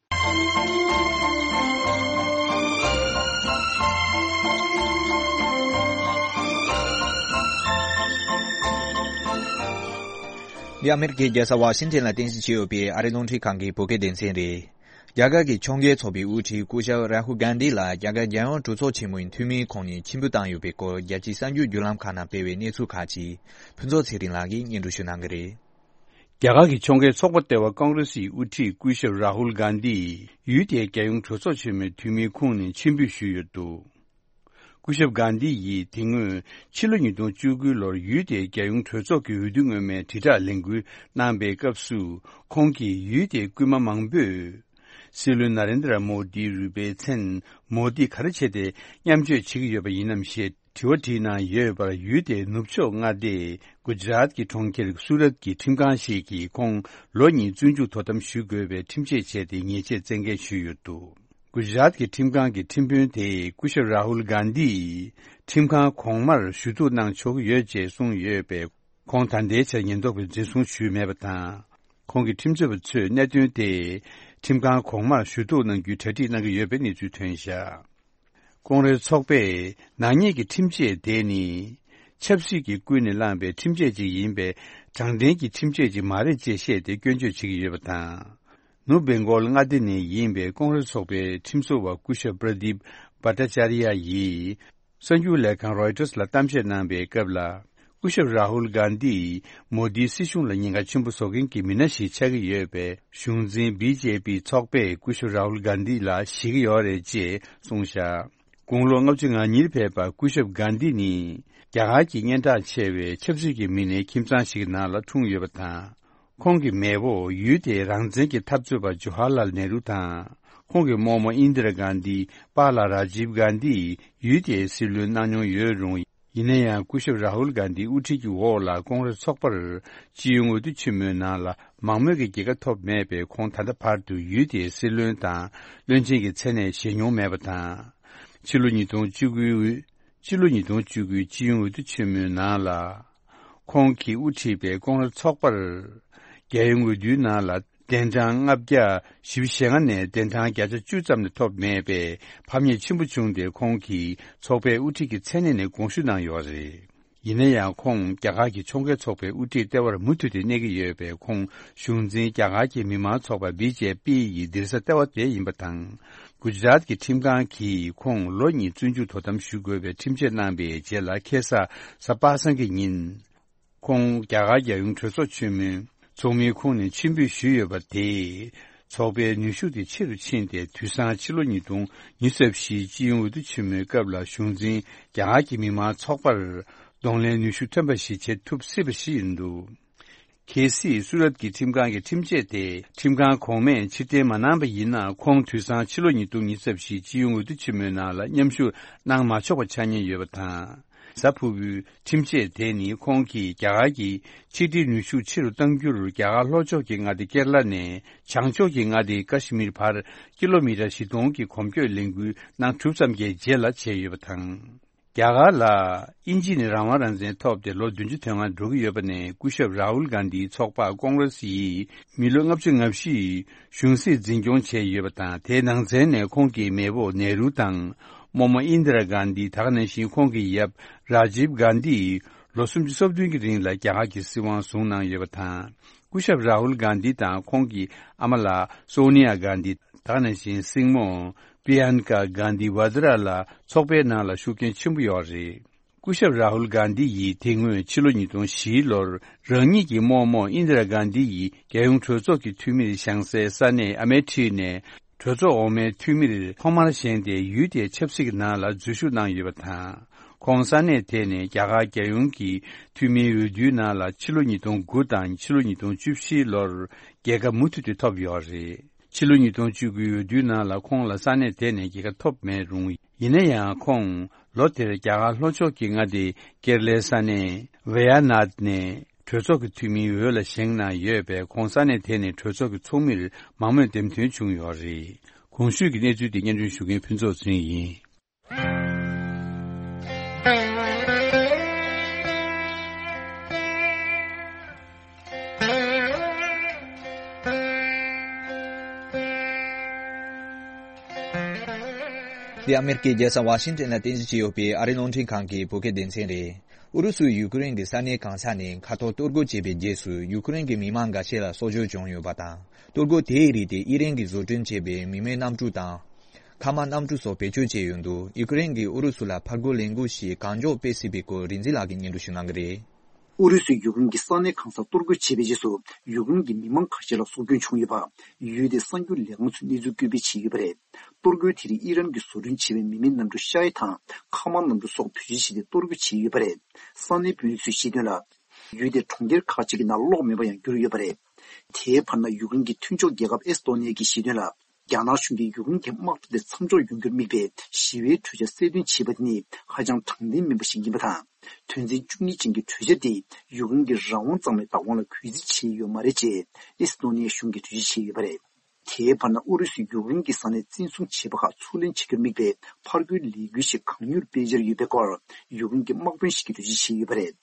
འདི་ཨ་མེ་རི་ཁའི་རྒྱལ་ས་ཝ་ཤིང་ཊོན་ལ་རྟེན་གཞི་བྱས་ཡོད་པའི་ཨ་རིའི་རླུང་འཕྲིན་ཁང་གི་བོད་སྐད་སྡེ་ཚན་རེད། རྒྱ་གར་གྱི་ཕྱོགས་འགལ་ཚོགས་པའི་དབུ་ཁྲིད་སྐུ་ཞབས་རཱ་ཧུལ་གྷན་དྷི་ལ་རྒྱ་གར་རྒྱལ་ཡོངས་གྲོས་ཚོགས་ཆེན་མོའི་འཐུས་མིའི་ཁོངས་ནས་ཕྱིར་འབུད་བཏང་ཡོད་པའི་སྐོར། རྒྱལ་སྤྱིའི་གསར་འགྱུར་བརྒྱུད་ལམ་ཁག་ནང་སྤེལ་བའི་གནས་ཚུལ་ཁག་ཅིག་ཕུན་ཚོགས་ཚེ་རིང་ལགས་ཀྱིས་སྙན་སྒྲོན་ཞུ་གནང་གི་རེད། རྒྱ་གར་གྱི་ཕྱོགས་འགལ་ཚོགས་པ་ལྟེ་བ་ཀོང་རེ་སིའི་དབུ་ཁྲིད་སྐུ་ཞབས་རཱ་ཧུལ་གྷན་དྷི་ཡུལ་དེའི་རྒྱལ་ཡོངས་གྲོས་ཚོགས་ཆེན་མོའི་འཐུས་མིའི་ཁོངས་ནས་ཕྱིར་འབུད་ཞུས་ཡོད་འདུག་སྐུ་ཞབས་གྷན་དྷི་ཡིས་དེ་སྔོན་ཕྱི་ལོ་ཉིས་སྟོང་བཅུ་དགུ་ལོར་ཡུལ་དེའི་རྒྱལ་ཡོངས་གྲོས་ཚོགས་ཀྱི་འོས་བསྡུ་སྔོན་མའི་དྲིལ་བསྒྲགས་ལས་འགུལ་གནང་པའི་སྐབས་སུ། ཁོང་གིས་ཡུལ་དེའི་སྐུལ་མ་མང་པོས། སྲིད་བློན་ན་རེན་དྲ་མོ་དིའི་རུས་པའི་མཚན་མོ་དི་ག་རེ་བྱས་ཏེ་མཉམ་སྤྱོད་བྱེད་ཀྱི་ཡོད་པ་ཡིན་ནམ་ཞེས་དྲི་བ་དྲིས་གནང་ཡོད་པར། ཡུལ་དེའི་ནུབ་ཕྱོགས་མངའ་སྡེ་གུ་ཇ་རཱཏ་ཀྱི་གྲོང་ཁྱེར་སུ་རཏ་ཀྱི་ཁྲིམས་ཁང་ཞིག་གིས་ཁོང་ལོ་གཉིས་བཙོན་འཇུག་དོ་དམ་ཞུ་དགོས་པའི་ཁྲིམས་ཆད་བཅད་དེ་ཉེས་ཆད་བཙན་འགེལ་ཞུས་ཡོད་འདུག་གུ་ཇ་རཱཏ་ཀྱི་ཁྲིམས་ཁང་གི་ཁྲིམས་དཔོན་དེས་སྐུ་ཞབས་རཱ་ཧུལ་གྷན་དྷིས་ཁྲིམས་ཁང་གོང་མར་ཞུ་གཏུག་གནང་ཆོག་གི་ཡོད་ཅེས་གསུངས་ཡོད་པས། ཁོང་ད་ལྟའི་ཆར་ཉེན་རྟོག་པས་འཛིན་བཟུང་ཞུས་མེད་པ་དང་། ཁོང་གི་ཁྲིམས་རྩོད་པ་ཚོས་གནད་དོན་དེ་ཁྲིམས་ཁང་གོང་མར་ཞུ་གཏུག་གནང་རྒྱུའི་གྲ་སྒྲིག་གནང་གི་ཡོད་པའི་གནས་ཚུལ་ཐོན་བཞག་ཀོང་རེས་ཚོགས་པས་ནག་ཉེས་ཀྱི་ཁྲིམས་ཆད་དེ་ནི། ཆབ་སྲིད་ཀྱི་ཀུན་ནས་བསླངས་པའི་ཁྲིམས་ཆད་ཅིག་ཡིན་པས། དྲང་བདེན་གྱི་ཁྲིམས་ཆད་ཅིག་མ་རེད་ཅེས་བཤད་དེ་སྐྱོན་བརྗོད་བྱེད་ཀྱི་ཡོད་པ་དང་། ནུབ་བེང་གོལ་མངའ་སྡེ་ནས་ཡིན་པའི་ཀོང་རེས་ཚོགས་པའི་ཁྲིམས་བཟོ་བ་སྐུ་ཞབས་པྲ་དིབ་བྷ་ཏྲ་ཅཱ་རི་ཡ་ཡིས། གསར་འགྱུར་ལས་ཁང་རོའི་ཊར་ལ་གཏམ་བཤད་གནང་པའི་སྐབས་ལ། སྐུ་ཞབས་རཱ་ཧུལ་གྷན་དྷི་མོ་དིའི་སྲིད་གཞུང་ལ་ཉེན་ཁ་ཆེན་པོ་བཟོ་མཁན་གྱི་མི་སྣ་ཞིག་ཆགས་ཀྱི་ཡོད་པས། གཞུང་འཛིན་བི་ཇེ་པི་ཚོགས་པས་སྐུ་ཞབས་རཱ་ཧུལ་གྷན་དྷི་ལ་ཞེད་ཀྱི་ཡོད་རེད་ཅེས་གསུངས་བཞག་དགུང་ལོ་ལྔ་བཅུ་ང་གཉིས་ཕེབས་པ་སྐུ་ཞབས་གྷན་དྷི་ནི། རྒྱ་གར་གྱི་སྙན་གྲགས་ཆེ་བའི་ཆབ་སྲིད་ཀྱི་མི་སྣའི་ཁྱིམ་ཚང་ཞིག་གི་ནང་ལ་འཁྲུངས་ཡོད་པ་དང་། ཁོང་གི་མེས་པོ་ཡུལ་དེའི་རང་བཙན་གྱི་འཐབ་རྩོད་པ་ཇོ་ཧར་ལཱལ་ནེ་རུ་དང་། ཁོང་གི་རྨོ་མོ་ཨིན་དི་ར་གྷན་དྷི། པཱ་ལགས་རཱ་ཇིབ་གྷན་དྷི་ཡུལ་དེའི་སྲིད་བློན་གནང་མྱོང་ཡོད་རུང་། ཡིན་ན་ཡང་། སྐུ་ཞབས་རཱ་ཧུལ་གྷན་དྷིའི་དབུ་ཁྲིད་ཀྱི་འོག་ལ་ཀོང་རེས་ཚོགས་པར་སྤྱི་ཡོངས་འོས་བསྡུ་ཆེན་མོའི་ནང་ལ་མང་མོས་ཀྱི་རྒྱལ་ཁ་ཐོབ་མེད་པས། ཁོང་ད་ལྟ་བར་དུ་ཡུལ་དེའི་སྲིད་བློན་དང་བློན་ཆེན་གྱི་མཚན་གནས་བཞེས་མྱོང་མེད་པ་དང་། ཕྱི་ལོ་ཉིས་སྟོང་བཅུ་དགུའི་ ཕྱི་ལོ་ཉིས་སྟོང་བཅུ་དགུའི་སྤྱི་ཡོངས་འོས་བསྡུ་ཆེན་མོའི་ནང་ལ། ཁོང་གིས་དབུ་ཁྲིད་པའི་ཀོང་རེ་ཚོགས་པར། རྒྱལ་ཡོངས་འོས་བསྡུའི་ནང་ལ་གདན་གྲངས་ལྔ་བརྒྱ་བཞི་བཅུ་ཞེ་ལྔ་ནས་གདན་གྲངས་བརྒྱ་ཆ་བཅུ་ཙམ་ལས་ཐོབ་མེད་པས་ཕམ་ཉེས་ཆེན་པོ་བྱུང་སྟེ། ཁོང་གིས་ཚོགས་པའི་དབུ་ཁྲིད་ཀྱི་མཚན་གནས་ནས་དགོངས་ཞུ་གནང་ཡོད་རེད། ཡིན་ན་ཡང་ཁོང་རྒྱ་གར་གྱི་ཕྱོགས་འགལ་ཚོགས་པའི་དབུ་ཁྲིད་ལྟེ་བར་མུ་མཐུད་དེ་གནས་ཀྱི་ཡོད་པས། ཁོང་གཞུང་འཛིན་རྒྱ་གར་གྱི་མི་མང་ཚོགས་པ་བི་ཇེ་པི་ཡི་སྡིངས་ས་ལྟེ་བ་དེ་ཡིན་པ་དང་། གུ་ཇ་རཱཏ་གྱི་ཁྲིམས་ཁང་གིས་ཁོང་ལོ་གཉིས་བཙོན་འཇུག་དོ་དམ་ཞུ་དགོས་པའི་ཁྲིམས་ཆད་གནང་པའི་རྗེས་ལ། ཁ་སང་གཟའ་པ་སངས་ཀྱི་ཉིན། ཁོང་རྒྱ་གར་རྒྱལ་ཡོངས་གྲོས་ཚོགས་ཆེན་མོའི་ཚོགས་མིའི་ཁོངས་ནས་ཕྱིར་འབུད་ཞུས་ཡོད་པ་དེས། ཚོགས་པའི་ནུས་ཤུགས་དེ་ཆེ་རུ་ཕྱིན་ཏེ། དུས་སང་ཕྱི་ལོ་ཉིས་སྟོང་ཉི་ཤུ་རྩ་བཞིའི་སྤྱི་ཡོངས་འོས་བསྡུ་ཆེན་མོའི་སྐབས་ལ་གཞུང་འཛིན་རྒྱ་གར་གྱི་མི་མང་ཚོགས་པར་གདོང་ལེན་ནུས་ཤུགས་ཐོན་པ་ཞིག་བྱེད་ཐུབ་སྲིད་པ་ཞིག་ཡིན་འདུག་གལ་སྲིད་སུ་རཏ་གྱི་ཁྲིམས་ཁང་གི་ཁྲིམས་ཆད་དེ་ཁྲིམས་ཁང་གོང་མས་ཕྱིར་འཐེན་མ་གནང་པ་ཡིན་ན། ཁོང་དུས་སང་ཕྱི་ལོ་ཉིས་སྟོང་ཉི་ཤུ་རྩ་བཞིའི་སྤྱི་ཡོངས་འོས་བསྡུ་ཆེན་མོའི་ནང་ལ་མཉམ་ཞུགས་གནང་མ་ཆོག་པ་ཆགས་ཉེན་ཡོད་པ་དང་། གཟའ་ཕུར་བུའི་ཁྲིམས་ཆད་དེ་ནི་ཁོང་གིས་རྒྱ་གར་གྱི་ཕྱི་འབྲེལ་ནུས་ཤུགས་ཆེ་རུ་གཏང་རྒྱུར། རྒྱ་གར་ལྷོ་ཕྱོགས་ཀྱི་མངའ་སྡེ་ཀེ་ར་ལ་ནས་བྱང་ཕྱོགས་ཀྱི་མངའ་སྡེ་ཀ་ཤི་མིར་བར་ཀི་ལོ་མི་ཊར་བཞི་སྟོང་གི་གོམ་བགྲོད་ལས་འགུལ་གནང་གྲུབ་ཙམ་གྱི་རྗེས་ལ་བྱས་ཡོད་པ་དང་། རྒྱ་གར་ལ་དབྱིན་ཇི་ནས་རང་དབང་རང་བཙན་ཐོབ་སྟེ་ལོ་བདུན་ཅུ་དོན་ལྔ་འགྲོ་གི་ཡོད་པ་ནས། སྐུ་ཞབས་རཱ་ཧུལ་གྷན་དྷིའི་ཚོགས་པ་ཀོང་རེ་སི་ཡིས་མི་ལོ་ལྔ་བཅུ་ང་བཞི་ཡི་གཞུང་སྲིད་འཛིན་སྐྱོང་བྱས་ཡོད་པ་དང་། དེའི་ནང་ཚན་ནས་ཁོང་གི་མེས་པོ་ནེ་རུ་དང་། རྨོ་མོ་ཨིན་དི་ར་གྷན་དྷི། ད་ག་ནང་བཞིན་ཁོང་གི་ཡབ་རཱ་ཇིབ་གྷན་དྷི་ཡིས་ལོ་སུམ་ཅུ་སོ་བདུན་གྱི་རིང་ལ་རྒྱ་གར་གྱི་སྲིད་དབང་བཟུང་གནང་ཡོད་པ་དང་། སྐུ་ཞབས་རཱ་ཧུལ་གྷན་དྷི་དང་ཁོང་གི་ཨ་མ་ལགས་སོ་ནི་ཡ་གྷན་དྷི། ད་ག་ནང་བཞིན་སྲིང་མོ་པི་ཡན་ཀ་གྷན་དྷི་ཝ་དྲ་ལ་ཚོགས་པའི་ནང་ལ་ཤུགས་རྐྱེན་ཆེན་པོ་ཡོད་རེད། སྐུ་ཞབས་རཱ་ཧུལ་གྷན་དྷི་ཡིས་དེ་སྔོན་ཕྱི་ལོ་ཉིས་སྟོང་བཞི་ལོར་རང་ཉིད་ཀྱི་རྨོ་མོ་ཨིན་དི་ར་གྷན་དྷི་ཡིས་རྒྱལ་ཡོངས་གྲོས་ཚོགས་ཀྱི་འཐུས་མིར་བཞེངས་སའི་ས་གནས་ཨ་མེ་ཐི་ནས་གྲོས་ཚོགས་འོག་མའི་འཐུས་མིར་ཐོག་མར་བཞེངས་ཏེ། ཡུལ་དེའི་ཆབ་སྲིད་ཀྱི་ནང་ལ་འཛུལ་ཞུགས་གནང་ཡོད་པ་དང་། ཁོང་ས་གནས་དེ་ནས་རྒྱ་གར་རྒྱལ་ཡོངས་ཀྱི་འཐུས་མིའི་འོས་བསྡུའི་ནང་ལ་ཕྱི་ལོ་ཉིས་སྟོང་དགུ་དང་ཕྱི་ལོ་ཉིས་སྟོང་བཅུ་བཞི་ལོར་རྒྱལ་ཁ་མུ་མཐུད་དུ་ཐོབ་ཡོད་རེད། ཕྱི་ལོ་ཉིས་སྟོང་བཅུ་དགུའི་འོས་བསྡུའི་ནང་ལ་ཁོང་ལ་ས་གནས་དེ་ནས་རྒྱལ་ཁ་ཐོབ་མེད་རུང་། ཡིན་ན་ཡང་ཁོང་ལོ་དེར་རྒྱ་གར་ལྷོ་ཕྱོགས་ཀྱི་མངའ་སྡེ་ཀེ་ར་ལའི་ས་གནས་ཝེ་ཡ་ནཱད་ནས་གྲོས་ཚོགས་ཀྱི་འཐུས་མིའི་འོས་ལ་བཞེངས་གནང་ཡོད་པས། ཁོང་ས་གནས་དེ་ནས་གྲོས་ཚོགས་ཀྱི་ཚོགས་མིར་མང་མོས་འདེམས་ཐོན་བྱུང་ཡོད་རེད། གོང་ཞུས་ཀྱི་གནས་ཚུལ་དེ་སྙན་སྒྲོན་ཞུ་མཁན་ཕུན་ཚོགས་ཚེ་རིང་ཡིན། འདི་ཨ་མེ་རི་ཀའི་རྒྱལ་ས་ཝ་ཤིང་ཏོན་ལ་རྟེན་གཞི་བྱས་ཡོད་པའི་ཨ་རིའི་རླུང་འཕྲིན་ཁང་གི་བོད་སྐད་སྡེ་ཚན་རེད། ཨུ་རུ་སུས་ཡུ་ཀེ་རེན་གྱི་ས་གནས་གང་ས་ནས་མཁའ་ཐོག་གཏོར་རྒོལ་བྱས་པའི་རྗེས་སུ། ཡུ་ཀེ་རེན་གྱི་མི་མང་འགའ་ཤས་ལ་སྲོག་སྐྱོན་བྱུང་ཡོད་པ་དང་། གཏོར་རྒོལ་དེའི་རིགས་དེ་ཨི་རན་གྱིས་བཟོ་སྐྲུན་བྱས་པའི་མི་མེད་གནམ་གྲུ་དང་། མཁའ་དམག་གནམ་གྲུ་སོགས་བེད་སྤྱོད་བྱས་ཡོད་འདུག་ཡུ་ཀེ་རེན་གྱིས་ཨུ་རུ་སུ་ལ་ཕར་རྒོལ་ལས་འགུལ་ཞིག་གང་མགྱོགས་སྤེལ་སྲིད་པའི་སྐོར་རིག་འཛིན་ལགས་ཀྱིས་སྙན་སྒྲོན་ཞུ་གནང་གི་རེད། ཨུ་རུ་སུས་ཡུ་ཀེ་རེན་གྱི་ས་གནས་གང་སར་གཏོར་རྒོལ་བྱས་པའི་རྗེས་སུ། ཡུ་ཀེ་རེན་གྱི་མི་མང་ཁ་ཤས་ལ་སྲོག་སྐྱོན་བྱུང་ཡོད་པ། ཡུལ་དེའི་གསར་འགྱུར་ལས་ཁང་ཚོས་གནས་ཚུལ་བཀོད་སྤེལ་བྱས་ཡོད་པ་རེད། གཏོར་རྒོལ་དེ་རིགས་ཨི་རན་གྱིས་བཟོ་སྐྲུན་བྱས་པའི་མི་མེད་གནམ་གྲུ་ཤ་ཡི་དང་མཁའ་དམག་གནམ་གྲུ་སོགས་བེད་སྤྱོད་བྱས་ཏེ་གཏོར་རྒོལ་བྱས་ཡོད་པ་རེད། ས་གནས་དཔོན་རིགས་ཚོས་བཤད་དོན་ལ། ཡུལ་དེའི་གྲོང་ཁྱེར་ཁག་ཅིག་གི་ནང་གློག་མེད་པར་ཡང་གྱུར་ཡོད་པ་རེད། དེའི་བར་ན། ཡུ་ཀེ་རེན་གྱི་མཐུན་ཕྱོགས་རྒྱལ་ཁབ་ཨེ་སི་ཏོ་ནི་ཡ་གིས་བཤད་དོན་ལ། རྒྱ་ནག་གཞུང་གིས་ཡུ་ཀེ་རེན་གྱི་དམག་འཐབ་དེ་མཚམས་འཇོག་ཡོང་རྒྱུར་དམིགས་པའི་ཞི་བའི་གྲོས་འཆར་གསལ་སྟོན་བྱས་པ་དེ་ནི་ཧ་ཅང་དྲང་བདེན་མིན་པ་ཞིག་ཡིན་པ་དང་། དོན་ཚན་བཅུ་གཉིས་ཅན་གྱི་གྲོས་འཆར་དེས་ཡུ་ཀེ་རེན་གྱི་རང་དབང་གཙང་མའི་བདག་དབང་ལ་གུས་བརྩི་བྱས་ཡོད་མ་རེད་ཅེས་ཨེ་སི་ཏོ་ནི་ཡ་གཞུང་གིས་འགྲེལ་བརྗོད་བྱས་ཡོད་པ་རེད། དེའི་བར་ན། ཨུ་རུ་སུས་ཡུཀ་རེན་གྱི་ས་གནས་བཙན་བཟུང་བྱས་པ་ཁག་ཚུར་ལེན་བྱ་རྒྱུར་དམིགས་པའི་ཕར་རྒོལ་ལས་འགུལ་ཞིག་གང་མྱུར་སྤེལ་འཆར་ཡོད་པའི་སྐོར་ཡུཀ་རེན་གྱི་དམག་དཔོན་ཞིག་གིས་འགྲེལ་བརྗོད་བྱས་ཡོད་པ་རེད།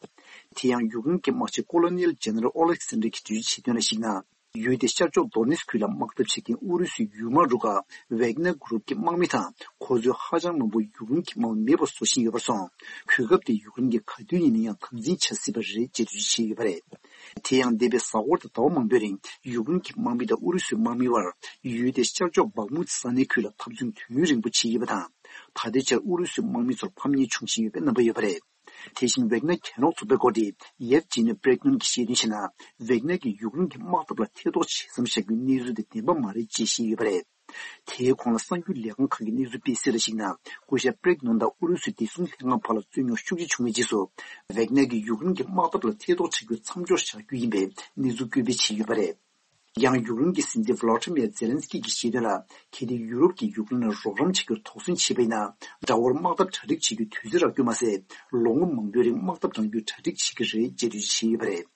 དེ་ཡང་། ཡུཀ་རེན་གྱི་དམག་སྤྱི་ཀོ་ལོ་ནེལ་ཇེ་ནེ་རལ་ཨོ་ལེག་སན་དྲི་གིས་འགྲེལ་བརྗོད་བྱས་དོན་ལ་གཞིགས་ན། ཡུལ་དེའི་ཤར་ཕྱོགས་དོ་ནེ་སི་ཁུལ་ལ་དམག་འཐབ་བྱེད་མཁན་ཨུ་རུ་སུའི་ཡུལ་དམག་རུ་ཁག་ཝེག་ནར་གུ་རུབ་ཀྱི་དམག་མི་དང་། ཁོ་ཚོའི་ཧ་ཅང་མང་པོ་ཡུཀ་རེན་གྱི་དམག་མི་མེད་པར་བཟོ་བཞིན་ཡོད་པར་སོང་། གོ་སྐབས་དེ་ཡུཀ་རེན་གྱིས་ག་དུས་ཡིན་ན་ཡང་དམ་འཛིན་བྱ་སྲིད་པ་རེད་ཅེས་འགྲེལ་བརྗོད་བྱས་ཡོད་པ་རེད། དེ་ཡང་། འདས་པའི་གཟའ་འཁོར་དང་ཟླ་བ་མང་པོའི་རིང་ཡུཀ་རེན་གྱི་དམག་མི་དང་ཨུ་རུ་སུའི་དམག་མིའི་བར་ཡུལ་དེའི་ཤར་ཕྱོགས་བག་མུ་ཏི་ས་གནས་ཁུལ་ལ་འཐབ་རྩོད་དུས་ཡུན་རིང་པོ་བྱས་ཡོད་པ་དང་། ད་ལྟའི་ཆར་ཨུ་རུ་སུའི་དམག་མི་ཚོར་ཕམ་ཉེས་བྱུང་བཞིན་ཡོད་པའི་རྣམ་པ་ཡོད་པ་རེད། དེ་བཞིན་ཝེག་ནར་གྱེན་རོགས་ཚོགས་པའི་འགོ་ཁྲིད་ཡེབ་ཇི་ནི་པྲེག་ནོན་གྱིས་བཤད་དོན་བྱས་ན། ཝེག་ནར་གྱིས་ཡུཀ་རེན་གྱི་དམག་འཐབ་ལ་ཐེ་གཏོགས་བྱེད་མཚམས་བཞག་རྒྱུའི་གནས་ཚུལ་དེ་བདེན་པ་མ་རེད་ཅེས་བཤད་ཡོད་པ་རེད། དེའི་གོང་ལ་གསར་འགྱུར་ལས་ཁང་ཁག་གིས་གནས་ཚུལ་སྤེལ་གསལ་ལ་གཞིགས་ན། སྐུ་ཞབས་པྲེག་ནོན་དང་ཨུ་རུ་སུའི་བདེ་སྲུང་ལྷན་ཁང་བར་ལ་རྩོད་རྙོག་ཤུགས་ཆེ་བྱུང་བའི་རྗེས་སུ། ཝེག་ནར་གྱིས་ཡུཀ་རེན་གྱི་དམག་འཐབ་ལ་ཐེ་གཏོགས་བྱ་རྒྱུ་མཚམས་འཇོག་བྱ་རྒྱུ་ཡིན་པའི་གནས་ཚུལ་བཀོད་སྤེལ་བྱས་ཡོད་པ་རེད། ཡང་། ཡུཀ་རེན་གྱི་སྲིད་འཛིན་ཝ་ལོ་ཏི་མེར་ཛེ་ལན་སི་ཀི་གིས་བཤད་དོན་ལ། གལ་ཏེ་ཡུ་རོབ་ཀྱིས་ཡུཀ་རེན་ལ་རོགས་རམ་བྱ་རྒྱུར་དོགས་ཟོན་བྱས་པ་ཡིན་ན། དགྲ་བོར་དམག་འཐབ་གྲ་སྒྲིག་བྱེད་རྒྱུའི་དུས་ཚོད་རག་རྒྱུ་མ་ཟད། ལོ་ངོ་མང་པོའི་རིང་དམག་འཐབ་གཏང་རྒྱུའི་གྲ་སྒྲིག་བྱེད་ཀྱི་རེད་ཅེས་འགྲེལ་བརྗོད་བྱས་ཡོད་པ་རེད།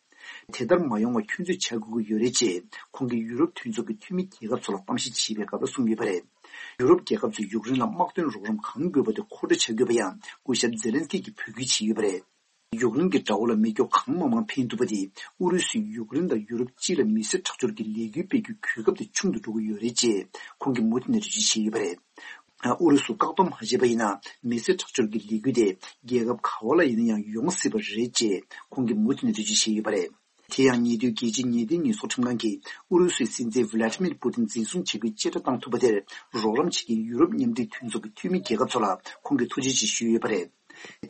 དེ་ལྟར་མ་ཡོང་བར་ཁྱོད་ཚོས་བྱ་དགོས་ཀྱི་ཡོད་རེད་ཅེས་ཁོང་གིས་ཡུ་རོབ་མཐུན་ཚོགས་ཀྱི་འཐུས་མི་རྒྱལ་ཁབ་ཚོ་ལ་གཏམ་བཤད་བྱས་པའི་སྐབས་ལ་གསུངས་ཡོད་པ་རེད། ཡུ་རོབ་རྒྱལ་ཁབ་ཚོས་ཡུཀ་རེན་ལ་དམག་དོན་རོགས་རམ་གང་དགོས་པ་དེ་མཁོ་སྤྲོད་བྱ་དགོས་པ་ཡང་སྐུ་ཞབས་ཛེ་ལན་སི་ཀི་གིས་འབོད་སྐུལ་བྱས་ཡོད་པ་རེད། ཡུཀ་རེན་གྱི་དགྲ་བོ་ལ་མེ་སྒྱོགས་གང་མང་མང་འཕེན་ཐུབ་པ་དེ་ཨུ་རུ་སུས་ཡུཀ་རེན་དང་ཡུ་རོབ་སྤྱི་ལ་མི་སེར་ཁྲག་སྦྱོར་གྱི་ལས་འགུལ་སྤེལ་རྒྱུའི་གོ་སྐབས་དེ་ཆུང་དུ་འགྲོ་གི་ཡོད་རེད་ཅེས་ཁོང་གིས་མུ་མཐུད་ནས་འགྲེལ་བརྗོད་བྱས་ཡོད་པ་རེད། ཨུ་རུ་སུ་བཀག་སྡོམ་མ་བྱས་པ་ཡིན་ན་མི་སེར་ཁྲག་སྦྱོར་གྱི་ལས་འགུལ་དེ་རྒྱལ་ཁབ་ག་བ་ལ་ཡིན་ན་ཡང་ཡོང་སྲིད་པ་རེད་ཅེས་ཁོང་གིས་མུ་མཐུད་ནས་འགྲེལ་བརྗོད་བྱས་ཡོད་པ་རེད། དེ་ཡང་ཉེ་དུས་རྒྱལ་སྤྱིའི་ཉེས་དོན་ཉེས་གསོག་ཁྲིམས་ཁང་གིས་ཨུ་རུ་སུའི་སྲིད་འཛིན་ཝི་ལ་ཏི་མིར་པུ་ཏིན་འཛིན་བཟུང་བྱེད་རྒྱུའི་བཅད་ཁྲ་བཏང་ཐུབ་པ་དེར་རོགས་རམ་བྱེད་མཁན་ཡུ་རོབ་མཉམ་འབྲེལ་མཐུན་ཚོགས་ཀྱི་འཐུས་མི་རྒྱལ་ཁབ་ཚོ་ལ་ཁོང་གིས་ཐུགས་རྗེ་ཆེ་ཞུས་ཡོད་པ་རེད།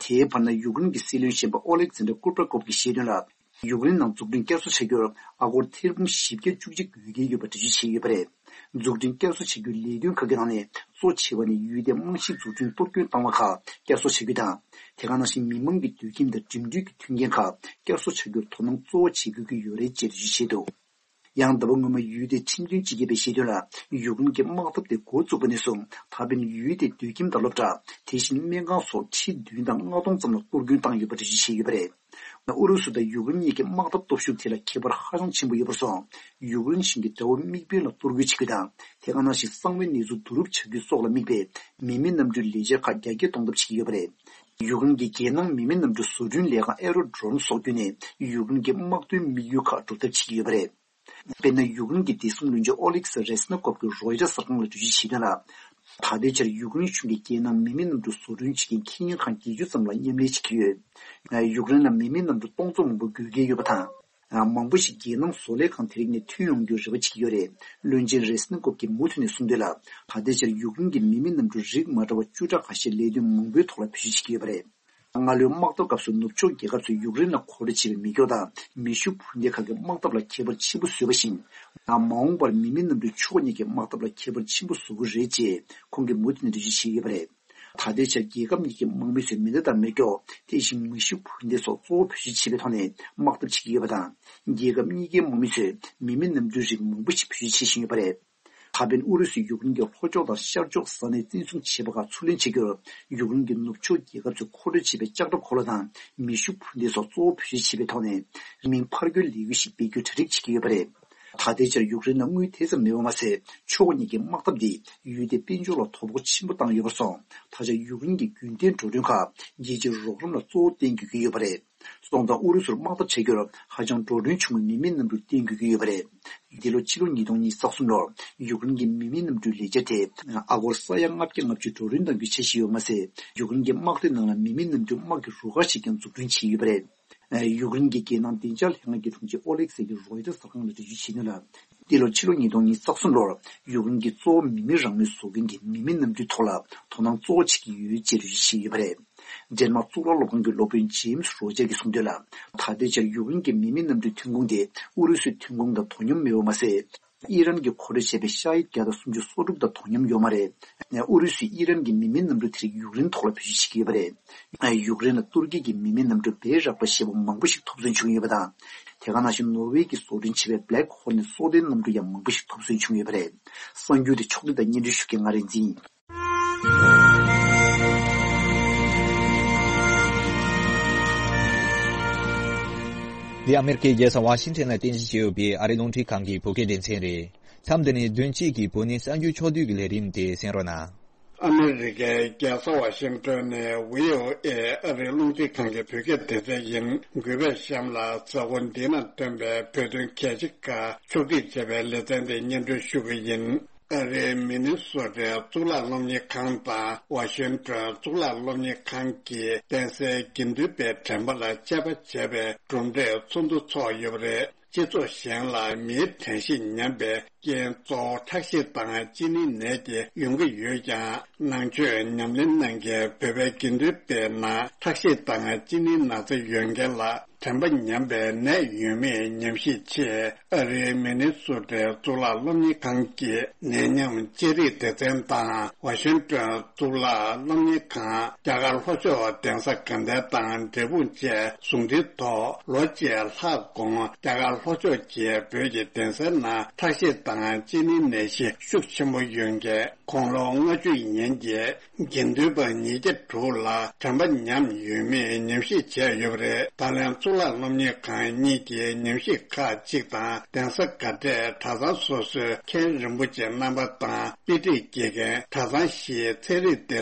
དེའི་བར་ན་ཡུཀ་རེན་གྱི་སྲིད་བློན་གཞོན་པ་ཨོ་ལེག་ཛན་ཏྲ་ཀུར་པ་ཀོབ་ཀྱིས་བཤད་དོན་ལ། ཡུཀ་རེན་ནང་འཛུགས་སྐྲུན་བསྐྱར་གསོ་བྱ་རྒྱུར་ཨ་སྒོར་ཐེར་འབུམ་བཞི་བརྒྱ་བཅུ་གཅིག་དགོས་ཀྱི་ཡོད་པ་འགྲེལ་བརྗོད་བྱས་ཡོད་པ་རེད། འཛུགས་སྐྲུན་བསྐྱར་གསོ་བྱ་རྒྱུའི་ལས་དོན་ཁག་གི་ནང་ནས་གཙོ་ཆེ་བ་ནི་ཡུལ་དེའི་རྨང་གཞི་འཛུགས་སྐྲུན་གཏོར་སྐྱོན་བཏང་བ་ཁག་བསྐྱར་གསོ་བྱ་རྒྱུ་དང་། དེ་ག་ནང་བཞིན་མི་མང་གི་སྡོད་ཁྱིམ་དང་འགྲིམ་འགྲུལ་གྱི་མཐུན་རྐྱེན་ཁག་བསྐྱར་གསོ་བྱ་རྒྱུར་དོ་སྣང་གཙོ་བོ་བྱེད་དགོས་ཀྱི་ཡོད་རེད་ཅེས་འགྲེལ་བརྗོད་བྱས་འདུག་ཡང་ཟླ་བ་སྔོན་མ་ཡུལ་དེའི་ཁྲིམས་དོན་སྤྱི་ཁྱབ་པས་བཤད་དོན་ལ། ཡུཀ་རེན་གྱི་དམག་འཐབ་དེ་འགོ་བཙུགས་པ་ནས་བཟུང་ད་ཕན་ཡུལ་དེའི་སྡོད་ཁྱིམ་དང་སློབ་གྲྭ། དེ་བཞིན་སྨན་ཁང་སོགས་ཁྲི་བདུན་དང་ལྔ་སྟོང་ཙམ་ལ་གཏོར་སྐྱོན་བཏང་ཡོད་པ་འགྲེལ་བརྗོད་བྱས་ཡོད་པ་རེད། ཨུ་རུ་སུ་དང་ཡུཀ་རེན་གཉིས་ཀྱི་དམག་འཐབ་སྟོབས་ཤུགས་ཐད་ལ་ཁྱད་པར་ཧ་ཅང་ཆེན་པོ་ཡོད་པར་སོང་། ཡུཀ་རེན་གཞུང་གིས་དགྲ་བོ་དམིགས་འབེན་ལ་གཏོར་རྒོལ་བྱེད་རྒྱུ་དང་། དེ་ག་ནང་བཞིན་གསང་བའི་གནས་ཚུལ་བསྡུ་རུབ་བྱ་རྒྱུ་སོགས་ལ་དམིགས་པའི་མི་མེད་གནམ་གྲུའི་ལས་འཆར་ཁག་རྒྱ་སྐྱེད་གཏོང་ཐབས་བྱེད་ཀྱི་ཡོད་པ་རེད། ཡུཀ་རེན་གྱི་རྒྱལ་ནང་མི་མེད་གནམ་གྲུ་བཟོ་སྐྲུན་ལས་ཁང་Aerodrome་སོགས་བརྒྱུད་ནས་ཡུཀ་རེན་གྱི་དམག་དོན་དམིགས་ཡུལ་ཁག་སྒྲུབ་ཐབས་བྱེད་ཀྱི་ཡོད་པ་རེད། དཔེར་ན། ཡུཀ་རེན་གྱི་བདེ་སྲུང་བློན་ཆེན་ཨོ་ལེག་སི་རེས་ནི་ཀོབ་ཀྱིས་རོའི་ཊར་གསར་ཁང་ལ་འགྲེལ་བརྗོད་བྱས་དོན་ལ། ད་ལྟའི་ཆར་ཡུཀ་རེན་གཞུང་གིས་རྒྱལ་ནང་མི་མེད་གནམ་གྲུ་བཟོ་སྐྲུན་བྱེད་མཁན་ཁེ་ཉིན་ཁང་བརྒྱད་ཅུ་ཙམ་ལ་མཉམ་ལས་བྱེད་ཀྱི་ཡོད། ཡུཀ་རེན་ལ་མི་མེད་གནམ་གྲུ་སྟོང་ཚོ་མང་པོ་དགོས་ཀྱི་ཡོད་པ་དང་། མང་པོ་ཞིག་རྒྱལ་ནང་བཟོ་ལས་ཁང་དེ་རིགས་ནས་ཐོན་ཡོང་རྒྱུའི་རེ་བ་བྱེད་ཀྱི་ཡོད་རེད། བློན་ཆེན་རེས་ནི་ཀོབ་ཀྱིས་མུ་མཐུད་ནས་གསུངས་དོན་ལ། ད་ལྟའི་ཆར་ཡུཀ་རེན་གྱི་མི་མེད་གནམ་གྲུ་རིགས་མ་འདྲ་བ་བཅུ་ཕྲག་ཁ་ཤས་ལས་དོན་མང་པོའི་ཐོག་ལ་བེད་སྤྱོད་བྱེད་ཀྱི་ཡོད་པ་རེད། སྔ་ལོའི་དམག་འཐབ་སྐབས་སུ་ནུབ་ཕྱོགས་རྒྱལ་ཁབ་ཚོས་ཡུཀ་རེན་ལ་མཁོ་སྤྲོད་བྱས་པའི་མེ་སྒྱོགས་དང་མེ་ཤུགས་འཕུར་མདེལ་ཁག་གིས་དམག་འཐབ་ལ་ཁྱད་པར་ཆེན་པོ་བཟོས་པ་བཞིན། མ་འོངས་པར་མི་མེད་གནམ་གྲུས་ཕྱོགས་གཉིས་ཀྱི་དམག་འཐབ་ལ་ཁྱད་པར་ཆེན་པོ་བཟོ་གི་རེད་ཅེས་ཁོང་གིས་མུ་མཐུད་ནས་འགྲེལ་བརྗོད་བྱས་ཡོད་པ་རེད། ད་ལྟའི་ཆར་རྒྱལ་ཁབ་གཉིས་ཀྱི་དམག་མི་ཚོས་མེ་མདའ་དང་མེ་སྒྱོགས། དེ་བཞིན་མེ་ཤུགས་འཕུར་མདེལ་སོགས་གཙོ་བོ་བེད་སྤྱོད་བྱེད་པའི་ཐོག་ནས་དམག་འཐབ་བྱེད་ཀྱི་ཡོད་པ་དང་། རྒྱལ་ཁབ་གཉིས་ཀའི་དམག་མི་ཚོས་མི་མེད་གནམ་གྲུའི་རིགས་མང་པོ་ཞིག་བེད་སྤྱོད་བྱེད་བཞིན་ཡོད་པ་རེད། ད་ཕན་ཨུ་རུ་སུས་ཡུཀ་རེན་གྱི་ལྷོ་ཕྱོགས་དང་ཤར་ཕྱོགས་ས་གནས་བཙན་བཟུང་བྱས་པ་ཁག་ཚུར་ལེན་བྱེད་རྒྱུར། ཡུཀ་རེན་གྱི་ནུབ་ཕྱོགས་རྒྱལ་ཁབ་ཚོས་མཁོ་སྤྲོད་བྱས་པའི་ལྕགས་དྲ་འཁོར་ལོ་དང་མེ་ཤུགས་འཕུར་མདེལ་སོགས་གཙོ་བོ་བེད་སྤྱོད་བྱས་པའི་ཐོག་ནས། རིང་མིན་ཕར་རྒོལ་ལས་འགུལ་ཞིག་སྤེལ་རྒྱུའི་གྲ་སྒྲིག་བྱེད་ཀྱི་ཡོད་པ་རེད། ད་ལྟའི་ཆར་ཡུཀ་རེན་ལ་དངུལ་དེ་ཙམ་མེད་པ་མ་ཟད། ཕྱོགས་གཉིས་ཀྱི་དམག་འཐབ་འདིས་ཡུལ་དེའི་དཔལ་འབྱོར་ལ་དོ་ཕོག་ཆེན་པོ་བཏང་ཡོད་པར་སོང་། ད་ཆ་ཡུཀ་རེན་གྱི་རྒྱུན་གཏན་འགྲོ་གྲོན་ཁག་རྒྱལ་སྤྱིའི་རོགས་རམ་ལ་གཙོ་བོ་བརྟེན་དགོས་ཀྱི་ཡོད་པ་རེད། སོང་ཙང་ཨུ་རུ་སུར་དམག་འཐབ་བྱ་རྒྱུར་ཧ་ཅང་འགྲོ་གྲོན་ཆུང་བའི་མི་མེད་གནམ་གྲུ་བསྟེན་དགོས་ཀྱི་ཡོད་པ་རེད། འདི་ལོ་ཕྱི་ལོ་ཉིས་སྟོང་ཉི་ཤུ་རྩ་གསུམ་ལོར་ཡུཀ་རེན་གྱི་མི་མེད་གནམ་གྲུའི་ལས་འཆར་དེ་ཨ་སྒོར་ས་ཡ་ལྔ་བརྒྱ་ལྔ་བཅུ་འགྲོ་གྲོན་གཏང་རྒྱུའི་འཆར་གཞི་ཡོད་པ་མ་ཟད། ཡུཀ་རེན་གྱི་དམག་སྡེ་ནང་ལ་མི་མེད་གནམ་གྲུ་དམག་གི་རུ་ཁག་ཅིག་ཀྱང་འཛུགས་སྐྲུན་བྱས་ཡོད་པ་རེད། ཡུཀ་རེན་གྱི་རྒྱལ་ནང་བདེ་འཇགས་ལྷན་ཁང་གི་དྲུང་ཆེ་ཨོ་ལེག་སེ་གིས་རོའི་ཊར་གསར་ཁང་ལ་འགྲེལ་བརྗོད་བྱས་དོན་ལ། འདི་ལོ་ཕྱི་ལོ་ཉིས་སྟོང་ཉི་ཤུ་རྩ་གསུམ་ལོར་ཡུཀ་རེན་གྱི་གཙོ་བོ་མི་མེད་རང་མོས་བཟོ་མཁན་གྱི་མི་མེད་གནམ་གྲུའི་ཐོག་ལ་དོ་སྣང་གཙོ་བོ་བྱེད་ཀྱི་ཡོད་ཅེས་འགྲེལ་བརྗོད་བྱས་ཡོད་པ་རེད། ཌེན་མཱག་གཙུག་ལག་སློབ་ཁང་གི་སློབ་དཔོན་ཇེམ་སི་རོ་ཇར་གྱིས་གསུངས་དོན་ལ། ད་ལྟའི་ཆར་ཡུཀ་རེན་གྱི་མི་མེད་གནམ་གྲུའི་ཐོན་ཁུངས་དེ་ཨུ་རུ་སུའི་ཐོན་ཁུངས་དང་དོ་མཉམ་མེད་པ་མ་ཟད། ཨི་རན་གྱིས་མཁོ་སྤྲོད་བྱས་པའི་ཤ་ཡིག་བརྒྱ་དང་སུམ་ཅུ་སོ་དྲུག་དང་དོ་མཉམ་ཡོད་མ་རེད། ཨུ་རུ་སུས་ཨི་རན་གྱི་མི་མེད་གནམ་གྲུ་དེ་རིགས་ཡུཀ་རེན་ཐོག་ལ་བེད་སྤྱོད་བྱེད་ཀྱི་ཡོད་པ་རེད། ཡུཀ་རེན་ལ་ཏུར་ཀི་གྱི་མི་མེད་གནམ་གྲུ་བེ་རག་པ་ཞེས་པ་མང་པོ་ཞིག་ཐོབ་ཚོད་བྱུང་ཡོད་པ་དང་། དེ་ག་ནང་བཞིན་ནོར་ཝེ་གྱིས་བཟོ་སྐྲུན་བྱས་པའི་Black Hornet སྲོག་ལྡན་གནམ་གྲུ་ཡང་མང་པོ་ཞིག་ཐོབ་ཚོད་བྱུང་ཡོད་པ་རེད། གསར་འགྱུར་དེ་ཕྱོགས་བསྡུས་དང་སྙན་སྒྲོན་ཞུ་མཁན་ང་རིག་འཛིན་ཡིན། འདི་ཨ་མེ་རི་ཁའི་རྒྱལ་ས་ཝ་ཤིང་ཊོན་ལ་རྟེན་གཞི་བྱས་ཡོད་པའི་ཨ་རིའི་རླུང་འཕྲིན་ཁང་གི་བོད་སྐད་སྡེ་ཚན་རེད། མཚམས་འདི་ནས་བདུན་གཅིག་གི་བོད་ནས་གསར་འགྱུར་ཕྱོགས་བསྡུས་ཀྱི་ལས་རིམ་དེ་གསན་རོགས་གནང་། ཨ་མེ་རི་ཀའི་རྒྱལ་ས་ཝ་ཤིང་ཊོན་ནས་བྷི་ཨོ་ཨེ་ཨ་རིའི་རླུང་འཕྲིན་ཁང་གི་བོད་སྐད་སྡེ་ཚན་ཡིན། གུས་པས་གཤམ་ལ་གཟའ་འཁོར་འདི་ན་ཐོན་པའི་བོད་དོན་གལ་ཆེ་ཁག་ཕྱོགས་སྒྲིག་བྱས་པའི་ལེ་ཚན་དེ་སྙན་སྒྲོན་ཞུ་གི་ཡིན། ཨ་རིའི་མི་ནི་སོ་ཊའི་གཙུག་ལག་སློབ་གཉེར་ཁང་དང་ཝ་ཤིང་ཊོན་གཙུག་ལག་སློབ་གཉེར་ཁང་གིས་གདན་སའི་དགེ་འདུན་པའི་དྲན་པ་ལ་དཔྱད་པ་བྱས་པའི་གྲུབ་འབྲས་ཚོགས་འདུ་འཚོགས་ཡོད་པ་རེད། སྤྱི་ཚོགས་གཞན་ལ་མིའི་དྲན་ཤེས་ཉམས་པའི་རྐྱེན་གཙོ་བོ་ཁྲག་ཤེད་དང་གཅིན་སྙི་ནད་དེ་ཡོང་གི་ཡོད་ཀྱང་། ནང་ཆོས་ཉམས་ལེན་གནང་མཁན་བོད་པའི་དགེ་འདུན་པའི་ནང་ཁྲག་ཤེད་དང་གཅིན་སྙིའི་ན་ཚ་ཡོད་མཁན་ལ་དྲན་པ་ཉམས་པའི་ནད་ཡོད་མེད་ཉམས་ཞིབ་ཆེད་ཨ་རིའི་མི་ནི་སོ་ཊའི་གཙུག་ལག་སློབ་གཉེར་ཁང་གི་ནད་ཉམས་དཔྱད་རིག་སྡེ་ཚན་དང་ཝ་ཤིང་ཊོན་གཙུག་ལག་སློབ་གཉེར་ཁང་རྒྱ་གར་ལྷོ་ཕྱོགས་གདན་ས་དགའ་ལྡན་དང་འབྲས་སྤུངས་བཅས་ཟུང་འབྲེལ་ཐོག་ལོ་གཅིག་ལྷག་གོང་རྒྱ་གར་ལྷོ་ཕྱོགས་ཀྱི་བོད་ཀྱི་གདན་སའི་ནང་ཁྲག་ཤེད་དང་ དང་གཅིན་སྙི་ནད་གཞི་ཤུགས་ཆེན་པོ་ཡོད་མཁན་དགུང་ལོ་ལྔ་བཅུ་ཡན་གྱི་དགེ་འདུན་པ་ཉིས་བརྒྱ་དྲུག་ལ་དྲན་པ་ཉམས་ཡོད་མེད་ཉམས་ཞིབ་བྱས་ཡོད་པ་རེད། ད་ལན་གཙུག་ལག་སློབ་གཉེར་ཁང་གཉིས་ཀྱི་ཉམས་ཞིབ་ཁག་ཅིག་དང་གདན་ས་དགའ་གྲས་གྲྭ་ཚང་སོ་སོའི་མཁན་རིན་པོ་ཆེ་རྣམ་པ་དང་དཔེ་ཁྲིད་དགེ་རྒན་གྲྭ་ཚང་བཞིའི་ཚན་རིག་སྡེ་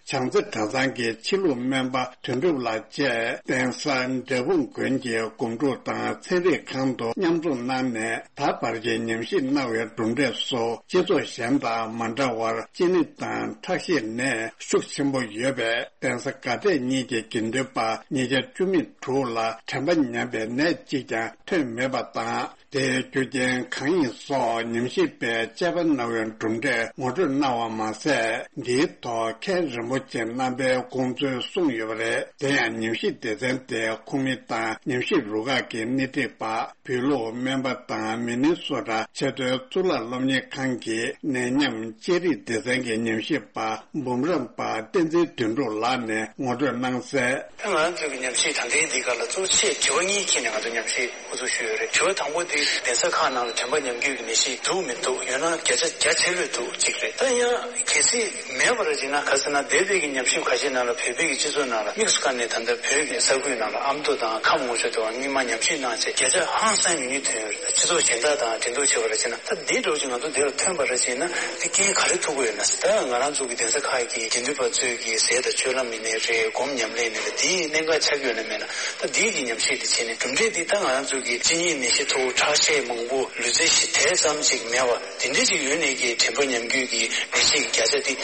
ཚན་བྱང་རྩེ་གྲྭ་ཚང་གི་ཕྱི་ལུགས་སྨན་པ་དོན་གྲུབ་ལགས་བཅས་གདན་ས་འབྲས་སྤུངས་དགོན་གྱི་སྒོམ་སྒྲུབ་དང་ཚན་རིག་ཁང་དུ་མཉམ་འཛོམས་གནང་ནས། ད་བར་གྱི་ཉམས་ཞིབ་གནང་བའི་གྲུབ་འབྲས་སུ་སྤྱི་ཚོགས་གཞན་དང་མ་འདྲ་བར་གཅིན་སྙི་དང་ཁྲག་ཤེད་ནད་ཤུགས་ཆེན་པོ་ཡོད་པའི་གདན་ས་དགའ་གྲས་གཉིས་ཀྱི་དགེ་འདུན་པ་ཉིས་བརྒྱ་བཅུ་མེད་དྲུག་ལ་དྲན་པ་ཉམས་པའི་ནད་གཅིག་ཀྱང་ཐོན་མེད་པ་དང་། དེའི་རྒྱུ་རྐྱེན་གང་ཡིན་སོགས་ཉམས་ཞིབ་པས་དཔྱད་པ་གནང་བའི་གྲུབ་འབྲས་ངོ་སྤྲོད་གནང་བ་མ་ཟད། འདིའི་ཐོག་མཁན་རིན་པོ་ཆེ་རྣམ་པའི་དགོངས་ཚུལ་གསུངས་ཡོད་པ་རེད། དེ་ཡང་ཉམས་ཞིབ་སྡེ་ཚན་དེའི་ཁོངས་མི་དང་ཉམས་ཞིབ་རུ་ཁག་གི་སྣེ་ཁྲིད་པ། བོད་ལུགས་སྨན་པ་དང་མི་ནི་སོ་ཊ་ཆེས་མཐོའི་གཙུག་ལག་སློབ་གཉེར་ཁང་གི་ནད་ཡམས་དཔྱད་རིག་སྡེ་ཚན་གྱི་ཉམས་ཞིབ་པ་འབུམ་རམས་པ་བསྟན་འཛིན་དོན་གྲུབ་ལགས་ནས་ངོ་སྤྲོད་གནང་གསལ། ང་རང་ཚོའི་གི་ཉམས་ཞིབ་ད་ལྟའི་འདི་ག་ལ་གཙོ་ཆེ་དྲི་བ་གཉིས་འཁྱེར་ནས་ང་ཚོ་ཉམས་ཞིབ་འགོ་འཛུགས་ཞུས་ཡོད་རེད། དྲི་བ་དང་པོ་འདི་གདན་ས་ཁག་ནང་ལ་དྲན་པ་ཉམས་རྒྱུ་གི་ནད་གཞི་འདུག་མི་འདུག་ཡོད་ན་བརྒྱ་ཆ་བརྒྱ་ཆེ་ལོས་འདུག་གཅིག་རེད། ད་ཡང་གལ་སྲིད་མེད་པ་རེད་ཅེ་ན་ག་ཟེར་ན་འདས་པའི་གི་ཉམས་ཞིབ་ཁ་ཤས་ནང་ལ་བོད་པའི་གི་སྤྱི་ཚོགས་ནང་ལ་དམིགས་སུ་བཀར་ནས་ད་ལྟ་བོད་ཀྱི་ས་ཁུལ་ནང་ལ་ཨ་མདོ་དང་ཁམས་ལྔ་མཆོག་དེ་བ་སྔོན་མ་ཉམས་ཞིབ་གནང་ཚེ་བརྒྱ་ཆ་ཧང་སང་ཉུང་ཉུང་ཐོན་ཡོད་རེད། སྤྱི་ཚོགས་གཞན་དག་དང་འགྲན་བསྡུར་བྱས་པ་རེད་ཅེ་ན། ད་འདིའི་འགྲོ་ཅིག་ང་ཚོ་འདིར་ཐོན་པ་རེད་ཅེ་ན་འདི་རྐྱེན་ག་རེ་ཐུག་གི་ཡོད་ན། ད་ང་རང་ཚོ་གི་གདན་ས་ཁག་གི་དགེ་འདུན་པ་ཚོས་ཀྱི་ཟས་དང་སྤྱོད་ལམ་ཡིན་ནའི་རེད། སྒོམ་ཉམས་ལེན་ཡིན་ནའི་རེད། འདིའི་གནད་འགག་ཆགས་ཀྱི་ཡོད་ན་མེད་ན། ད་འདིའི་གི་ཉམས་ཞིབ་འདི་བྱས་ནས་གྲུབ་འབྲས་འདི་ད་ང་རང་ཚོ་གི་གཅིན་སྙི་ནད་གཞི་ཐོག་ཁྲག་ཤེད་མང་པོ་ལུས་རྩལ་ཞིག་དེ་ཙམ་ཅིག་མེད་པ་དེ་འདྲ་ཅིག་ཡོད་ནས་ཀྱི་དྲན་པ་ཉམས་རྒྱུ་གི་ནད་གཞི་གི་བརྒྱ་ཆ་འདི་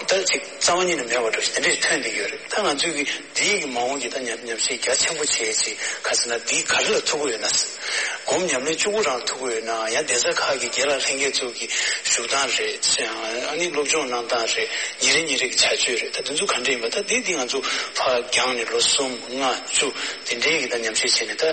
ད་ཅིག་རྩ་བ་ཉིད་ནས་མེད་པ་འདྲ་ཞིག་དེ་འདྲ་ཞིག་ཐོན་བསྡད་ཀྱི་ཡོད་རེད། ད་ང་ཚོས་ཀྱི་འདིའི་གི་མ་འོངས་ཀྱི་ད་ཉམས་ཉམས་ཞིབ་རྒྱ་ཆེན་པོ་བྱས་ཅིག་ག་ཟེར་ན་འདི་ག་རེ་ལ་ཐུག་གི་ཡོད་ན། སྒོམ་ཉམས་ལེན་བཅུ་དགུ་རང་ཐུག་གི་ཡོད་ན་ཡང་གདན་ས་ཁག་གི་དགེ་ལགས་ལྷན་རྒྱས་ཚོ་གི་བཞུགས་སྟངས་རེད། ཨ་ནི་སློབ་སྦྱོང་གནང་སྟངས་རེད། ཉིན་རེ་ཉིན་རེ་གི་བྱ་སྤྱོད་རེད། ད་དེ་ཚོ་ག་འདྲ་ཡིན་པ་ད་དེ་དེ་ང་ཚོ་ཕར་རྒྱང་ནས་ལོ་གསུམ་ལྔ་བཅུ་དེ་འདྲའི་གི་ད་ཉམས་ཞིབ་བྱས་ནས། ད་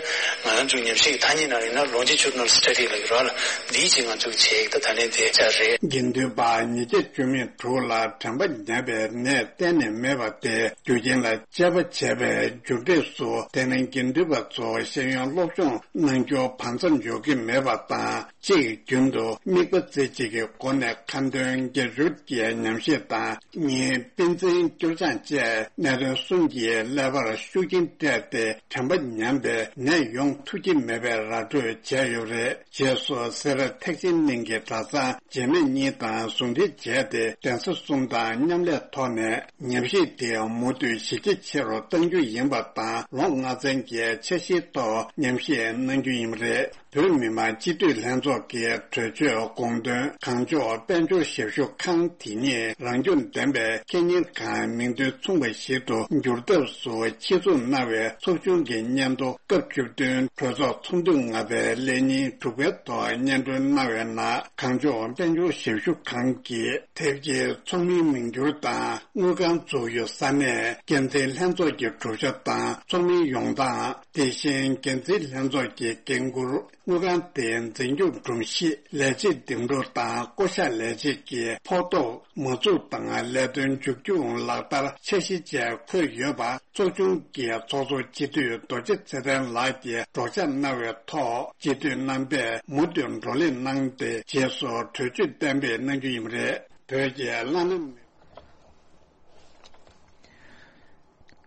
ང་རང་ཚོའི་ཉམས་ཞིབ་ཀྱི་ཐ་སྙད་ནང་ཡིན་ན་longitudinal study་ལ་ཡོད་ར་ལ་འདིའི་ཅིག་ང་ཚོ་གི་བྱས་ཡིག་ད་ད་ལན་དེ་ཆ་རེད། དགེ་འདུན་པ་ཉིས་བརྒྱ་བཅུ་མེད་དྲུག་ལ་དྲན་པ་ཉམས་པའི་ནད་གཏན་ནས་མེད་པ་དེ་རྒྱུ་རྐྱེན་ལ་དཔྱད་པ་བྱས་པའི་མཇུག་འབྲས་སུ། དེ་ནི་དགེ་འདུན་པ་ཚོ་ཤེས་ཡོན་སློབ་སྦྱོང་གནང་རྒྱུ་བར་མཚམས་འཇོག་གི་མེད་པ་དང་། གཅིག་རྒྱུན་དུ་དམིགས་པ་རྩེ་གཅིག་གི་སྒོ་ནས་ཁ་འདོན་དགེ་སྦྱོར་གྱི་ཉམས་ཞིབ་དང་། གཉིས། པཎ་ཆེན་སྐྱོར་སྦྱང་བཅས་གནད་དོན་གསུམ་གྱི་ཀླད་པར་ཤུགས་རྐྱེན་སྤྲད་དེ་དྲན་པ་ཉམས་པའི་ནད་ཡོང་ཐུབ་ཀྱི་མེད་པའི་ར་སྤྲོད་བྱས་ཡོད་པ་རེད། རྗེས་སུ་སེ་ར་ཐེག་ཆེན་གླིང་གི་གྲྭ་ཚང་རྗེས་མའི་གཉིས་དང་ཟུང་འབྲེལ་བྱས་ཏེ་གདན་ས་གསུམ་དང་མཉམ་ལས་ཐོག་ནས་ཉམས་ཞིབ་དེ་མུ་མཐུད་གཞི་རྒྱ་ཆེ་རུ་གཏང་རྒྱུ་ཡིན་པ་དང་། ལོ་ལྔ་ཚན་གྱི་འཆར་གཞིའི་ཐོག་ཉམས་ཞིབ་གནང་རྒྱུ་ཡིན་པ་རེད། བོད་མི་མང་སྤྱི་འཐུས་ལྷན་ཚོགས་ཀྱི་གྲོས་ཆོད་དགོངས་དོན་གང་ལྕོགས་དཔལ་འབྱོར་ཞབས་ཞུ་ཁང་དེ་ཉིད་རང་སྐྱོང་ལྡན་པའི་ཁེ་གཉེར་ཁང་མིང་དོན་མཚུངས་པ་ཞིག་ཏུ་འགྱུར་ཐབས་སུ་ཆེད་འཛུགས་གནང་བའི་ཚོགས་ཆུང་གི་སྙན་ཐོ་སྐབས་བཅུ་བདུན་གྲོས་ཚོགས་ཚོགས་འདུ་ལྔ་པའི་ལས་ཉིན་དྲུག་པའི་ཐོག་སྙན་སྒྲོན་གནང་བའི་ནང་། གང་ལྕོགས་དཔལ་འབྱོར་ཞབས་ཞུ་ཁང་གིས་དེབ་ཀྱི་ཚོགས་མིའི་མིང་བསྒྱུར་དང་དངུལ་ཁང་འཛུགས་ཡུལ་ས་གནས་འགན་འཛིན་ལྷན་ཚོགས་ཀྱི་གྲུབ་ཆ་དང་ཚོགས་མིའི་ཡོང་སྟངས། དེ་བཞིན་འགན་འཛིན་ལྷན་ཚོགས་ཀྱི་འགན་འཁུར། དངུལ་ཁང་དེའི་འཛིན་སྐྱོང་སྒྲོམ་གཞི། ལས་བྱེད་འདེམས་སྒྲུག་དང་བསྐོ་གཞག་ལས་བྱེད་ཀྱི་ཕོགས་ཐོབ། མ་འཛུགས་དང་ལས་དོན་མཇུག་སྐྱོང་ལག་བསྟར་འཆར་གཞི་བཅས་འཁོད་ཡོད་པ། ཚོགས་ཆུང་གི་ཚོགས་གཙོ་སྤྱི་འཐུས་རྡོ་རྗེ་ཚེ་བརྟན་ལགས་ཀྱིས་སྒྲོག་སྐྱབས་གནང་བའི་ཐོག་སྤྱི་འཐུས་རྣམ་པས་མུ་མཐུད་བགྲོ་གླེང་གནང་སྟེ་རྗེས་སུ་གྲོས་ཆོད་གཏན་འབེབས་གནང་རྒྱུ་ཡིན་པ་རེད། བོད་ཀྱི་བླ་ན་མེད།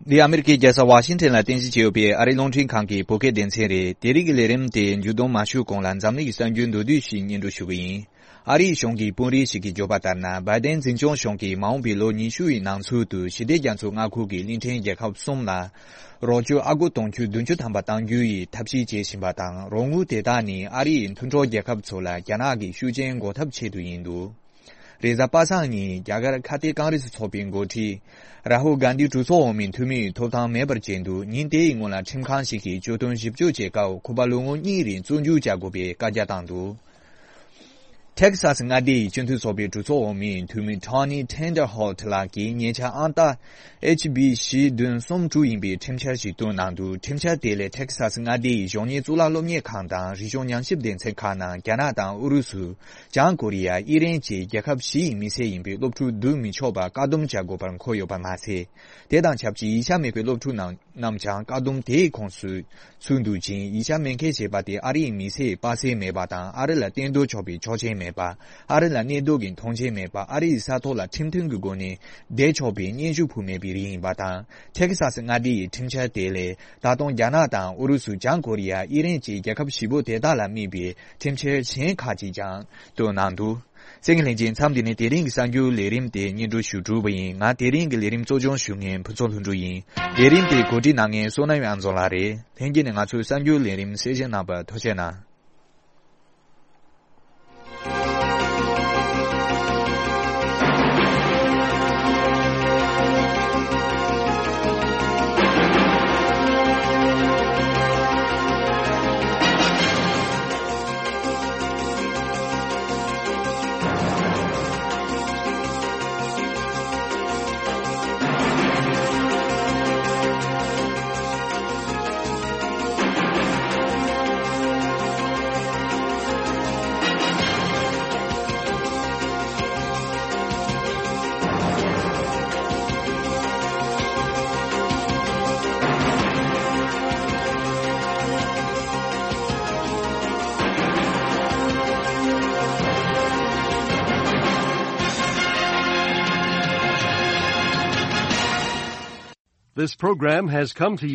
འདི་ཨ་མེ་རི་ཀའི་རྒྱལ་ས་ཝ་ཤིང་ཊོན་ལ་རྟེན་གཞི་བྱས་ཡོད་པའི་ཨ་རིའི་རླུང་འཕྲིན་ཁང་གི་བོད་སྐད་སྡེ་ཚན་རེད། དེ་རིང་གི་ལས་རིམ་དེ་མཇུག་བསྡོམས་མ་ཞུས་གོང་ལ་འཛམ་གླིང་གི་གསར་འགྱུར་མདོར་བསྡུས་ཤིག་སྙན་སྒྲོན་ཞུ་གི་ཡིན། ཨ་རིའི་གཞུང་གི་དཔོན་རིགས་ཤིག་གིས་བརྗོད་པ་ལྟར་ན། བྷའི་ཌེན་འཛིན་སྐྱོང་གཞུང་གིས་མ་འོངས་པའི་ལོ་ཉི་ཤུ་ཡི་ནང་ཚུད་དུ་ཞི་བདེ་རྒྱ་མཚོའི་མངའ་ཁུལ་གྱི་གླིང་ཕྲན་རྒྱལ་ཁབ་གསུམ་ལ་རོགས་སྐྱོར་ཨ་སྒོར་དུང་ཕྱུར་བདུན་ཅུ་ཐམ་པ་གཏང་རྒྱུ་ཡི་ཐབས་ཤེས་བྱེད་བཞིན་པ་དང་། རོགས་དངུལ་དེ་དག་ནི་ཨ་རིའི་མཐུན་གྲོགས་རྒྱལ་ཁབ་ཚོ་ལ་རྒྱ་ནག་གི་ཤུགས་རྐྱེན་འགོག་ཐབས་ཆེད་དུ་ཡིན་འདུག་རེས་གཟའ་པ་སངས་ཉིན་རྒྱ་གར་ཁ་གཏད་ཀོང་རེས་ཚོགས་པའི་འགོ་ཁྲིད་རཱ་ཧུལ་གྷན་དྷི་གྲོས་ཚོགས་འོག་མའི་འཐུས་མིའི་ཐོབ་ཐང་མེད་པར་བྱས་འདུག་ཉིན་དེའི་སྔོན་ལ་ཁྲིམས་ཁང་ཞིག་གིས་གྱོད་དོན་ཞིབ་གཅོད་བྱེད་སྐབས་ཁོ་པ་ལོ་ངོ་གཉིས་རིང་བཙོན་འཇུག་བྱ་དགོས་པའི་བཀའ་རྒྱ་བཏང་འདུག་ཐེག་སཱས་མངའ་སྡེ་ཡི་སྤྱི་མཐུན་ཚོགས་པའི་གྲོས་ཚོགས་འོག་མའི་འཐུས་མི་Tony Tinderholt་ལགས་ཀྱིས་ཉེ་ཆར་ཨང་རྟགས་H B བཞི་བདུན་གསུམ་དྲུག་ཡིན་པའི་ཁྲིམས་འཆར་ཞིག་བཏོན་གནང་འདུག་ཁྲིམས་འཆར་དེ་ལས་ཐེག་སཱས་མངའ་སྡེ་ཡི་གཞོན་ནུའི་གཙུག་ལག་སློབ་གཉེར་ཁང་དང་རིག་གཞུང་ཉམས་ཞིབ་སྡེ་ཚན་ཁག་ནང་རྒྱ་ནག་དང་ཨུ་རུ་སུ། བྱང་ཀོ་རི་ཡ། ཨི་རན་བཅས་རྒྱལ་ཁབ་བཞི་ཡི་མི་སེར་ཡིན་པའི་སློབ་ཕྲུག་བསྡུ་མི་ཆོག་པར་བཀག་སྡོམ་བྱ་དགོས་པར་འཁོད་ཡོད་པ་མ་ཟད། དེ་དང་ཆབས་ཅིག་ཡིག་ཆ་མེད་པའི་སློབ་ཕྲུག་རྣམས་རྣམས་ཀྱང་བཀག་སྡོམ་དེའི་ཁོངས་སུ་ཚུད་འདུག་ཅིང་། ཡིག་ཆ་མེད་མཁན་ཞེས་པ་དེ་ཨ་རིའི་མི་སེར་པ་སེ་མེད་པ་དང་ཨ་རི་ལ་གཏན་སྡོད་ཆོག་པའི་ཆོག་མཆན་མེད། མེད་པ། ཨ་རི་ལ་གནས་སྡོད་ཀྱི་ཐོངས་མཆན་མེད་པ། ཨ་རི་ཡི་ས་ཐོག་ལ་ཁྲིམས་མཐུན་གྱི་སྒོ་ནས་བསྡད་ཆོག་པའི་སྙན་ཞུ་ཕུལ་མེད་པའི་རིགས་ཡིན་པ་དང་། ཐེ་ཁི་ས་སི་མངའ་སྡེ་ཡི་ཁྲིམས་འཆར་དེ་ལས་ད་དུང་རྒྱ་ནག་དང་ཨུ་རུ་སུ། བྱང་ཀོ་རི་ཡ། ཨི་རན་བཅས་རྒྱལ་ཁབ་བཞི་པོ་དེ་དག་ལ་དམིགས་པའི་ཁྲིམས་འཆར་གཞན་ཁག་ཅིག་ཀྱང་བཏོན་གནང་འདུག་གསན་མཁན་ལྷན་རྒྱས། མཚམས་འདི་ནས་དེ་རིང་གི་གསར་འགྱུར་ལས་རིམ་དེ་སྙན་སྒྲོན་ཞུ་གྲུབ་པ་ཡིན། ང་དེ་རིང་གི་ལས་རིམ་གཙོ་སྐྱོང་ཞུ་མཁན་ཕུན་ཚོགས་ལྷུན་གྲུབ་ཡིན། ལས་རིམ་དེ་གོ་སྒྲིག་གནང་མཁན་བསོད་ནམས་དབྱངས་འཛོམས་ལགས་རེད། ལྷན་རྒྱས་ནས་ང་ཚོའི་གསར་འགྱུར་ལས་རིམ་གསན་བཞེས་གནང་བར་ཐུགས་རྗེ་གནང་། This program has come to you